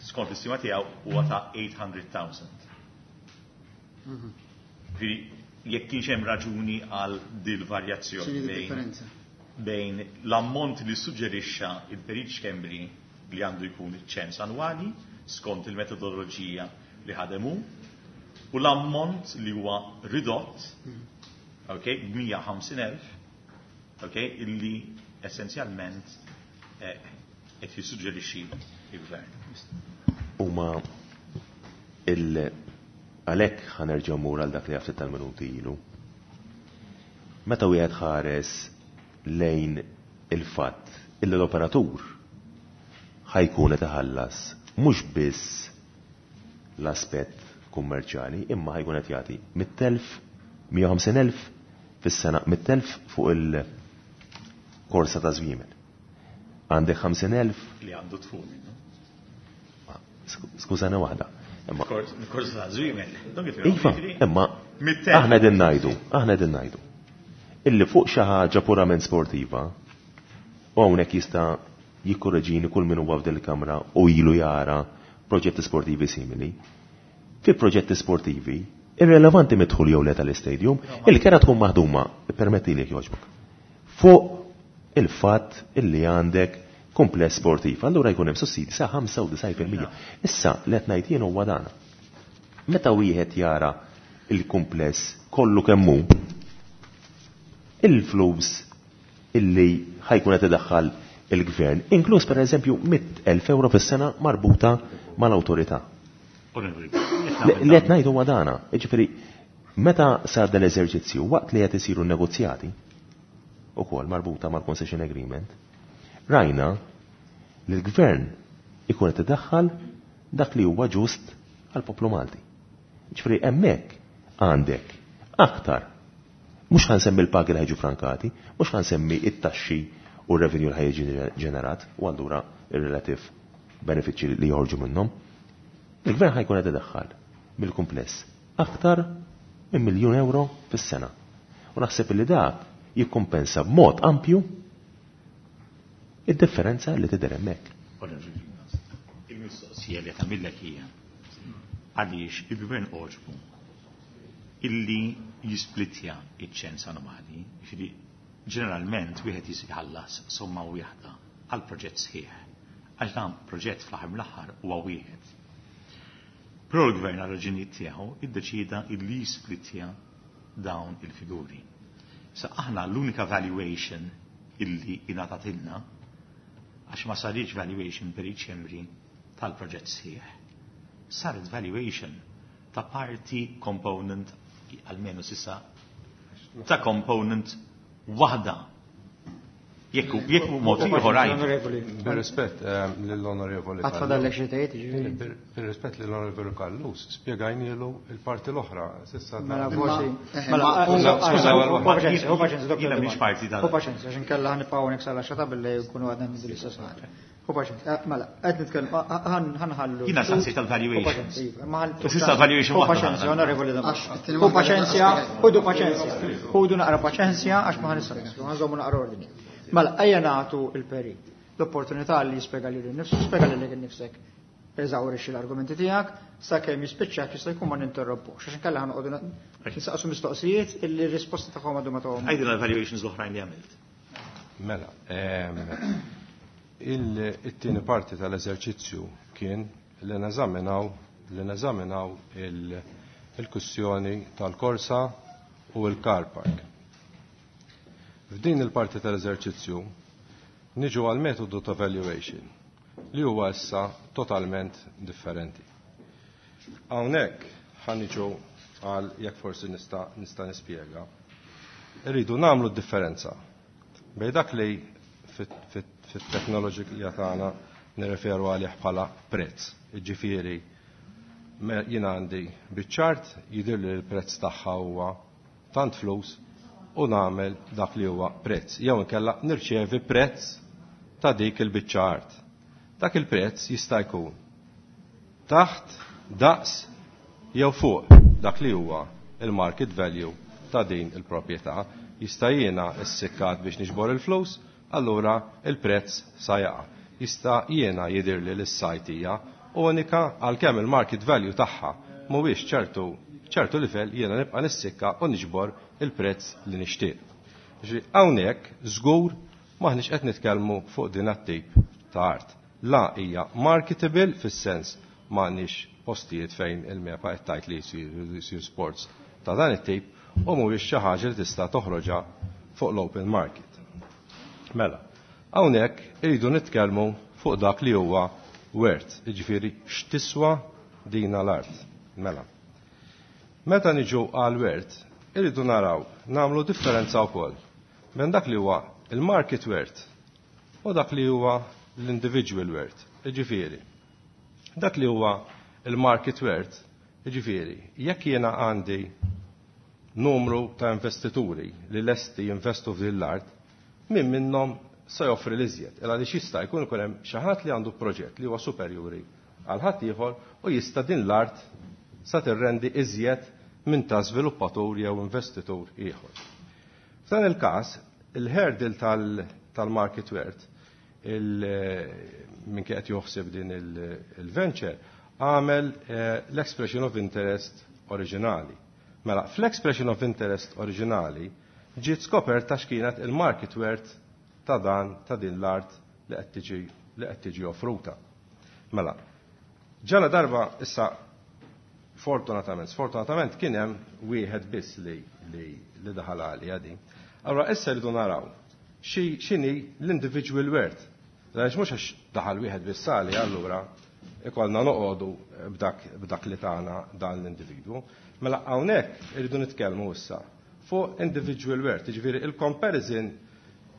skont l-istima tiegħu huwa ta' eight hundred thousand. Ġifieri jekk kienx hemm raġuni għal dil varjazzjoni X'inhi bejn differenza? Bejn l-ammont li suġġerixxa il-Perit Schembri li għandu jkun iċ-ċens annwali skont il-metodoloġija li ħademu u l-ammont li huwa ridott, ok, b'mija u ħamsin elf, ok, illi essenzjalment eh, qed jissuġġerixxi il-gvern. Huma il għalhekk ħa nerġgħu mur għal dak li ftit tal-minuti ilu. Meta wieħed ħares lejn il-fatt illi l-operatur ħa jkun qed iħallas mhux biss l-aspett kummerċjali imma ħa jkun qed jagħti mitt elf, mija u ħamsin elf fis-sena, mitt elf fuq il-korsa ta' żwiemel. Għandek ħamsin elf li għandu dħul minnu. Skużani waħda. Imma Korsa ta' żwiemel. Don't get me wrong, Iva, jiġifieri, imma mitt elf. aħna qegħdin ngħidu, aħna qegħdin ngħidu illi fuq xi ħaġa purament sportiva, u hawnhekk jista' jikkorreġini kull min huwa f'din il-kamra u ilu jara proġetti sportivi simili. Fi proġetti sportivi, irrelevanti mid-dħul jew le tal-istadium, il-kera tkun maħduma, permetti li jogħġbok, fuq il-fatt illi għandek kumpless sportiv. Allura jkun hemm sussidi sa ħamsa u disgħin fil-mija. Issa li qed ngħid jien huwa dan. Meta wieħed jara il-kumpless kollu kemm hu, il-flus illi ħa jkun qed idaħħal il-gvern, inkluż per eżempju mitt elf euro fis-sena marbuta mal-awtorità. Onorevoli, Li li qed ngħidu huwa dana, jiġifieri meta sar dan l-eżerċizzju waqt li qed isiru negozjati ukoll marbuta mal-concession agreement, rajna li l-gvern ikun qed idaħħal dak li huwa ġust għall-poplu Malti. Ġifieri hemmhekk għandek aktar. Mhux ħa nsemmi l-pagi li ħa jiġu frankati, mhux ħa nsemmi it-taxxi u r-revenue li ħa jiġi ġenerat u allura ir-relative benefiċċji li joħorġu minnhom. Il-gvern ħa jkun qed idaħħal mill-kumpless aktar minn miljun euro fis-sena. U naħseb li dak jikkompensa b'mod ampju id-differenza li tidher hemmhekk. Onorevoli, il-mistoqsija li tagħmillek hija għaliex il-gvern għoġbu illi jisplitja iċ-ċens annwali, jiġifieri ġeneralment wieħed jħallas somma wieħda għal proġett sħiħ. Għax dan proġett fl-aħħar mill-aħħar huwa wieħed. Però l-gvern għal raġunijiet tiegħu iddeċida illi jisplitja dawn il-figuri. Sa aħna l-unika valuation illi ingħatatilna, għax ma saritx valuation per Schembri tal-proġett sħiħ. Saret valuation ta' parti component, almenu s'issa, ta' component waħda. Jekk jekk mod ieħor għajn. Onorevoli. Bir-rispett eh, lill-onorevoli. Għad fadallek xi tgħid, jiġifieri. Bir- Bir-rispett lill-onorevoli Callus, spjegajnielu il-parti l-oħra. S'issa Mela ta- forsi. Eh, Mela, ma- skuża, skuża, hu ma- paċenzja, hu paċenzja, Doktor Jiena mhix Dimon. parti tal- Hu paċenzja, għax inkella ħa nibqgħu hawnhekk sal-għaxra ta' bil-lejl nkunu għadna niddu l-istess ħaġa. Hu paċenzja, eh, mela, qed nitkellem, ħa nħallu. Jiena saqsejt tal-valuations. Hu paċenzja, iva, ma ħall- S'issa valuation Hu waħda paċenzja, ħana. onorevoli Dimon. Għax it-tieni Hu waħda paċenzja, ħudu paċenzja. Ħudu naqra paċenzja għax ma ħa nistgħu, ħa nżommu naqra ordni. Mela, ejja nagħtu il-perit l-opportunità li jispjega lilu nnifsu, spjega lilek innifsek. Eżawrixxi l-argumenti tiegħek sakemm jispiċċa jista' jkun ma ninterrompux. Għax inkella ħa noqogħdu nsaqsu mistoqsijiet illi r-risposta tagħhom għadu ma tagħhom. Għajdilna l-valuations l-oħrajn li għamilt. Mela, ehm, il- it-tieni parti tal-eżerċizzju kien li neżaminaw li neżaminaw il- il-kwistjoni tal-korsa u l-car park. F'din il-parti tal-eżerċizzju Niġu għal metodu ta' valuation li huwa issa totalment differenti. Hawnhekk ħa niġu għal jekk forsi nista' nista' nispjega. Irridu nagħmlu d-differenza bejn dak li fit-teknoloġija tagħna nirreferu għalih bħala prezz. Jiġifieri jien għandi biċ-ċart jidhir li l-prezz tagħha huwa tant flus u nagħmel dak li huwa prezz. Jew inkella nirċevi prezz ta' dik il-biċċa art. Dak il-prezz jista' jkun taħt, daqs jew fuq dak li huwa il-market value ta' din il-proprjetà. Jista' jiena ssikkat biex niġbor il-flus, allura il-prezz sa jaqa'. Jista' jiena jidhirli li s-site hija unika għalkemm il-market value tagħha mhuwiex ċertu ċertu livell, jiena nibqa' nissikka u niġbor il-prezz li nixtieq. Hawnhekk żgur maħniex qed nitkellmu fuq din it-tip ta' art. La hija marketable fis-sens m'għandniex postijiet fejn il-MEPA qed tgħid li jsir sports ta' dan it-tip u mhuwiex xi ħaġa li tista' toħroġha fuq l-open market. Mela, hawnhekk iridu nitkellmu fuq dak li huwa worth, jiġifieri x'tiswa dina l-art. Mela. Meta niġu għal worth, irridu naraw nagħmlu differenza wkoll minn dak li huwa il-market worth u dak li huwa l-individual worth. Jiġifieri, dak li huwa il-market worth, jiġifieri, jekk jiena għandi numru ta' investituri li lesti jinvestu f'din l-art, min minnhom se joffri l-iżjed. Illa li jista' jkun ikun hemm xi ħadd li għandu proġett li huwa superjuri għal ħadd ieħor u jista' din l-art sa tirrendi iżjed minn ta' żviluppatur jew investitur ieħor. F'dan il-każ, il-hurdle tal-market worth, minn qed joħseb din il-venture, għamel l-expression of interest oriġinali. Mela, fl-expression of interest oriġinali ġiet skoperta x'kienet il-market worth ta' dan ta' din l-art li qed tiġi li qed tiġi offruta. Mela, ġala darba issa fortunatament, sfortunatament kien hemm wieħed biss li li, li daħal għalija din. Allora issa rridu naraw x'inhi l-individual worth. Għaliex mhux għax daħal wieħed biss għali allura ikollna noqogħdu b'dak b'dak li tagħna dan l-individwu. Mela hawnhekk irridu nitkellmu issa fuq individual worth, jiġifieri il-comparison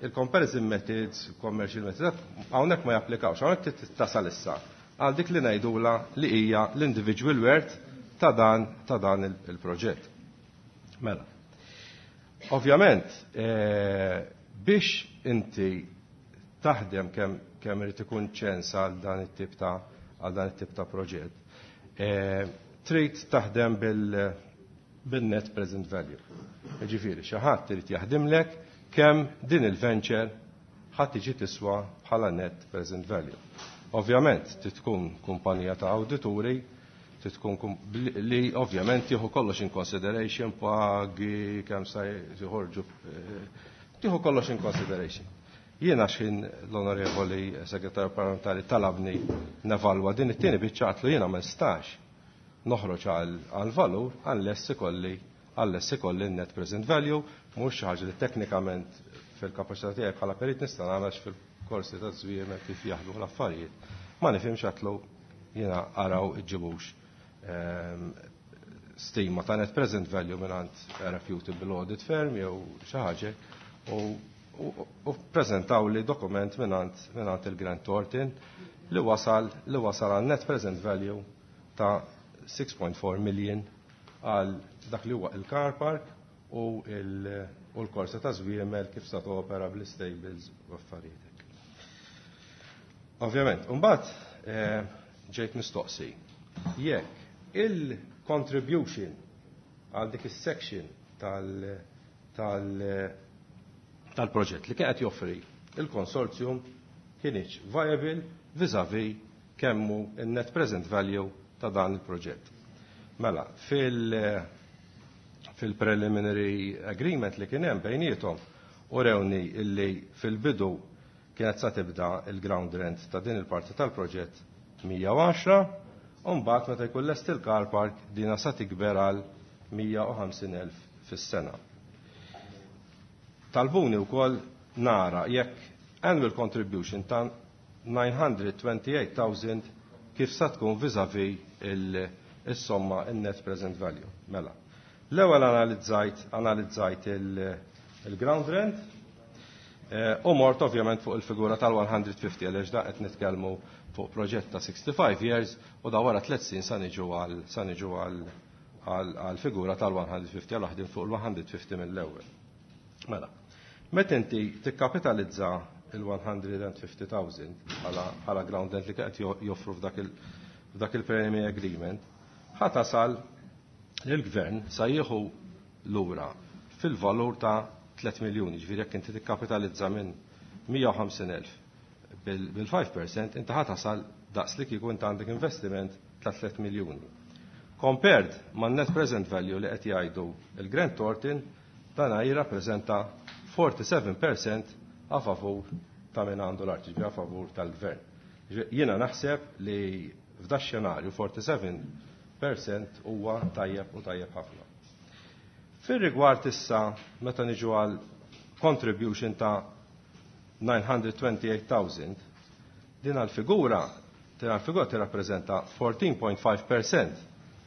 il-comparison methods, commercial methods, hawnhekk ma japplikawx, hawnhekk tasal issa għal dik li ngħidula li hija l-individual worth ta' dan ta' dan il-proġett. Mela. Ovvjament, biex inti taħdem kemm kemm irid ikun ċens għal dan it-tip ta' għal dan it-tip ta' proġett, trid taħdem bil bil-net present value. Jiġifieri xi ħadd irid jaħdimlek kemm din il-venture ħadd tiġi tiswa bħala net present value. Ovvjament trid tkun kumpanija ta' awdituri, trid tkun li ovvjament jieħu kollox in consideration, pagi, kemm sa joħorġu, tieħu kollox in consideration. Jiena x'ħin l-onorevoli segretarju parlamentari talabni nevalwa din it-tieni biċċa għatlu jiena ma nistax noħroġ għal valur unless ikolli unless ikolli net present value, mhux xi ħaġa li teknikament fil-kapaċità tiegħi bħala perit nista' nagħmel fil-korsi ta' żwiemel kif jaħdmu l-affarijiet. Ma nifhimx għatlu jiena araw iġġibux stima ta' net present value mingħand reputable audit firm jew xi ħaġa u u prezentaw li dokument mingħand il-Grant Thornton li wasal li wasal għal net present value ta' six point four million għal dak li huwa il-car park u l-korsa ta' żwiemel kif sa topera bl-stables u affarijiet. Ovvjament, imbagħad ġejt mistoqsi jekk il-contribution għal dik is-section tal-, tal tal-proġett li kien qed joffri il-konsorzjum kienx viable vis-à-vis kemmu il-net present value ta' dan il-proġett. Mela, fil- fil-preliminary agreement li kien hemm bejniethom urewni illi fil-bidu kienet sa tibda il-ground rent ta' din il-parti tal-proġett mija u għaxra, u mbagħad meta jkun lest il-car park dina sa tikber għal mija u ħamsin elf fis-sena. Talbuni wkoll nara jekk annual contribution ta' nine hundred twenty-eight thousand kif sa tkun vis-a-vis il-somma, il-net present value. Mela. L-ewwel analizzajt analizzajt il-ground rent eh, u mort ovvjament fuq il-figura tal-one hundred fifty, għaliex da qed nitkellmu fuq proġett ta' sixty-five years u da wara tliet snin sa niġu għal sa niġu għal għal figura tal-one hundred fifty, għal waħdin fuq il-one hundred fifty mill-ewwel. Mela, meta inti tikkapitalizza il-one hundred fifty thousand bħala ground rent li qed joffru f'dak il- il-preliminary agreement, ħa tasal li l-gvern sa jieħu lura fil-valur ta' tliet miljuni, ġifieri jekk inti tikkapitalizza minn mija u ħamsin elf bil-five percent, inti ħa tasal daqs li kieku inti għandek investiment ta' tliet miljuni. Compared ma' net present value li qed jgħidu il-Grant Thornton, dana jirrappreżenta forty-seven percent a favur ta' min għandu l-art, a favur tal-gvern. Jiena naħseb li f'da xenarju forty-seven percent huwa tajjeb u tajjeb ħafna. Fir-rigward issa meta niġu għal contribution ta' nine hundred twenty-eight thousand, din għal-figura din għal-figura tirrappreżenta fourteen point five percent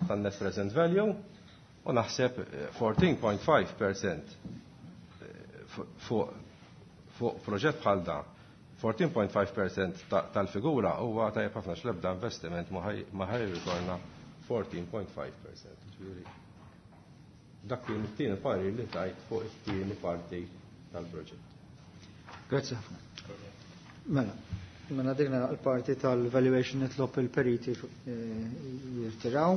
tan-net present value u naħseb fourteen point five percent fuq fuq proġett bħal da, fourteen point five percent tal-figura huwa tajjeb ħafna, x'lebda investiment ma ħa jirritorna fourteen point five percent. Ġifieri, dak kien it-tieni parir li tajt fuq it-tieni parti tal-proġett. Grazzi ħafna. Mela, mela dikna l-parti tal-valuation, nitlob il-periti eh, jirtiraw.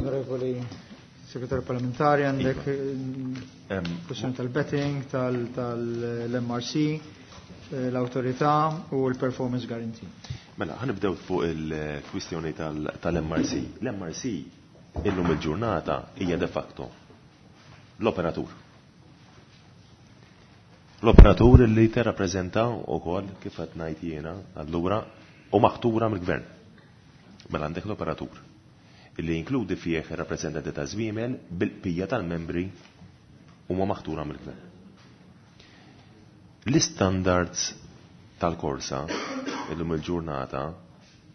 Onorevoli Segretarju Parlamentari, għandek eh, kwestjoni tal-betting, tal-M R C, eh, l-autorità u l-performance guarantee. Mela, ħa nibdew fuq il-kwistjoni tal-M R C. L-M R C illum il-ġurnata hija de facto l-operatur. L-operatur li tirrappreżenta wkoll, kif qed ngħid jiena, allura u maħtura mill-gvern. Mela għandek l-operatur illi jinkludi fih ir-rappreżentanti ta' żwiemel bil-bqija tal-membri huma maħtura mill-gvern. L-standards tal-korsa illum il-ġurnata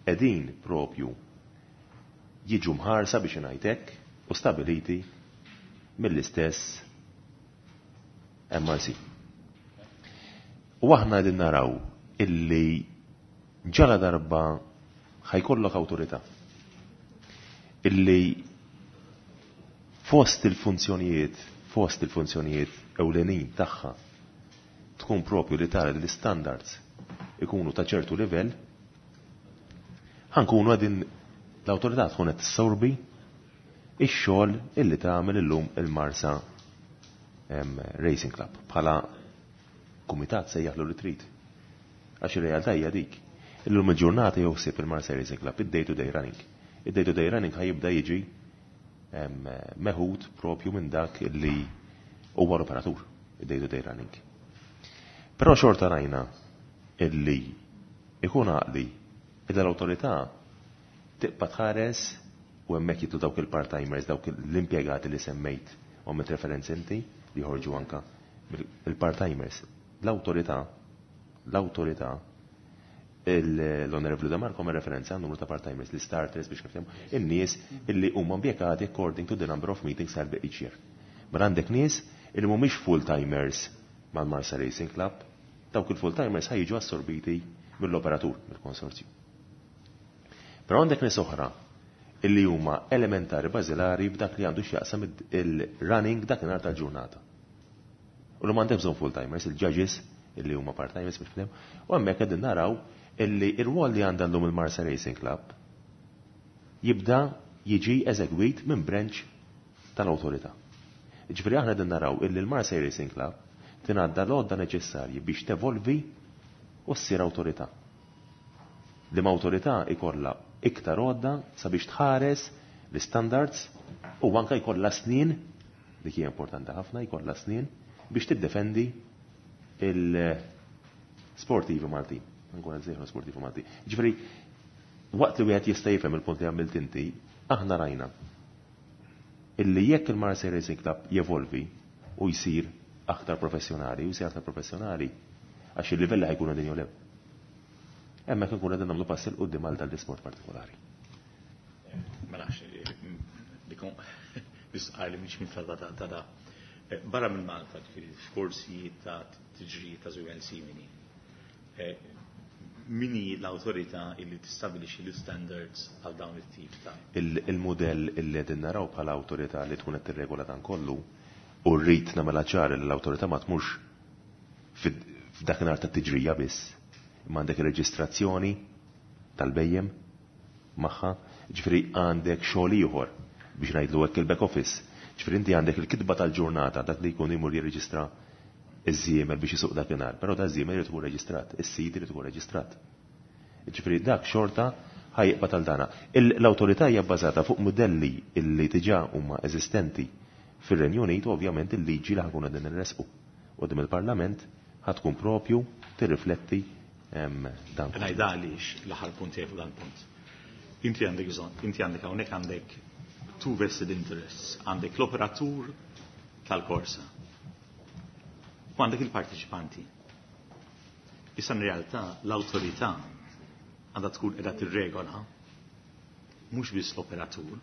qegħdin propju jiġu mħarsa, biex ngħidlek, u stabiliti mill-istess M R C. U aħna qegħdin naraw illi ġala darba ħa jkollok awtorità illi fost il-funzjonijiet fost il-funzjonijiet ewlenin tagħha tkun propju li tara li l-standards ikunu ta' ċertu livell, ħa nkunu qegħdin l-awtorità tkun qed tissorbi ix-xogħol illi tagħmel illum il-Marsa Racing Club bħala kumitat, sejjaħlu li trid. Għax ir-realtà hija dik. Illum il-ġurnata joħsib il-Marsa Racing Club id-day to day running. Id-day to day running ħa jibda jiġi meħud propju minn dak illi huwa l-operatur, id-day to day running. Però xorta rajna illi ikun għaqli id l-autorità tibqa' tħares u hemmhekk jidħlu dawk il-part-timers, dawk l-impjegati li semmejt u għamilt referenzi inti li joħorġu anka il-part-timers. L-autorità, l-autorità, l-Onorevoli De Marco għamel referenza numru ta' part-timers, li starters, biex niftehmu, in-nies illi huma impjegati according to the number of meetings held each year. Mela għandek nies illi mhumiex full-timers mal-Marsa Racing Club, dawk il-full-timers ħa jiġu assorbiti mill-operatur, mill-konsorzju. Però għandek nies oħra illi huma elementari, bażilari b'dak li għandu x'jaqsam il-running dakinhar tal-ġurnata. U li m'għandek bżonn full-timers, il-judges illi huma part-timers, biex nifhem, u hemmhekk qegħdin naraw illi ir-rwol li għandha llum il-Marsa Racing Club jibda jiġi eżegwit minn branch tal-awtorità. Ġifieri aħna qegħdin naraw illi l-Marsa Racing Club tingħadda l-għodda neċessarji biex tevolvi u ssir awtorità. Li awtorità ikolla iktar għodda sabiex tħares l-standards u anka jkollha snin, dik hija importanti ħafna, jkollha snin biex tiddefendi il-sportivi Maltin. Nkun qed sportivi Maltin. Ġifieri, waqt li wieħed jista' jifhem il-punt li għamilt inti, aħna rajna illi jekk il-Marsa Racing Club jevolvi u jsir aktar professjonali, u jsir aktar professjonali għax il-livelli ħa jkunu din jew le. Hemmhekk ikun qegħdin nagħmlu pass 'il quddiem għal dal-isport partikolari. Ma nafx, dikon nisqar li mhix minn ta' da. Barra minn Malta, f'korsi ta' tiġri ta' żwiemel simili. Min hi l-awtorità illi tistabilixxi l-standards għal dawn it-tip ta' Il-modell illi qegħdin naraw bħala awtorità li tkun qed tirregola dan kollu, u rrid nagħmilha ċar li l-awtorità ma tmurx f'dakinhar ta' tiġrija biss, imma għandek ir-reġistrazzjoni tal-bhejjem magħha, ġifieri għandek xogħol ieħor biex ngħidlu hekk il-back office. Ġifieri inti għandek il-kitba tal-ġurnata, dak li jkun imur jirreġistra iż-żiemel biex isuq dakinhar, però da żiemel irid ikun reġistrat, is-sid irid ikun reġistrat. Ġifieri dak xorta ħa jibqa' tal-dana. L-awtorità hija bbażata fuq modelli illi diġà huma eżistenti fir-Renju Unit, u ovvjament il-liġi li ħa nkunu qegħdin nresqu quddiem il-Parlament ħa tkun propju tirrifletti dan. Ngħidha għaliex l-aħħar punt tiegħi fuq dan punt. Inti għandek bżonn, inti għandek hawnhekk għandek two vested interests, għandek l-operatur tal-korsa u għandek il-partiċipanti. Issa in realtà l-awtorità għandha tkun qiegħda tirregola mhux biss l-operatur,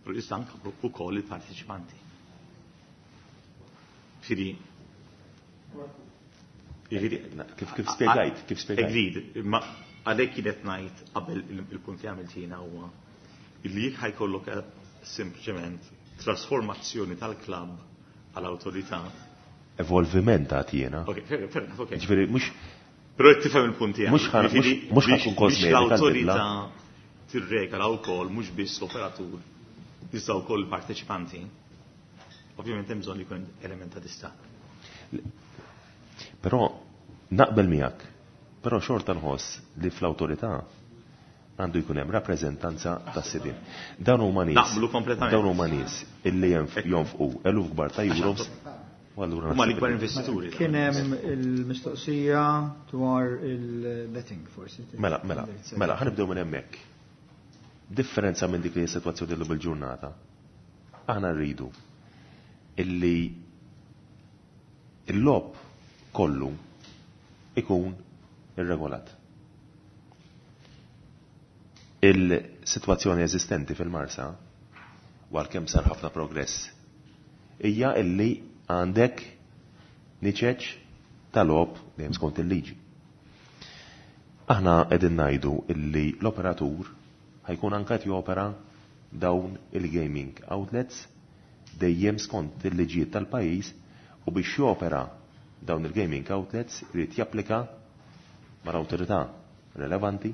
però issa anke wkoll il-partiċipanti. Ġifieri, ġifieri, Kif kif spjegajt, kif spjegajt. Agreed, ma għalhekk kienet ngħid qabel il-punt li għamilt jiena huwa illi jekk ħa jkollok sempliċement trasformazzjoni tal-klabb għall-awtorità. Evolviment għad jiena. Ok, fair, fair enough, ok. Ġifieri mhux Però qed tifhem il-punt tiegħi. Mhux ħa- Ġifieri, mhux ħa biex- tkun kosmetika biex l-awtorità l-bidla. tirregola wkoll mhux biss l-operatur, iżda wkoll il-parteċipanti. Ovvjament hemm bżonn li jkun element ta' distakk. Però naqbel miegħek, però xorta nħoss li fl-awtorità għandu jkun hemm rappreżentanza tas-sidien. Dawn huma nies. Naqblu kompletament. Dawn huma nies illi jenf- jonfqu eluf kbar ta' euros. U allura Huma naħseb l-ikbar li- investituri. Kien hemm il-mistoqsija dwar il-betting forsi. Mela, mela, mela, ħa nibdew minn hemmhekk. Differenza minn dik li s-sitwazzjoni llum il-ġurnata. Aħna rridu illi il-logħob kollu ikun irregolat. Il-sitwazzjoni eżistenti fil-Marsa, għalkemm sar ħafna progress, hija illi għandek niċeċ tal-logħob dejjem skont il-liġi. Aħna qegħdin ngħidu illi l-operatur ħa jkun anke qed jopera dawn il-gaming outlets dejjem skont il-liġijiet tal-pajjiż, u biex jopera dawn il-gaming outlets irid japplika mal-awtorità relevanti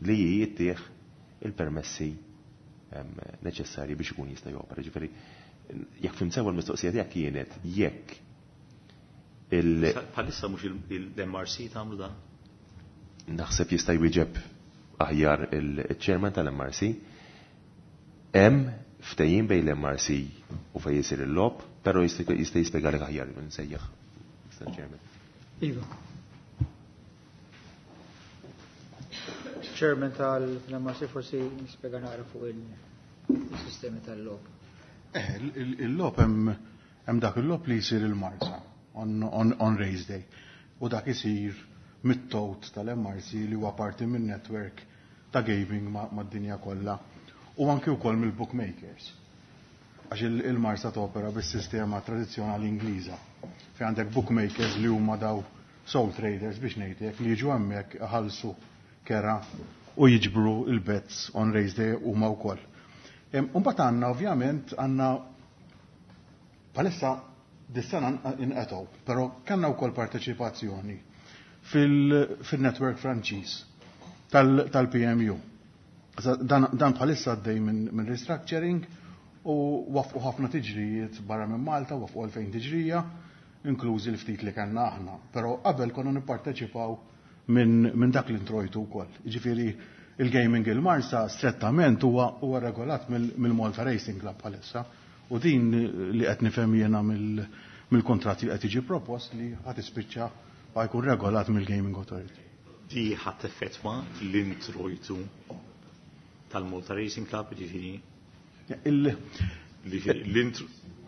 li jittieħ il-permessi em, neċessarji biex ikun jista' jopera. Ġifieri, jekk fhimt sew il-mistoqsija tiegħek kienet jekk il- Bħalissa mhux il-M R C tagħmlu dan? Naħseb jista' jwieġeb aħjar il-chairman tal-M R C. Hemm ftehim bejn l-M R C u fejn jisir il-logħob, però jista' jista' jispjegalek aħjar nsejjaħ. Mister Chairman. Iva. Chairman tal-M R C forsi nispjega naqra fuq il-sistemi tal-logħob. Eh, il-logħob hemm hemm dak il-logħob li jsir il-Marsa on, on, on race day. U dak isir mit-tot tal-M R C li huwa parti minn network ta' gaming mad-dinja kollha. U anki wkoll mill-bookmakers. Għax il-Marsa topera bis-sistema tradizzjonali Ingliża. Fejn għandek bookmakers li huma daw sole traders, biex ngħidlek, li jiġu hemmhekk, iħallsu kera u jiġbru il-bets on race day huma wkoll. Imbagħad għandna, ovvjament, għandna bħalissa dis-sena inqetgħu, però kellna wkoll parteċipazzjoni fil-network Franċiż tal-P M U. Dan, dan bħalissa għaddej minn min restructuring u waqfu ħafna tiġrijiet barra minn Malta, waqfu elfejn tiġrija, inklużi l-ftit li kellna aħna. Però qabel konna nipparteċipaw minn min dak l-introjtu wkoll. Ġifieri il-gaming il-Marsa strettament huwa huwa regolat mill-Malta Racing Club bħalissa, u din li qed nifhem jiena mill-kontratti li qed jiġi propost li ħadd ispiċċa ħa jkun regolat mill-Gaming Authority. Di ħa teffettwa l-introjtu tal-Malta Racing Club, ġifieri? L-intro.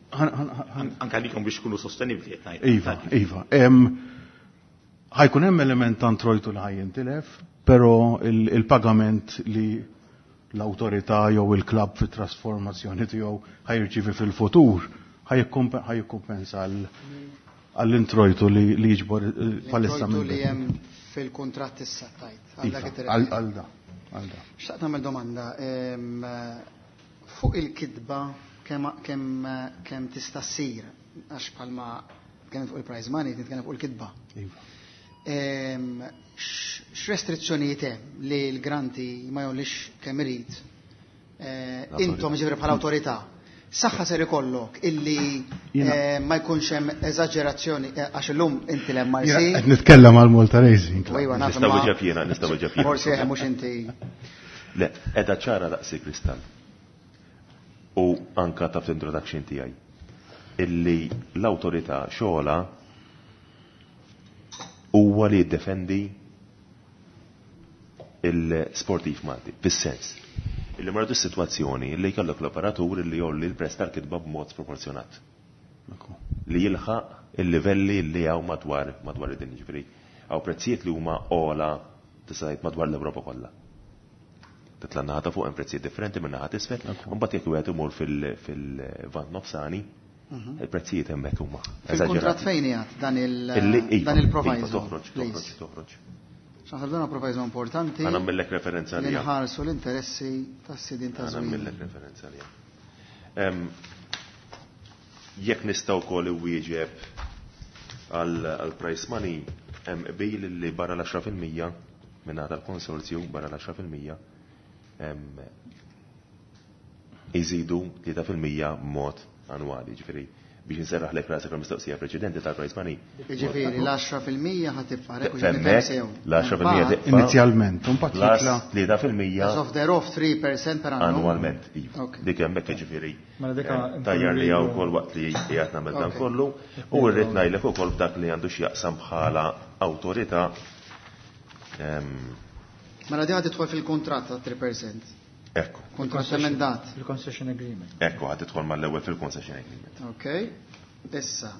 Anka likom biex kunu sostenibli. Iva, iva. Ħajkun hemm element ta' introjtu li ħajjintilef, però il-pagament li l-awtorità jew il-klabb fit-trasformazzjoni tiegħu ħajrċivi fil-futur ħajikkumpensa għall-introjtu li jiġbor palissa minn. Li hemm fil-kuntratt issa tajt. Għal da. Xtaqt nagħmel domanda fuq il-kitba kemm kemm tista' ssir, għax bħalma kemm fuq il-prize money nitkellem fuq il-kitba. X'restrizzjonijiet hemm li l-granti ma jgħollix kemm irid? Intom ġifri bħala awtorità, saħħa ser ikollok illi ma jkunx hemm eżaġerazzjoni, għax illum inti l-M R C. Qed nitkellem għal Malta Racing. Nista' wieġeb jiena, nista' wieġeb jiena. Forsi mhux inti. Le, qiegħda ċara daqsi kristall. U anka taf l-introduction tiegħi illi l-awtorità xogħla huwa li jiddefendi il-sportiv Malti, fis-sens illi marru s-sitwazzjoni li jkollok l-operatur li jolli l-prezz tal-kitba b'mod sproporzjonat. Li jilħaq il-livelli li hawn madwar madwar id-dinja, ġifieri hawn prezzijiet li huma ogħla tista' tgħid madwar l-Ewropa kollha. Titla' naħa ta' fuq hemm prezzijiet differenti minn naħa t'isfel, u mbagħad jekk wieħed imur fil-vant nofsani, il-prezzijiet hemmhekk huma. Fil-kuntratt fejn qiegħed dan il-proviso? Toħroġ, toħroġ, toħroġ. X'naħseb dan proviso importanti. Għana nagħmellek referenza għalija. Nħarsu l-interessi tas-sidin ta' żmien. Għana nagħmellek referenza għalija. Jekk nistgħu wkoll iwieġeb għal price money, hemm qbil li barra l-għaxra fil-mija minn tal-konsorzju barra l-għaxra fil-mija iżidu tlieta fil-mija b'mod annwali, ġifieri biex inserraħ lek rasek l-mistoqsija preċedenti tal-price money. Ġifieri l-għaxra fil-mija ħa tibqa' l-għaxra fil-mija tibqa' inizjalment, u mbagħad jitla' tlieta fil-mija. As of thereof three percent per annum. Annwalment, iva. Dik hemmhekk ġifieri tajjar li hawn ukoll waqt li qiegħed nagħmel dan kollu, u rrid ngħidlek ukoll f'dak li għandu x'jaqsam bħala awtorità. Mela di ħad tidħol fil-kuntratt ta' three percent. Ekku. Kontrat emendat. Il-concession agreement. Ekku, ħad tidħol mal-ewwel fil-concession agreement. Ok. Issa,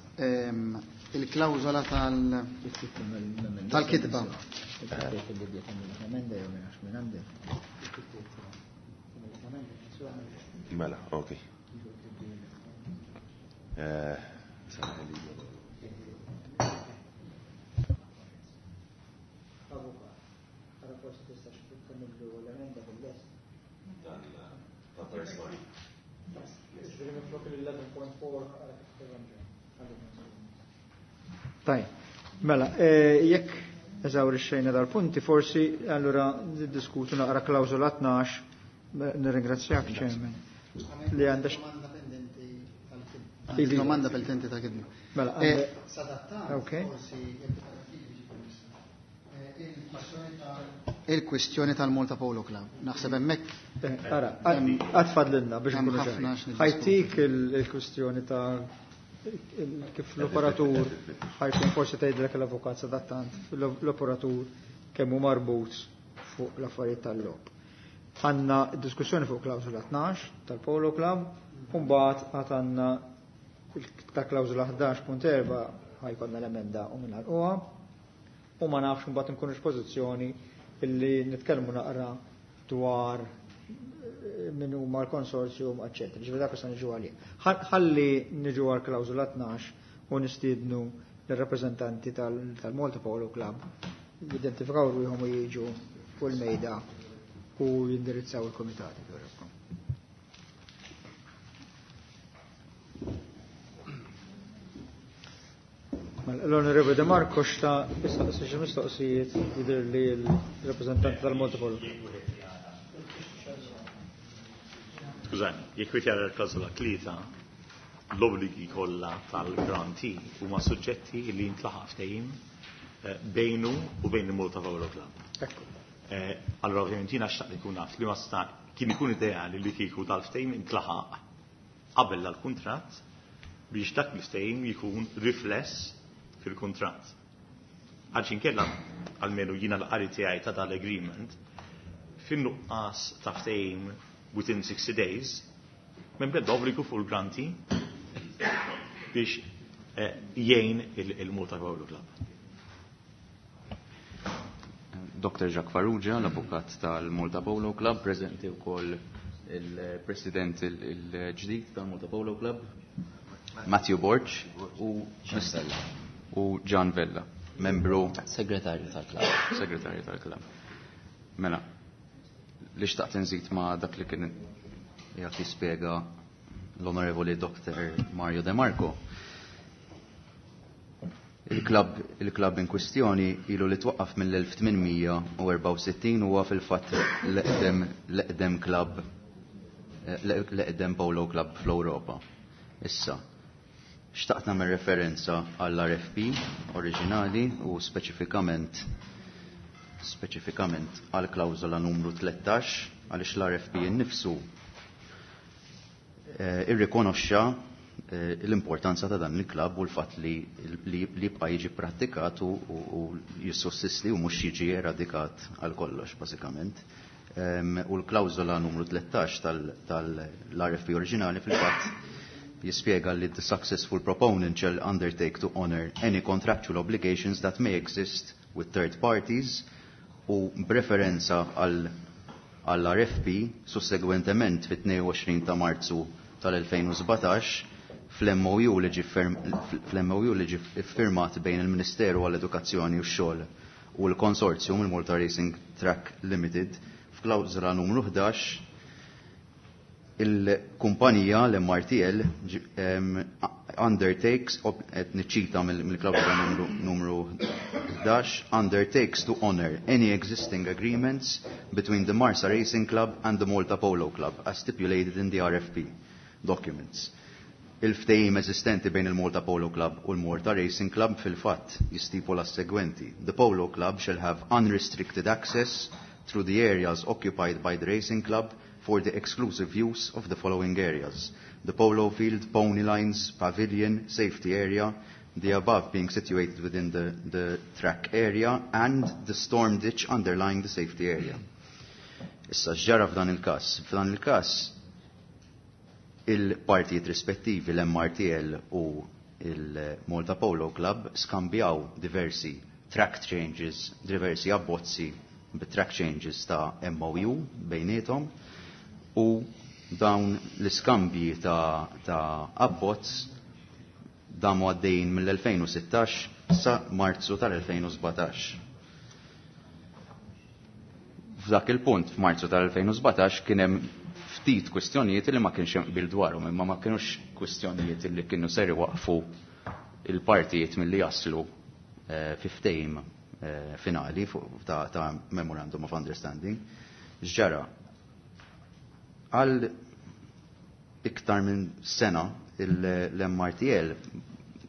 il-klawżola tal tal-kitba. Mela, ok. Taj, mela, jekk eżawrixxejna dal-punti, forsi allura niddiskutu naqra klawżola tnax, nirringrazzjak Chairman. Li għandha domanda pendenti ta' kidma. Mela, ok. Il-kwistjoni tal-Malta Polo Club. Naħseb hemmhekk. Ara, għad fadlilna biex nkunu ċari. Ħajtik il-kwistjoni ta' kif l-operatur ħajkun forsi tgħidlek l-avukat sadattant l-operatur kemm hu marbut fuq l-affarijiet tal-logħob. Għandna diskussjoni fuq klawżola tnax tal-Polo Club, u mbagħad għad għandna ta' klawżola ħdax punt erba' ħajkonna l-emenda u mingħalquha, u ma nafx mbagħad nkunux pożizzjoni illi nitkellmu naqra dwar min huma l-konsorzjum, eċċetera. Ġifieri dak se niġu għalih. Ħalli niġu għal klawżola tnax u nistiednu lir-rappreżentanti tal-Malta Polo Club jidentifikaw ruħhom u jiġu fuq il-mejda u jindirizzaw il-komitati. L-Onorevole De Marco xta issaqsi xi mistoqsijiet jidher li l-rappreżentanti tal-Malta Polo. Skużani, jekk wieħed jara l-klawżola tlieta, l-obbligi kollha tal-grantee huma suġġetti li jintlaħaq ftehim bejnu u bejn il-Malta Polo Club. Allora ovvjament jiena xtaqt ikun naf li ma sta kien ikun ideali li kieku dal-ftehim intlaħaq qabel dal-kuntratt biex dak l-ftehim jkun rifless fil-kuntratt. Għax inkella almenu jiena l-qari tiegħi ta' dal-agreement fin-nuqqas ta' ftehim within sixty days, minn beda obbligu fuq il-granti biex jgħin il-Malta Polo Club. Doctor Jacques Farrugia, l-avukat tal-Malta Polo Club, preżenti wkoll il-president il-ġdid tal-Malta Polo Club, Matthew Borg u u Gian Vella, membru segretarju tal-klabb. Segretarju tal-klabb. Mela, li xtaqt nżid ma' dak li kien jagħti spjega l-Onorevoli Doctor Mario De Marco. Il-klabb il-klabb in kwistjoni ilu li twaqqaf mill-elf tmien mija u erbgħa u sittin, huwa fil-fatt l-eqdem l-eqdem klabb, l-eqdem polo club fl-Ewropa. Issa, xtaqt nagħmel referenza għall-R F P oriġinali u speċifikament speċifikament għal klawżola numru tlettax, għaliex l-R F P innifsu, eh, irrikonoxxa, eh, l-importanza ta' dan il-klabb u l-fatt li, li, li jibqa' jiġi prattikat u, u, u jissossisti u mhux jiġi eradikat għal kollox bażikament. Em, u l-klawżola numru tlettax tal-R F P oriġinali fil-fatt jispjega li the successful proponent shall undertake to honor any contractual obligations that may exist with third parties, u b'referenza għal, għall-R F P sussegwentement fit-tnejn u għoxrin ta' Marzu tal-elfejn u sbatax fl-M O U li ġie firm-, fl-M O U li ġie ffirmat bejn il-Ministeru għall-Edukazzjoni u x-Xogħol u l-Konsorzjum il-Malta Racing Track Limited f'klawżola numru ħdax il-kumpanija l-M R T L ġi-, em, undertakes, ob-, qed niċċita mill-, mill-klawżola numru, numru ħdax, undertakes to honor any existing agreements between the Marsa Racing Club and the Malta Polo Club as stipulated in the R F P documents. Il-ftehim eżistenti bejn il-Malta Polo Club u l-Malta Racing Club fil-fatt jistipula s-segwenti. The Polo Club shall have unrestricted access through the areas occupied by the Racing Club for the exclusive use of the following areas: the polo field, pony lines, pavilion, safety area, the above being situated within the, the track area, and the storm ditch underlying the safety area. Issa x'ġara f'dan il-każ? F'dan il-każ il-partijiet rispettivi l-M R T L u il-Malta Polo Club skambjaw diversi track changes, diversi abbozzi bit-track changes ta' M O U bejniethom, u dawn l-iskambji ta', ta' abbozz damu għaddejjin mill-elfejn u sittax sa Marzu tal-elfejn u sbatax. F'dak il-punt, f'Marzu tal-elfejn u sbatax, kien hemm ftit kwistjonijiet li ma kienx hemm qbil dwarhom, imma ma kienux kwistjonijiet li kienu ser iwaqfu il-partijiet milli jaslu, eh, fi ftehim, eh, finali fuq ta', ta' Memorandum of Understanding. X'ġara? Għal iktar minn sena il-, l-M R T L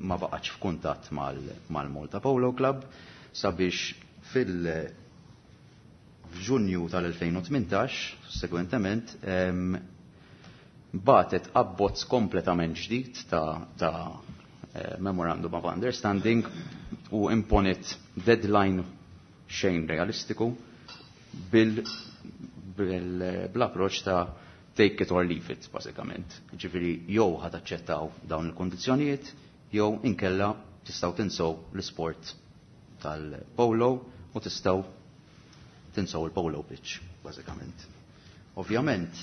ma baqgħetx f'kuntatt mal-, mal-Malta Polo Club sabiex fil- f'Ġunju tal-elfejn u tmintax, segwentement, em, batet abbozz kompletament ġdid ta', ta', eh, Memorandum of Understanding u imponit deadline xejn realistiku bil, bil, bl-approċ ta' take it or leave it, bażikament. Ġifieri jew ħad aċċettaw dawn il-kondizzjonijiet, jew inkella tistgħu tinsew l-isport tal-polo u tistgħu tinsew il-polo pitch, bażikament. Ovvjament,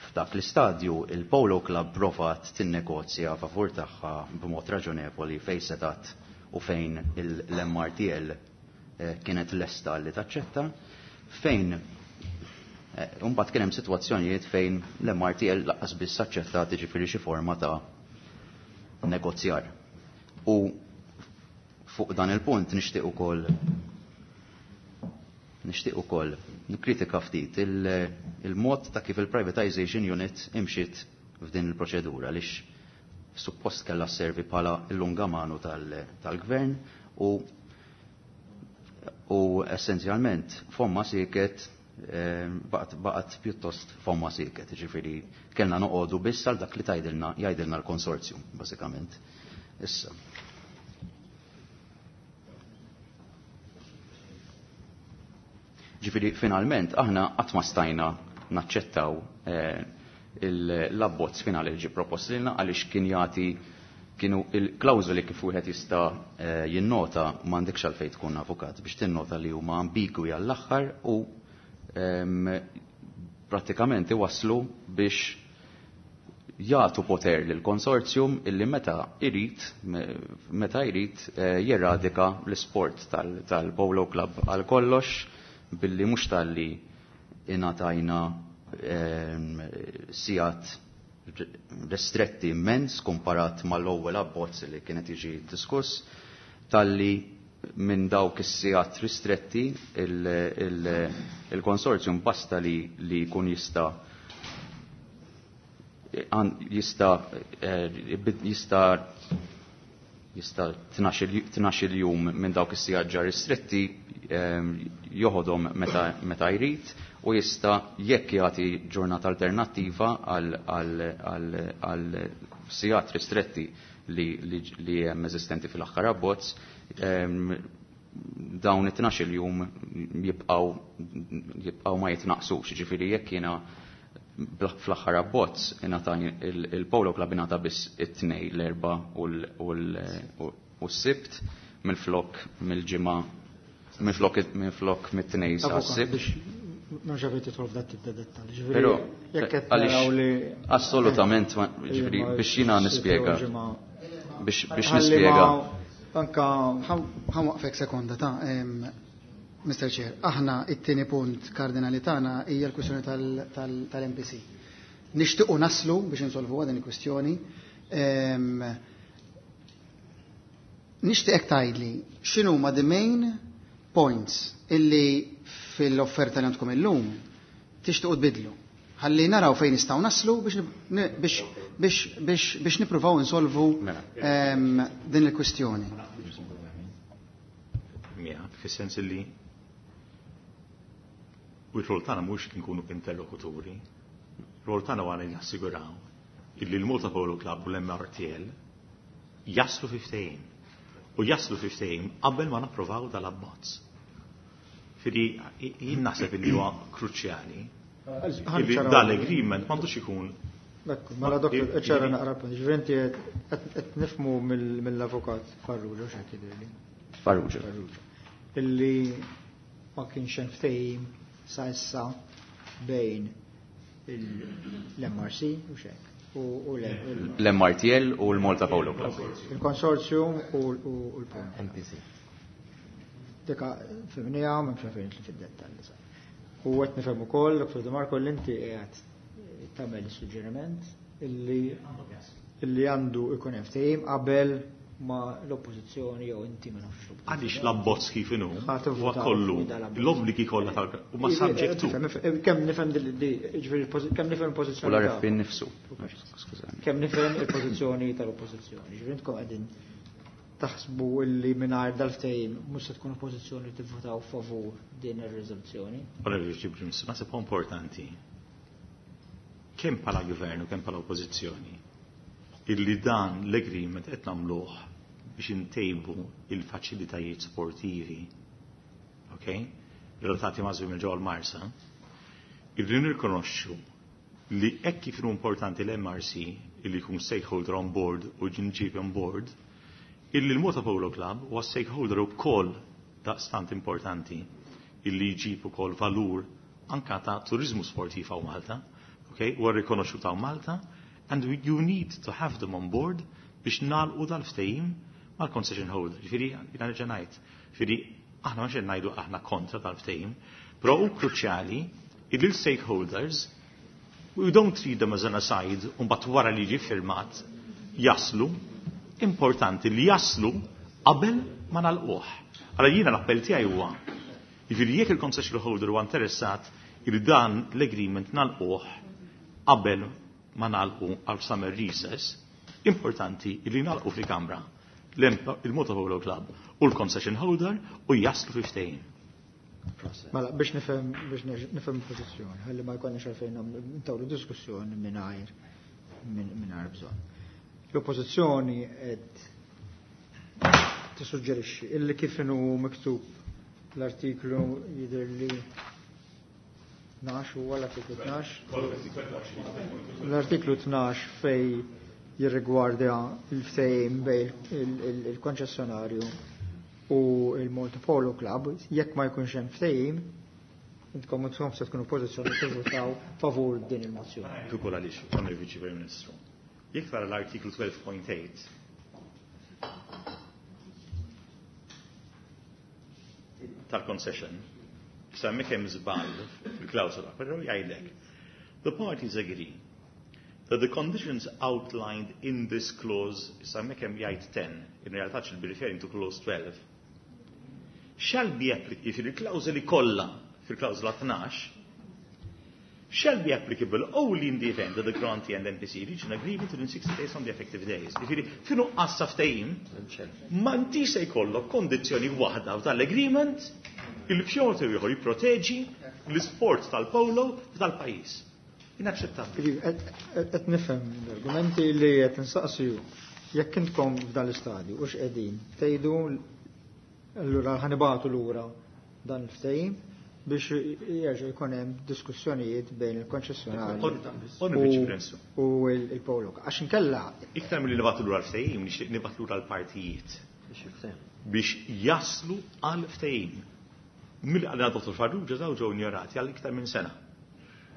f'dak l-istadju il-Polo Club provat tinnegozja favur tagħha b'mod raġonevoli fejn setat u fejn il-, l-M R T L, eh, kienet lesta li taċċetta, fejn, eh, mbagħad kien hemm sitwazzjonijiet fejn l-M R T L laqqas biss aċċettat jiġifieri xi forma ta' negozjar. U fuq dan il-punt nixtieq ukoll nixtieq ukoll nikkritika ftit il-, il-mod ta' kif il-privatization unit imxiet f'din il-proċedura, għaliex suppost kellha sservi bħala l-lungamanu tal-, tal-gvern u, u essenzjalment fomma siket, eh, baqgħet, baqgħet pjuttost fomma siket, ġifieri kellna noqogħdu biss għal dak li tgħidilna, jgħidilna l-konsorzjum bażikament. Issa. Ġifieri finalment aħna qatt ma stajna naċċettaw, eh, l-abbozz finali li ġie propost lilna, għaliex kien jagħti kienu il-klawżoli kif wieħed jista' jinnota, m'għandekx għalfejn tkun avukat biex tinnota li huma ambigwi għall-aħħar u prattikament iwasslu biex jagħtu poter lil konsorzjum illi meta irid meta jrid jeradika l-isport tal-Polo Club għal kollox, billi mhux talli ingħatajna sigħat restretti immens komparat mal-ewwel abbozz li kienet jiġi diskuss, talli minn dawk is-sigħat ristretti il-konsorzjum basta li li jkun jista' jista' jista' jista' tnax-il jum minn dawk is-sigħat ġa ristretti joħodhom meta jrid, u jista' jekk jagħti ġurnata alternattiva għal sigħat ristretti li hemm eżistenti fil-aħħar abbozz, dawn it-tnax-il jum jibqgħu jibqgħu ma jitnaqsux. Ġifieri jekk jiena fl-aħħar abbozz ingħata il-Polo Club ingħata biss it-tnejn, l-erba' u s-sibt, minflok mill-ġimgħa, minflok minflok mit-tnejn sa s-sibt. Ma ġabet tidħol f'dat tip ta' dettalji. Ġifieri, Però jekk qed għaliex naraw li assolutament ma, ġifieri, Ejja, ma biex jiena s-sibt jew nispjega. ġimgħa. Biex, biex Ħalli ma nispjega. Anka Ħa waqfek sekonda ta' em, Mister Chair, aħna it-tieni punt kardinali tagħna hija l-kwistjoni tal-M P C. Nixtiequ naslu biex insolvuha din il-kwistjoni. Em, Nixtieqek tgħidli x'inhuma the main points illi fil-offerta li għandkom illum tixtiequ tbidlu. Ħalli naraw fejn nistgħu naslu biex nib-, biex, biex, biex, biex nippruvaw insolvu, Mela. em, din il-kwistjoni. Mija, fis-sens li u r-rol tagħna mhux nkunu interlokuturi. R-rol tagħna huwa li nassiguraw illi l-Malta Polo Club u l-M R T L jaslu fi ftehim. U jaslu fi ftehim qabel ma napprovaw dal-abbozz. Fidi, jien naħseb illi huwa kruċjali illi dal-agreement m'għandux ikun. Ekku, mela doktor, ċara naqra punt. Ġifieri inti qed, qed nifhmu mill-, mill-avukat Farrugia, x'qed jidhirli? Farrugia. Farrugia. Illi ma kienx hemm ftehim sa issa bejn l-M R C u x'hekk. U, u l-, L-M R T L u l-Malta Polo Club. Il-konsorzjum u, u l-Polo. M P C. Dika fimnija, ma nafx fejn fid-dettall. U qed nifhem ukoll, Doktor De Marco, li inti qiegħed tagħmel is-suġġeriment illi, illi għandu ikun hemm ftehim qabel ma l-oppożizzjoni jew inti ma nafx l-oppożizzjoni. Għaliex l-abbozz kif inhu, Ħa tivvutaw huwa kollu fuq dal-abbozz. l-obbligi kollha tal- huma Ivi, subject to. nifhem, nifhem, kemm nifhem di, di, ġifieri il-pożi-, kemm nifhem il-pożizzjoni U l-R F P ta' nnifsu. Skużani. Kemm nifhem il-pożizzjoni tal-oppożizzjoni. Ġifieri intkom qegħdin taħsbu illi mingħajr dal-ftehim mhux se tkun oppożizzjoni li tivvutaw favur din ir-riżoluzzjoni. Onorevoli Chief Minister, naħseb huwa importanti kemm bħala gvern u kemm bħala oppożizzjoni illi dan l-agreement qed nagħmluh biex intejbu il-faċilitajiet sportivi, ok? Relatati ma' żwiem ġewwa l-Marsa, irridu nirrikonoxxu li hekk kif inhu importanti l-M R C illi jkun stakeholder on board u ġinġib on board, illi l-Malta Polo Club huwa stakeholder ukoll daqstant importanti illi jġib ukoll valur anka ta' turizmu sportiv hawn Malta, ok? Huwa rikonoxxut hawn Malta, and we, you need to have them on board biex nagħlqu dal-ftehim mal-concession holder. Ġifieri, jiena nerġa' ngħid, ġifieri aħna ma xejn ngħidu aħna kontra tal-ftehim, però hu kruċjali illi l-stakeholders, we don't treat them as an aside, u mbagħad wara li jiġi firmat jaslu, importanti li jaslu qabel ma nagħlquh. Allora jiena l-appell tiegħi huwa, jiġifieri jekk il-concession holder huwa interessat li dan l-agreement nagħlquh qabel ma nagħlqu għal summer recess, importanti li nagħlqu fil-Kamra il-Malta Polo Club u l-concession holder u jaslu fi ftehim. Mela, biex nifhem, biex nifhem il-pożizzjoni, ħalli ma jkollniex għalfejn nagħmlu ntawlu diskussjoni mingħajr, mingħajr bżonn. L-oppożizzjoni qed tissuġġerixxi illi kif inhu miktub l-artiklu jidher li tnax huwa l-artiklu tnax. L-artiklu tnax fej jirrigwarda il-ftehim bejn il-konċessjonarju u il-Malta Polo Club, jekk ma jkunx hemm ftehim, intkom intkom se tkunu pożizzjoni tivvutaw favur din il-mozzjoni. Ukoll għaliex, Onorevoli Viċi Prim Ministru. Jekk tara l-artiklu twelve point eight tal-concession, issa hemmhekk hemm żball fil-klawsola, però jgħidlek. The parties agree that the conditions outlined in this clause, issa hemmhekk hemm jgħid ten, in realtà should be referring to clause twelve, shall be applicable, fil-klawsoli kollha, fil-klawsola tnax, shall be applicable only in the event that the grantee and M P C reach an agreement within sixty days on the effective days. Jiġifieri, f'inqas ta' ftehim, ma intix se jkollok kondizzjoni waħda f'dal-agreement il b'xorta ieħor jipproteġi l-isport tal-polo f'dal-pajjiż. Inaċċettabbli. Qed nifhem l-argumenti li qed insaqsi jekk intkom f'dal-istadju u x'qegħdin tgħidu allura ħanibatu lura dan il-ftehim biex jerġa' jkun hemm diskussjonijiet bejn il-konċessjonarju u il-Polo. Għax inkella iktar milli nibgħatu lura l-ftehim, nixtieq nibgħatu lura l-partijiet biex jaslu għal ftehim. Milli għal Dottor Farrugia daw ġew injorati għal iktar minn sena.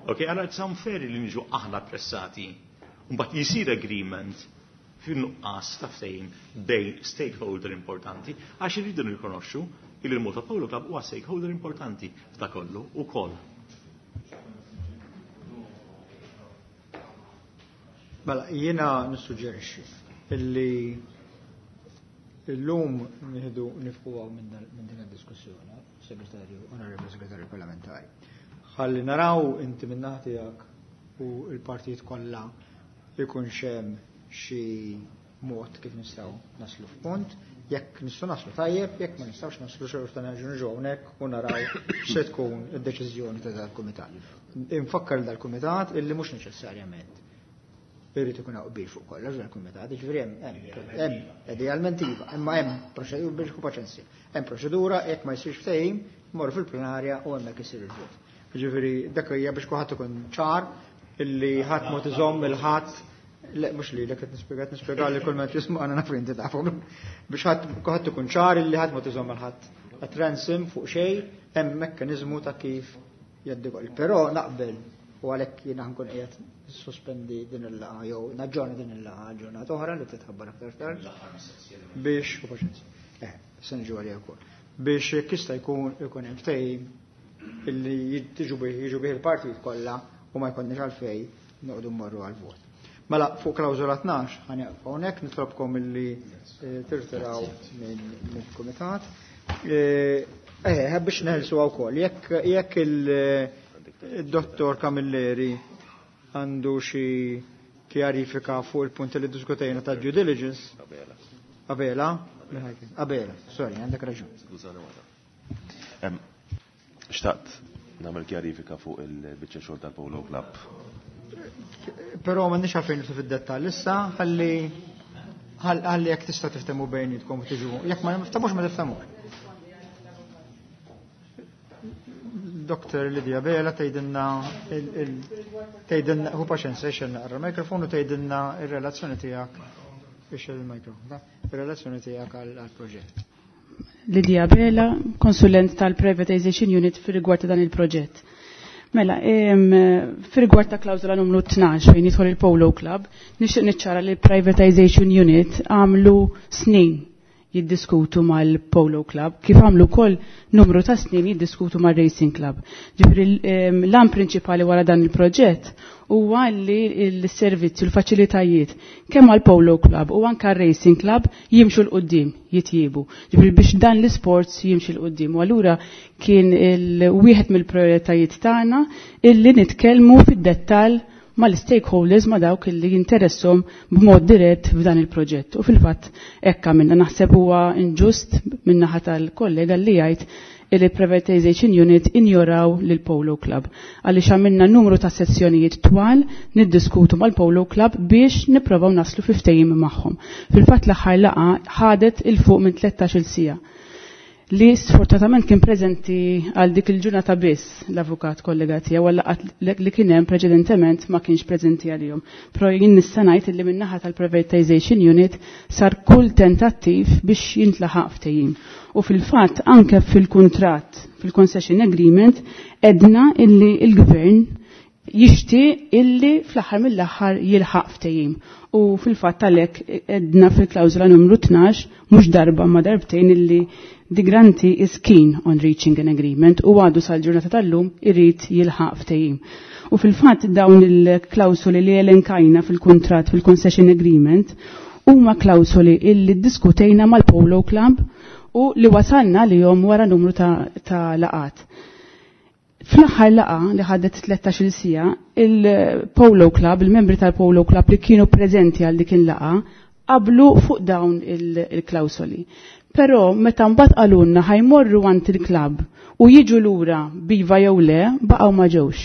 Ok, allora it's unfair li niġu aħna pressati. Mbagħad jisir agreement fin-nuqqas ta' ftehim bejn stakeholder importanti għax irridu nirrikonoxxu il Malta Polo Club huwa stakeholder importanti f'da kollu ukoll. Mela, jiena nissuġġerixxi illi illum nieħdu nifqu minn din id-diskussjoni, Segretarju, Onorevoli Segretarju Parlamentari. Ħalli naraw inti minn naħa tiegħek u l-partijiet kollha ikun hemm xi mod kif nistgħu naslu f'punt. Jekk nistgħu naslu tajjeb, jekk ma nistgħux naslu xorta nerġgħu niġu hawnhekk u naraw x'se tkun id-deċiżjoni ta' dal-kumitat. Infakkar dal-kumitat illi mhux neċessarjament irid ikun hawn qbil fuq kollox dal-kumitat, jiġifieri hemm hemm idealment iva, imma hemm proċedura biex tkun paċenzja. Hemm proċedura jekk ma jsirx ftehim, morru fil-plenarja u hemmhekk isir il-vot. Jiġifieri dak hija biex kulħadd ikun ċar illi ħadd mod iżomm il-ħadd. Le, mhux li qed nispjega, qed nispjega li kull ma jismu għandna naf inti tafhom. Biex ħadd kulħadd ikun ċar illi ħadd ma tiżomm għal ħadd at ransom fuq xejn, hemm mekkaniżmu ta' kif jgħaddi. Però naqbel u għalhekk jiena nkun qiegħed sospendi din il-laqgħa jew naġġorna din il-laqgħa ġurnata oħra li titħabbar aktar tard biex u paċenzja. Eh, se niġu għalija wkoll. Biex jekk jista' jkun ikun hemm ftehim illi jiġu bih jiġu bih il-partijiet kollha u ma jkollniex għalfejn noqogħdu mmorru għall-vot. Mela, fuq klawżola tnax ħanieqfu hawnhekk, nitlobkom illi tirtiraw mill-kumitat. Eh, biex neħelsu wkoll, jekk jekk il-dottor Camilleri għandu xi kjarifika fuq il-punti li diskutejna ta' due diligence. Abela? Abela, sorry, għandek raġun. Xtaqt nagħmel kjarifika fuq il-biċċa xogħol tal-Polo Club. Però m'għandniex għalfejn nidħlu fid-dettall issa, ħalli ħalli jekk tista' tiftehmu bejnietkom u tiġu. Jekk ma tiftemux ma tiftemux. Doktor Lydia Bela tgħidilna tgħidilna hu paċenza ixel naqra l-mikrofon u tgħidilna r-relazzjoni tiegħek ixel il-mikrofon, ir-relazzjoni tiegħek għall-proġett. Lydia Bela, konsulent tal-Privatization Unit fir-rigward ta' dan il-proġett. Mela, fir-rigward ta' klawżola numru tnax fejn jidħol il-Polo Club, nixtieq niċċara li l-Privatization Unit għamlu snin jiddiskutu mal-Polo Club, kif għamlu wkoll numru ta' snin jiddiskutu mal-Racing Club. Ġifieri l-għan prinċipali wara dan il-proġett huwa li l-servizzi u l-faċilitajiet kemm għall-Polo Club u anke r-Racing Club jimxu l-qudiem, jitjiebu. Ġifieri biex dan l-isports jimxi l-qudiem. U allura kien wieħed mill-prioritajiet tagħna illi nitkellmu fid-dettall mal-stakeholders ma dawk illi jinteressom b'mod dirett f'dan il-proġett. U fil-fatt hekk għamilna, naħseb huwa inġust min-naħa tal-kollega li jgħid il Privatization Unit injoraw lil Polo Club. Għaliex għamilna numru ta' sessjonijiet twal niddiskutu mal-Polo Club biex nipprovaw naslu fi ftehim magħhom. Fil-fatt l-aħħar laqgħa ħadet il fuq minn tlettax-il siegħa. li sfortunatament kien preżenti għal dik il-ġurnata biss l-avukat kollega tiegħu għal laqgħat li kien hemm preċedentement ma kienx preżenti għalihom. Però jien nista' ngħid li min-naħa tal-Privatization Unit sar kull tentattiv biex jintlaħaq ftehim. U fil-fatt anke fil-kuntratt, fil-concession agreement, edna illi il-gvern jixtieq illi fl-aħħar mill-aħħar jilħaq ftehim. U fil-fatt għalhekk edna fil-klawżola numru tnax mhux darba ma darbtejn illi the grantee is keen on reaching an agreement u għadu sal-ġurnata tal-lum irrid jilħaq ftehim. U fil-fatt dawn il-klawsoli li elenkajna fil-kuntratt fil-concession agreement huma klawsoli illi ddiskutejna mal-Polo Club u li wasalna li jom wara numru ta', ta laqat. Fl-aħħar laqa li ħadet tlettax-il siegħa, il-Polo Club, il-membri tal-Polo Club li kienu preżenti għal dik il-laqa, qablu fuq dawn il-klawsoli. Però meta mbagħad qalulna ħajmorru għand il-klabb u jiġu lura biva jew le, baqgħu ma ġewx.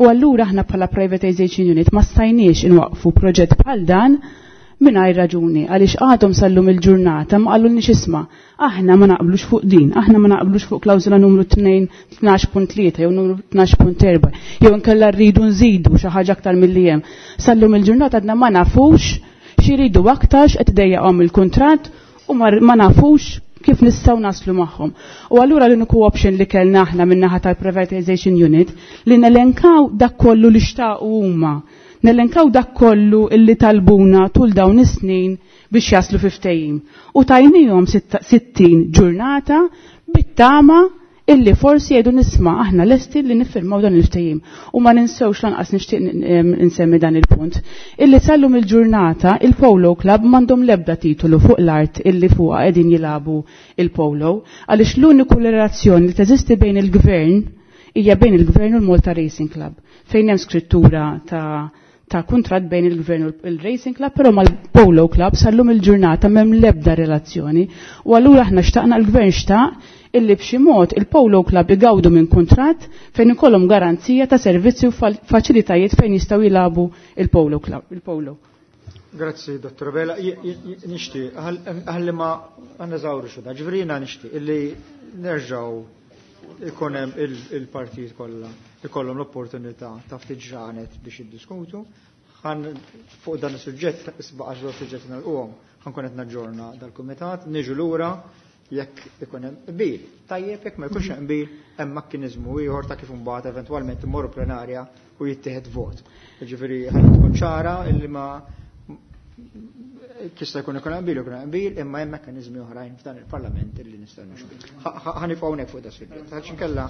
U allura aħna bħala Privatization Unit ma stajniex inwaqfu proġett bħal dan mingħajr raġuni, għaliex għadhom sallum il-ġurnata ma qalulniex isma' aħna ma naqblux fuq din, aħna ma naqblux fuq klawżola numru tnejn tnax punt tlieta jew numru tnax punt erba' jew inkella rridu nżidu xi ħaġa aktar milli hemm. Sallum il-ġurnata għadna ma nafux x'iridu aktar, x'qed idejjaqhom il-kuntratt u ma nafux kif nistgħu naslu magħhom. U allura l-uniku option li kellna aħna min-naħa tal-Privatization Unit li nelenkaw dak kollu li xtaqu huma, nelenkaw dak kollu illi talbuna tul dawn is-snin biex jaslu fi ftehim. U tajnihom sittin ġurnata bit-tama illi forsi jgħidu nisma' aħna lesti li niffirmaw dan il-ftehim. U ma ninsewx lanqas nixtieq nsemmi dan il-punt. Illi sallum il-ġurnata il-Polo Club m'għandhom l-ebda titolu fuq l-art illi fuqha qegħdin jilagħbu il-Polo, għaliex l-uniku relazzjoni li teżisti bejn il-gvern hija bejn il-gvern u l-Malta Racing Club, fejn hemm skrittura ta' ta' kuntratt bejn il-gvern u il-Racing Club, però mal-Polo Club sallum il-ġurnata m'hemm l-ebda relazzjoni. U allura aħna xtaqna l-gvern xtaq illi b'xi mod il-Polo Club igawdu minn kuntratt fejn ikollhom garanzija ta' servizzi u faċilitajiet fejn jistgħu jilagħbu il-Polo Club, il-Polo. Grazzi, Dottor Vela. Nixtieq, ħalli ma għandna xu da, ġifieri jiena nixtieq illi nerġgħu ikun hemm il-partijiet kollha ikollhom l-opportunità ta' ftit ġranet biex jiddiskutu. Ħan fuq dan is-suġġett, isbaqa' żewġ suġġetti nagħlquhom, ħankun qed naġġorna dal-kumitat, niġu lura jekk ikun hemm qbil. Tajjeb jekk ma jkunx hemm qbil, hemm mekkaniżmu ieħor ta' kif imbagħad eventwalment immorru plenarja u jittieħed vot. Jiġifieri ħalli tkun ċara illi ma tista' jkun ikun hemm qbil ikun hemm qbil, imma hemm mekkaniżmi oħrajn f'dan il-Parlament illi nistgħu nimxu. Ħa nifqgħu hawnhekk fuq da suġġett. Għax inkella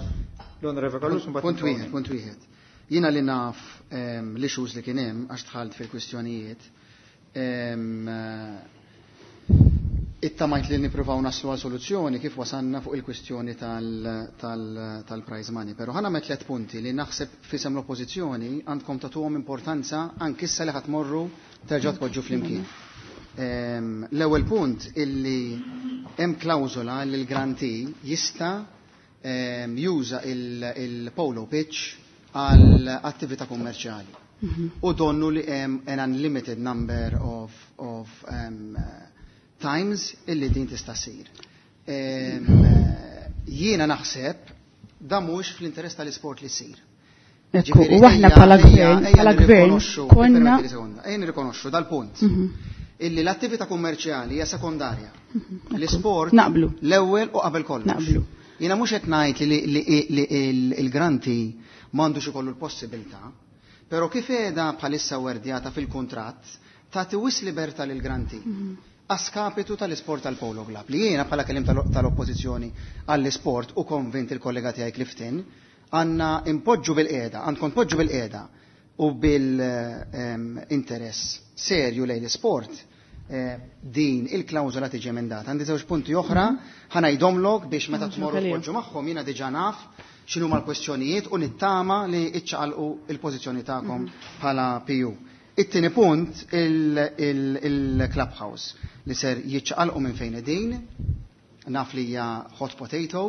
l-Onorevoli Callus mbagħad. Punt wieħed, punt wieħed. Jiena li naf l-issues li kien hemm għax dħalt fil-kwistjonijiet, ittamajt li nippruvaw naslu għal soluzzjoni kif wasanna fuq il-kwistjoni tal-prize money. Però ħana met tliet punti li naħseb fisem l-oppożizzjoni għandkom tagħtuhom importanza anki issa li ħadd morru terġgħu tpoġġu flimkien. L-ewwel punt illi hemm klawżola li l-grantee jista' juża il-polo pitch għal attività kummerċjali. U donnu li hemm an unlimited number of, of um, times illi din tista' ssir. Jiena naħseb da mhux fl-interess tal-isport li ssir. Ekku, u aħna bħala gvern, bħala gvern konna Ejja nirrikonoxxu dal-punt. Illi l-attività kummerċjali hija sekondarja. L-isport naqblu. L-ewwel u qabel kollox. Naqblu. Jiena mhux qed ngħid li il-granti m'għandux ikollu l-possibilità, però kif qiegħda bħalissa werdjata fil-kuntratt tagħti wis libertà lill-granti. Askapitu tal-isport tal-Polo Club li jiena bħala kelim tal-oppożizzjoni għall-isport u konvint il-kollega tiegħi Clifton għandna impoġġu bil-qiegħda, għandkom tpoġġu bil-qiegħda u bil-interess serju lejn l-isport din il-klawżola tiġi emendata. Għandi żewġ punti oħra ħanajdhomlok biex meta tmorru tpoġġu magħhom jiena diġà naf x'inhuma l-kwestjonijiet u nittama li iċċaqalqu il-pożizzjoni tagħkom bħala P U. It-tieni punt il-clubhouse li ser jiċċaqalqu minn fejn qegħdin, naf li hija hot potato,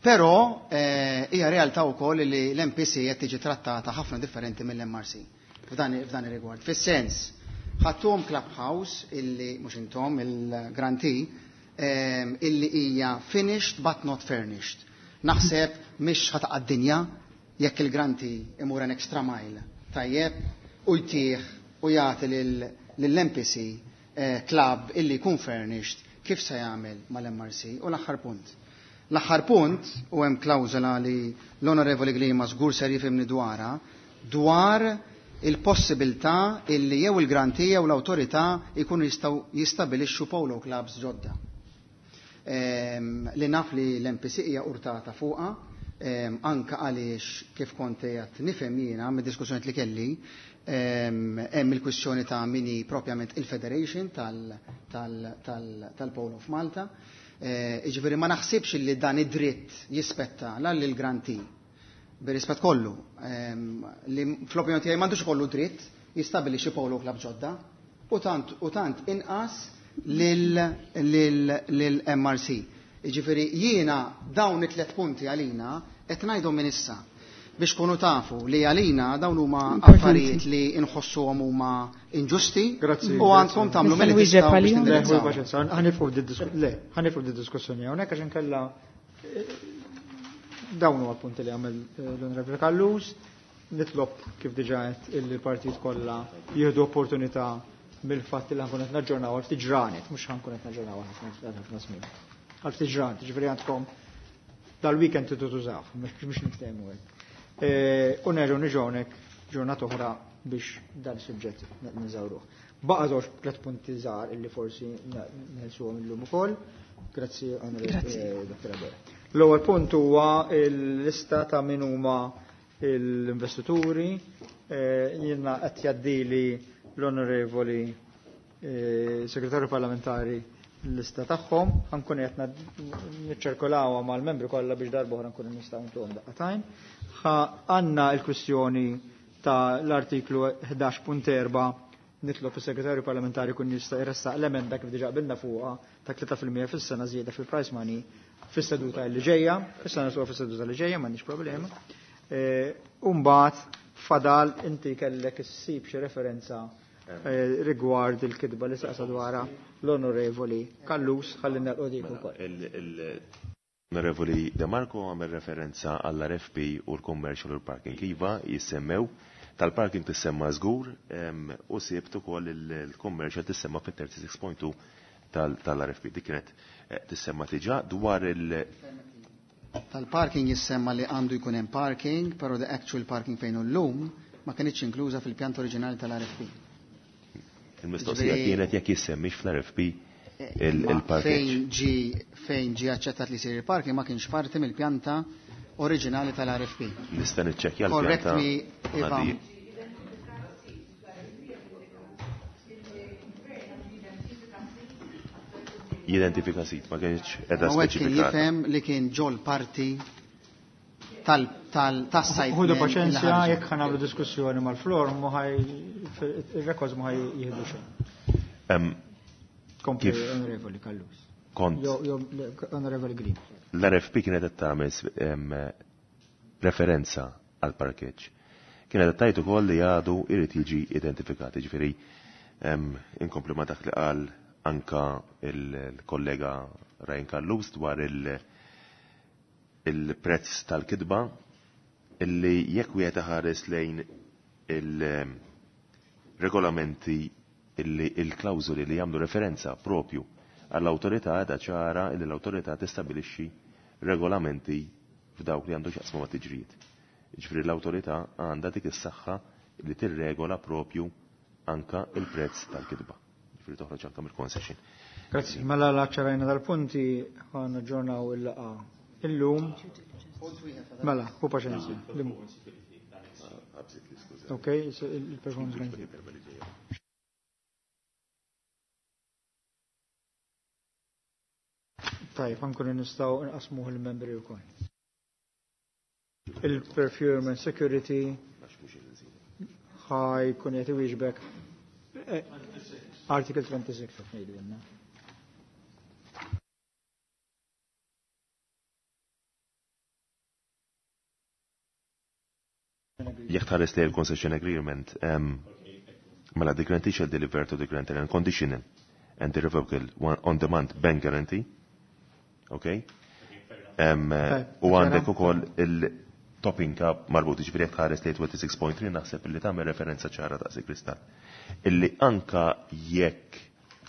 però hija realtà wkoll li l-M P C qed tiġi trattata ħafna differenti mill-M R C f'dan ir-rigward. Fis-sens, ħadtuhom clubhouse illi mhux intom il-grantee ehm, illi hija finished but not furnished. Naħseb mhix ħa taqa' d-dinja jekk il-grantee imur an extra mile tajjeb u jtih u jagħti lill-M P C eh, club illi jkun furnished, kif se jagħmel mal-M R C. U l-aħħar punt. L-aħħar punt, u hemm klawżola li l-Onorevoli Grima żgur ser jifhimni dwarha, dwar il-possibilità illi jew il-grantee jew l-awtorità jkunu jistgħu jistabilixxu polo clubs ġodda. Ehm, li naf li l-M P C hija urtata fuqha, ehm, anka għaliex kif kont qed nifhem jiena mid-diskussjoni li kelli, ehm, hemm il-kwistjoni ta' min hi propjament il-Federation tal-Polo of Malta. Eh, Jiġifieri ma naħsibx li dan id-dritt jispetta la lill-grantee, bir-rispett kollu, li fl-opinjoni tiegħi m'għandux ikollu dritt jistabilixxi polo club ġodda u tant u tant inqas lill-M R C. Jiġifieri jiena dawn it-tliet punti għalina qed ngħidhom minn issa biex kunu tafu li għalina dawn huma affarijiet li nħossuhom huma inġusti u għandkom tagħmlu milli tistgħu biex tindirizzaw. Le, ħa nieqfu di diskussjoni hawnhekk għax inkella eh, dawn huwa punti li għamel eh, l-Onorevoli Callus. Nitlob, kif diġà qed, il-partit kollha jieħdu opportunità mill-fatt li ħa nkun qed naġġornaw għal ftit ġranet, mhux ħa nkun qed naġġornaw għal ħafna żmien. Għal ftit ġranet, ġifieri għandkom dal-weekend tridu tużaw, mhux niftehmu hekk. Eh, u nerġgħu niġu hawnhekk ġurnata oħra biex dan is-suġġett neżawruh. Baqa' żewġ tliet punti żgħar illi forsi neħelsuhom illum ukoll. Grazzi, Onorevoli Dottor Abela. L-ewwel punt huwa l-lista ta' min huma l-investituri. Eh, jiena qed jgħaddili l-Onorevoli eh, Segretarju Parlamentari l-lista tagħhom, ħa nkun qed niċċirkolawha mal-membri kollha biex darba oħra nkunu nistgħu ntuhom daqqa t'għajn. Għandna l-kwistjoni ta' l-artiklu ħdax punt erbgħa. Nitlob is-segretarju parlamentari kun jista' jressaq l-emenda, kif diġà qbilna fuqha, ta' tlieta fil-mija fis-sena żieda fil-prize money fis-seduta li ġejja, issa nisuha fis-seduta li ġejja, m'għandix problema. E, Umbagħad fadal inti kellek issib xi referenza e, rigward il-kitba li saqsa dwarha l-Onorevoli Callus, ħalli nagħlqu dik ukoll. Onorevoli De Marco għamel referenza għall-R F P u l-commercial u l-parking. Iva, jissemmew, tal-parking tissemma żgur u sibt ukoll il-commercial tissemma fit-tlieta u tletin punt tnejn tal-R F P. Dik kienet eh, tissemma diġà dwar il- Tal-parking jissemma li għandu jkun hemm parking, però the actual parking fejn hu llum ma kienx inkluża fil-pjant oriġinali tal-R F P. Il-mistoqsija kienet jekk jissemmix fl-R F P il-parking. Fejn ġi fejn ġi aċċettat li jsir il-parking ma kienx parti mill-pjanta oriġinali tal-R F P. Nista' niċċekkja l-pjanta. Correct me if I'm Jidentifika sit, ma kienx edha Hawnhekk kien speċifikata. jifhem li kien ġol parti tal tal tas-site. Ħudu paċenzja, jekk ħa nagħmlu diskussjoni mal-floor, mu ħaj il-records mu ħaj jieħdu xejn. Em, Kompli, Kif Onorevoli Callus. Kont Jo, jo, Onorevoli Green. L-R F P kienet qed tagħmel em, referenza għal parkeġġ. Kienet qed tgħid ukoll li għadu irid jiġi identifikat, jiġifieri em, inkompli ma dak li qal anka il-kollega Ryan Callus dwar il- il-prezz tal-kitba, illi jekk wieħed iħares lejn il-regolamenti, illi il-klawżoli li jagħmlu referenza propju għall-awtorità, għadha ċara illi l-awtorità tistabilixxi regolamenti f'dawk li għandu x'jaqsmu ma' tiġrijiet. Ġifieri l-awtorità għandha dik is-saħħa li tirregola propju anka il-prezz tal-kitba. Ġifieri toħroġ anka mill-concession. Grazzi, mela la ċarajna dal-punti, ħa naġġornaw il-laqgħa illum. Mela, u paċenzja. Limu. Ok, so il-performance guarantee. Tajjeb, ħa nkunu nistgħu nqasmuh il-membri wkoll. Il-procurement security ħa jkun qed iwieġbek. Eh, Article twenty-six qed ngħidu. Jekk tħares li l-concession agreement, em, mela the grantee shall deliver to the grantor unconditional and irrevocable on-demand bank guarantee. Okay? Um, u għandek ukoll il-topping up marbut, ġifieri jekk tħares li tnejn u disgħin punt tlieta naħseb li tagħmel referenza ċara ta' kristall. Illi anka jekk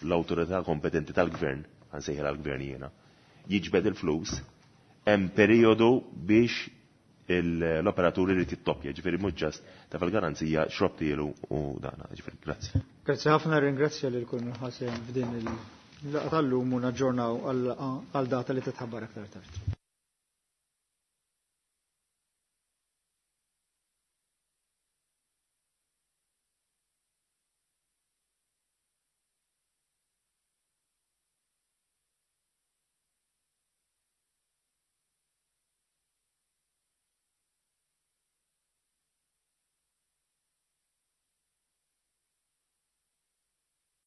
l-awtorità kompetenti tal-gvern, ħa nsejħilha l-gvern jiena, jiġbed il-flus, hemm periodu biex l-operaturi li tittoppja, ġifieri mhux just ta' fil-garanzija xrobtielu u dana, ġifieri, grazzi. Grazzi ħafna, ringrazzja lil kull min ħa sehem f'din il-laqgħa tal-lum u naġġornaw għal data li titħabbar aktar tard.